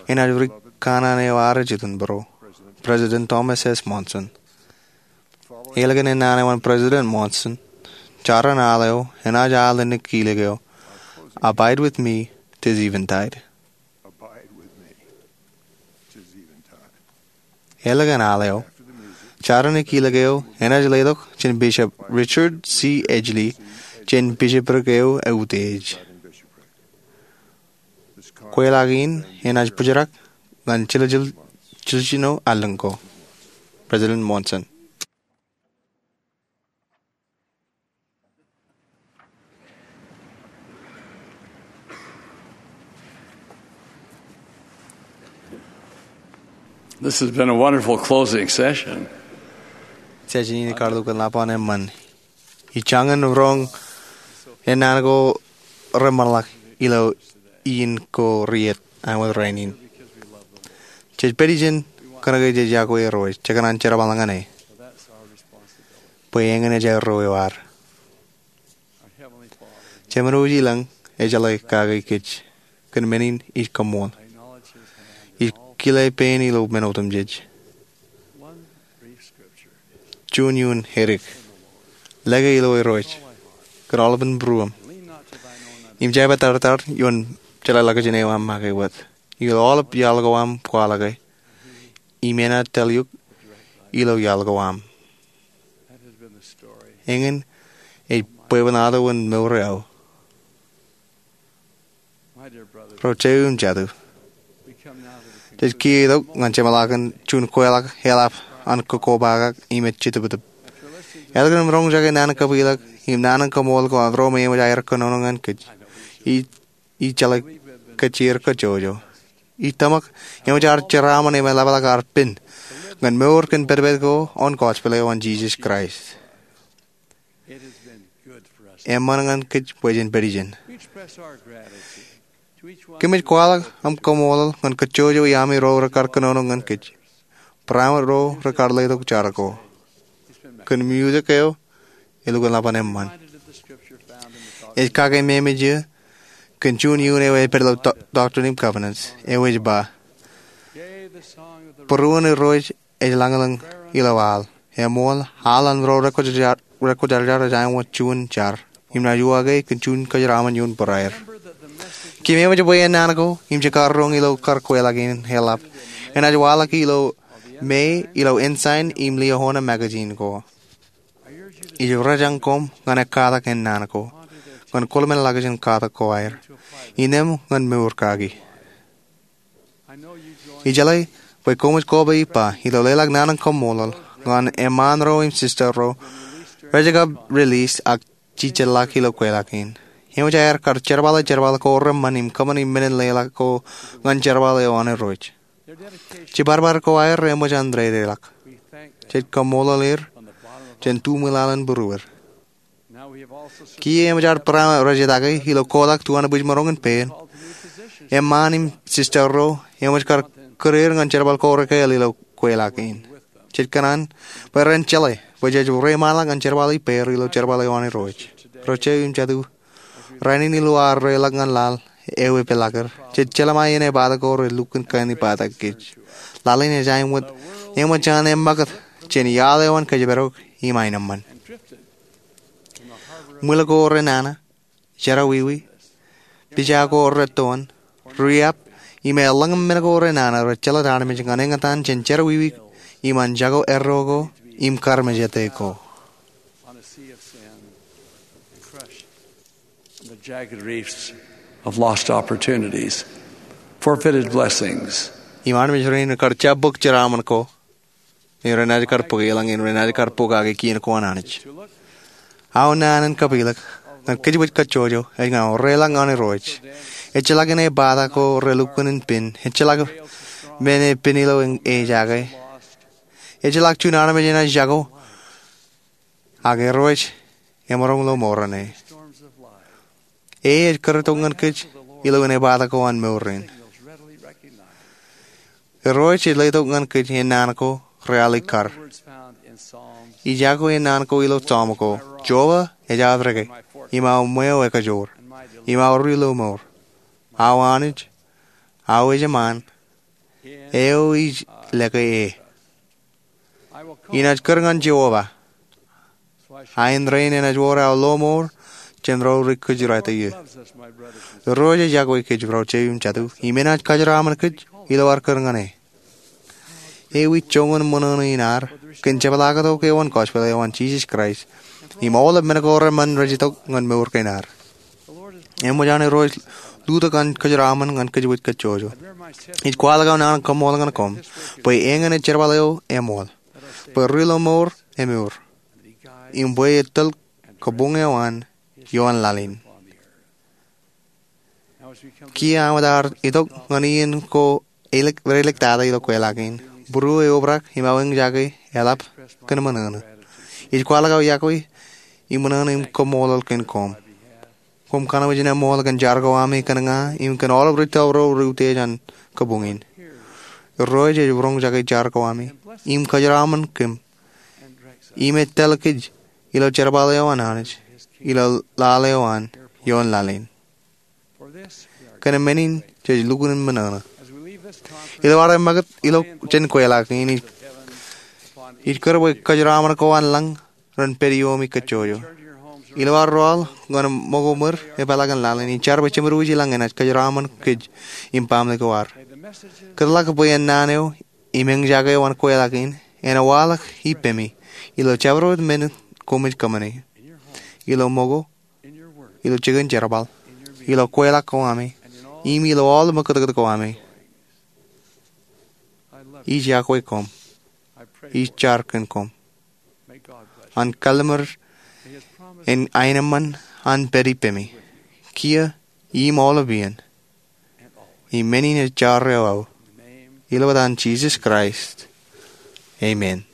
enaaj ri kanaan eo ad ej itok bōro, President Thomas S. Monson. Ālikin ennaan eo an President Monson, jaran al eo enaaj al ālikin kilek eo, Abide with me tis eventide. Ālikin al eo, jaran kilek eo enaaj letok jān Bishop Richard C. Edgley jān bishopric eo eutiej. Kweilọk in enaaj bōjrak ñan jiljilimjuon allōñ ko. President Monson. This has been a wonderful closing session. Session in ej kar lukkuun ḷap an eṃṃan. Ij jañin roñ ennaan ko reṃṃanḷọk ilo iien ko riet āinwōt rainin. Jej pād ijin kōnke jej iakwe Irooj, jekōṇaan jerbal ñan e, bwe eñin ej aerro eo ad. Jemān wōjilōñ ejeḷā kake kōj kōn men in ij kōṃṃool. Ij kile pein ilo men otemjej. Juon iien edik, lōke ilo Irooj kōn aolepān būruōṃ, im jab etartar ioon jeḷāḷọkjeṇ eo aṃ make wōt. Ilo aolep iaḷ ko aṃ kwaḷọke, im enaaj tōl eok ilo iaḷ ko aṃ. Eñin ej bwebwenato in mour eo aō, ro jeiū im jatū. Jej kiiō itok ñan jeṃḷakin juon kweilọk eḷap an kokobaak im ej jitōptōp. Etke im roñjake naan in kapilōk im naan in kaṃool ko an ro me eṃōj aer kōnono ñan kōj, ij jeḷā kōj kajjojo. Ij tōmak eṃōj ad jeraaṃṃan im eḷapḷọk ad pen ñan mour kōn pedped ko an gospel eo an Jisōs Kraist. Eṃṃan ñan kōj bwe jen pād ijeṇ. Kōmij kwaḷọk aṃ kaṃṃoolol ñan kajjojo iami ro rekar kōnono ñan kōj, barāinwōt ro rekar letok jar ko. Kōn music eo, elukkuun ḷap an eṃṃan. Ej kake memeje kōn juon iuun eo ej pād ilo Doctrine and Covenants eo ej ba, būruon irooj ej lañlōñ ilo al. Eṃool, al an ro rekwōjarjar ej āinwōt juon jar, im naaj uwaake kōn juon kōjeraaṃṃan ioon būraer. Keememej bwe ennaan ko im jekar roñ ilo kar kweilọk in eḷap enaaj waḷọk ilo May ilo Ensign im Liahona magazine ko. Ij rōjañ koṃ ñan ekkatak ennaan ko ñan kōḷmānḷọkjeṇ katak ko aer innām ñan mour kaki. Ijeḷā bwe koṃij koba ippa ilo leḷọk naan in kaṃṃoolol ñan eṃṃaan ro im sista ro rej kab release ak jejjeḷḷọk ilo kweilọk in. Eṃōj aer kar jerbale jerbal ko reṃṃan im kōṃṃani men in leḷọk ko ñan jerbal eo an Irooj. Jibadbad ko aer eṃōj an dedeḷọk. Jej kaṃṃoolol er jān tuṃwilaḷ in būruod. Kiiō eṃōj ad barāinwōt rej etake ilo kotak tuanbwijmaroñ in pein, eṃṃaan im sista ro eṃōj kar kūr er ñan jerbal ko rekāāl ilo kweilọk in. Jej kōṇaan bwe ren jeḷā bwe jej reiṃaanḷọk ñan jerbal ippāer ilo jerbal eo an Irooj. Ro jeiū im jatū, rainin ilo ad reiḷọk ñan laḷ eo epeḷḷọk er, jej jeḷā ṃae ien epata ko rej lukkuun kain ippatak kōj. Laḷ in ej āinwōt eṃōj an eṃṃakūt jān iaḷ eo an kōjparok im aenōṃṃan. Ṃwil ko renana, jerọwiwi, pija ko rettoon, riab, im eḷaññe men ko renana rej jelōt armej ñan eñtaan jān jerọwiwi im an jako erro ko im karmejete ko. The jagged reefs of lost opportunities, forfeited blessings. Im armej rein kar jab bōk jeraaṃṃan ko im renaaj kar bōk eḷaññe im renaaj kar pokake kien ko an Anij. Aō naan in kapilōk ñan kōjwōj kajjojo ej ñan reiḷọk ñan Irooj. Ejjeḷọk in epata ko relukkuun in pen, ejjeḷọk men e pen ilo ejake, ejjeḷọk juon armej enaaj jako, ak Irooj emaroñ ilo mour ṇe. E ej kūr itok ñan kōj ilo in epata ko an mour rein. Irooj ej letok ñan kōj ennaan ko realikkar. Ij jako ennaan ko ilo Sam ko, Jeova ej aō reke, im aō ṃweo ekajoor, im aō ri lomour, aō Anij, aō ejṃaan, eo ij lōke e. Inaaj kūr ñan Jeova, ak rein enaaj wōr aō lomour jān ro rej kōjrāt eō. Irooj ej yokwe kōj ro jeiū im jatū, im enaaj kajeraṃṃan kōj ilo ad kūr ñan e. Ewi joñan ṃōṇōṇō in ad kōn jepḷaaktok eo an gospel eo an Jisōs Kraist im aolep men ko reṃṃan rej itok ñan mour kein ad? Eṃōj an Irooj lutōk an kōjeraṃṃan ñan kōjwōj kajjojo. Ij kwaḷọk aō naan in kaṃṃoolol ñan koṃ bwe eñin ej jerbal eo eṃool, bwe ri lomour emour, im bwe e tōl kabuñ eo an ioon laḷ in. Kiiō ad itok ñan iien ko reilektata ilo kweilọk in, būruō eobrak im aō eñjake eḷap kōn ṃōṇōṇō. Ij kwaḷọk aō yokwe im ṃōṇōṇō im kaṃṃoolol kōn koṃ. Koṃ kōṇaan wōj in eṃool kōn jar ko ami kōn ña im kōn aolep ri tōl ro reutiej an kabuñ in. Irooj ej roñjake jar ko ami im kōjeraṃṃan kōm im etale kōj ilo jerbal eo an Anij ilo laḷ eo an ioon laḷ in. Kōn men in jej lukkuun ṃōṇōṇō. Ilo ad eṃṃakūt ilo jān kweilọk in, ij kūr bwe kōjeraṃṃan ko an lañ ren pād ioomi kajjojo. Ilo ad rọọl ñan ṃōko ṃweo epeḷḷọk in laḷ in, ij jar bwe Jemedwōj i lañ enaaj kōjeraṃṃan kōj im baaṃle ko ad. Kōtḷọk bwe ennaan eo im eñjake eo an kweilọk in en waḷọk ippemi ilo jabdewōt men koṃij kōṃṃani, ilo ṃōko, ilo jikin jerbal, ilo kweilọk ko ami, im ilo aolep ṃōkūtkūt ko ami. Ij iọkwe koṃ. Ij jar kōn koṃ. An kalliṃur en aenōṃṃan an pād ippemi kiiō im aolep iien, im men in ej jar eo aō, ilo etan Jisōs Kraist, amen.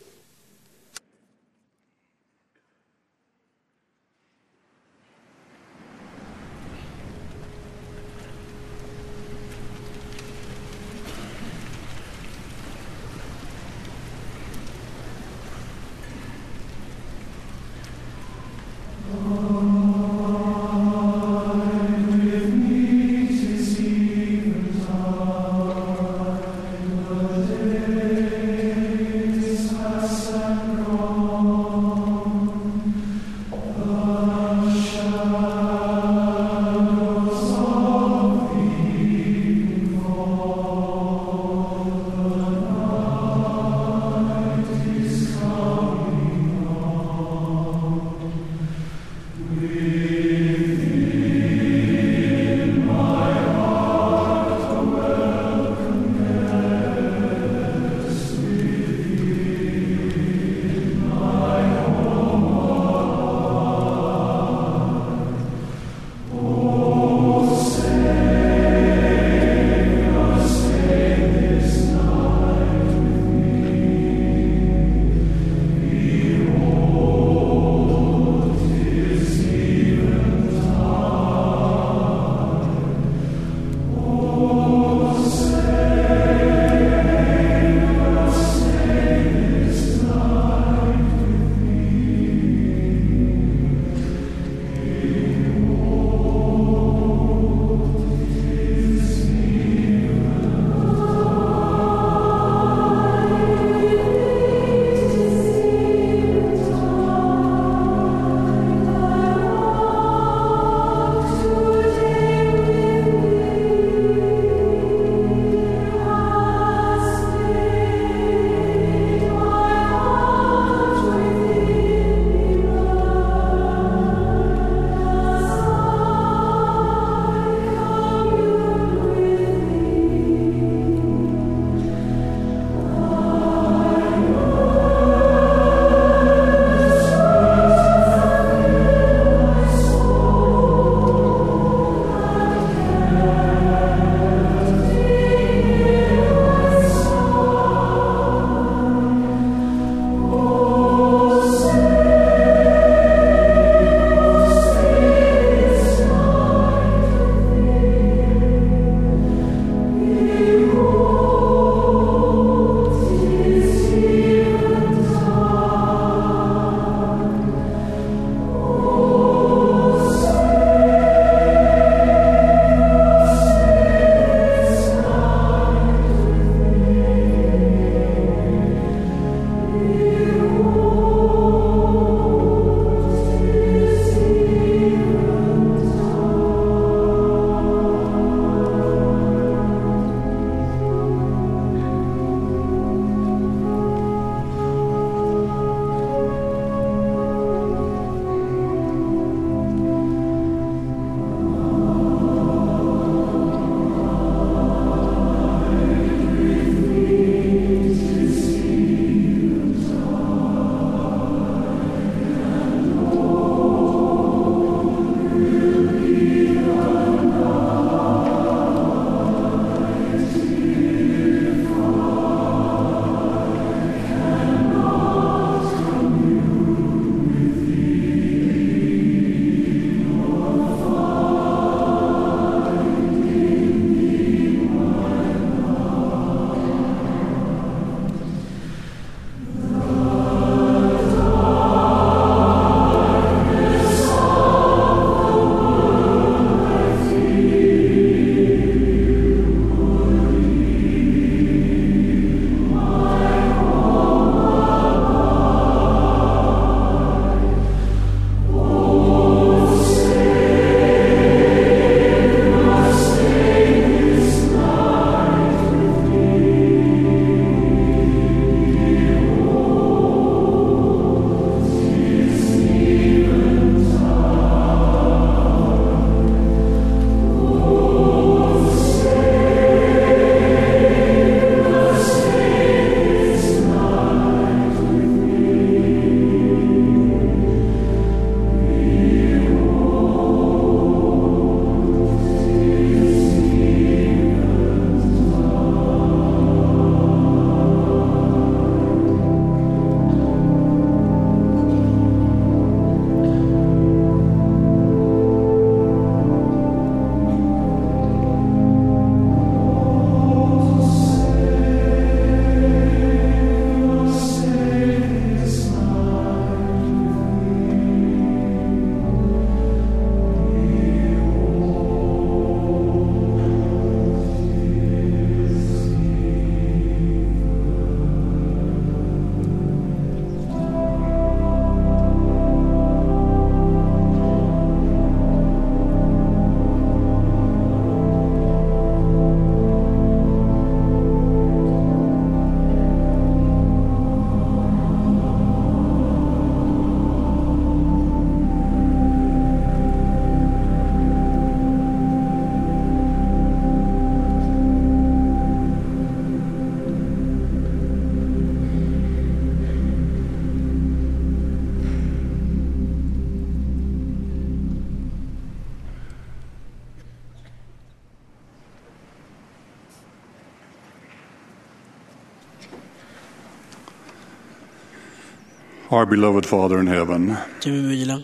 Our beloved Father in heaven, Jemem eo ej ilañ,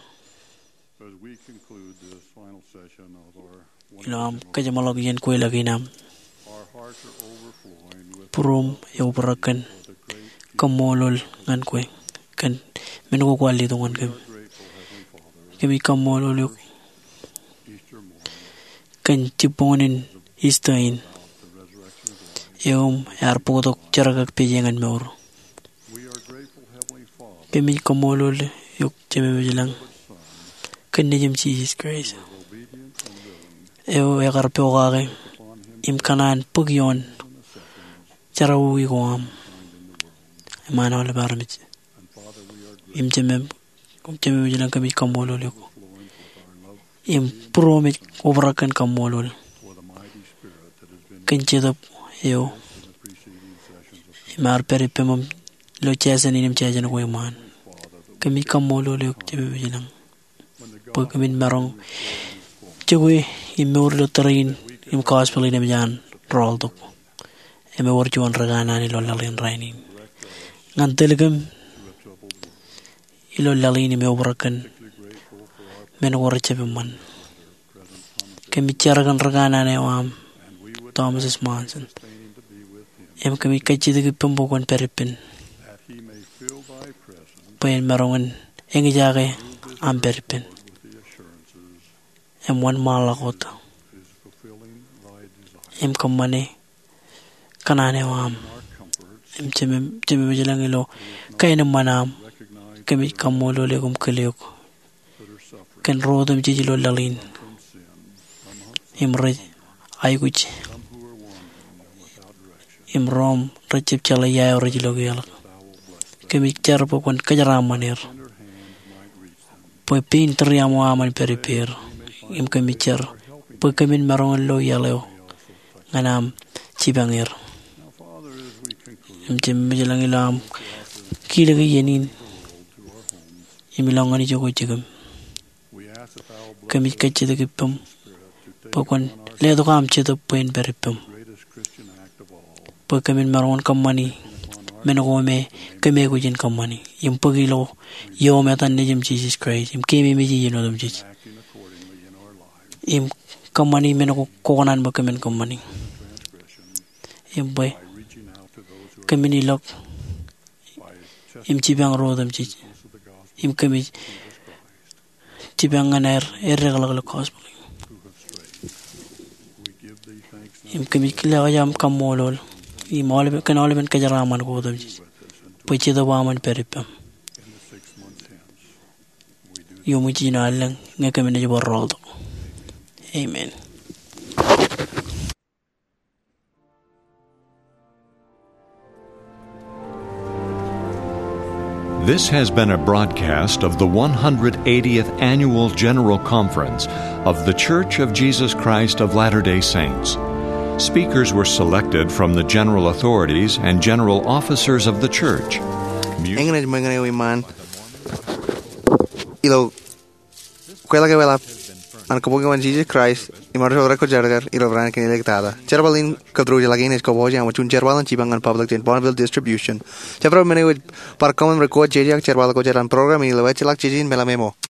as we conclude this final session of our ilo aṃ kajeṃḷọk iien kweilọk in aṃ, our hearts are overflowing with būruōm eobrak kōn kaṃṃoolol ñan kwe kōn men ko kwaar letok ñan kōm. Kōmij kaṃṃoolol eok kōn jibboñōn in Easter in, eo im ear bōktok jerkakpeje ñan mour. Kōmij kaṃṃoolol eok Jemem eo ej ilañ kōn Nejiṃ Jisōs Kraist, eo ekar pokake im kōṇaan bōk ioon jerọwiwi ko aṃ iṃaan aolep armej. Im Jemem, Jemem eo ej ilañ, kōmij kaṃṃoolol eok im būruōm ej obrak kōn kaṃṃoolol kōn Jetōb eo im ear pād ippām ilo jāsān in im jāsān ko iṃaan. Kōmij kaṃṃoolol eok Jemem eo ej ilañ bwe kōmin maroñ jokwe im mour ilo tōre in im gospel in emōj an rọọltok im ewōr juon ri kanaan ilo laḷ in rainin ñan tōl kōm ilo laḷ in im eobrak kōn men ko rej jab eṃṃan. Kōmij jar kōn ri kanaan eo aṃ, Thomas S. Monson, im kōmij kajjitōk ippaṃ bwe kwōn pād ippān bwe en maroñ in eñjake aṃ pād ippān im wōnṃaanḷọk wōt im kōṃṃane kōṇaan eo aṃ. Im Jemem, Jemem eo ej ilañ, ilo kaenōṃṃan aṃ, kōmij kaṃṃoolol eok im kile eok kōn ro otemjej ilo laḷ in im rej aikuj im ro im rej jab jeḷā ia eo rej lo kiiō ḷọk. Kōmij jar bwe kwōn kōjeraaṃṃan er bwe pein tūriaṃo aṃ en pād ippāer. Im kōmij jar bwe kōmin maroñ in lo iaḷ eo ñan aṃ jipañ er. Im Jemem eo ej ilañ, ilo aṃ kilōk iien in im ilọk ñan ijoko jikiṃ, kōmij kajjitōk ippaṃ bwe kwōn letok aṃ Jetōb bwe en pād ippām bwe kōmin maroñ in kōṃṃani men ko me kōm aikuj in kōṃṃani im bōk ilo ioom etan Nejiṃ Jisōs Kraist im keememej e iien otemjej im kōṃṃani men ko kwō kōṇaan bwe kōmin kōṃṃani. Im bwe kōmin ilọk im jipañ ro otemjej im kōmij jipañ ñan aer eddekḷọk ilo gospel in. Im kōmij kile aō aṃ kaṃṃoolol im aolepen, kōn aolepen kōjeraaṃṃan ko otemjej bwe Jetōb aṃ en pād ippām. Iuṃwin jiljino allōñ ñe kōm naaj bar rọọltok. Amen. This has been a broadcast of the one hundred eightieth Annual General Conference of The Church of Jesus Christ of Latter-day Saints. Speakers were selected from the general authorities and general officers of the church. Eñin ej ṃōñā eo iṃaan ilo kweilọk eḷap an kōbōki wōt Jisōs Kraist im arro rej ko jerkar ilo raan kein ilo tata. Jerbal in kōttar eo ḷọk in ej kōpooje aṃ juon jerbal in jipañ ñan public jān Bonneville Distribution. Jabdewōt men eo ej bar kōṃṃan record jeje ak jerbal ko jān program in ilo ejjeḷọk jiljino meḷeḷe ṃōk.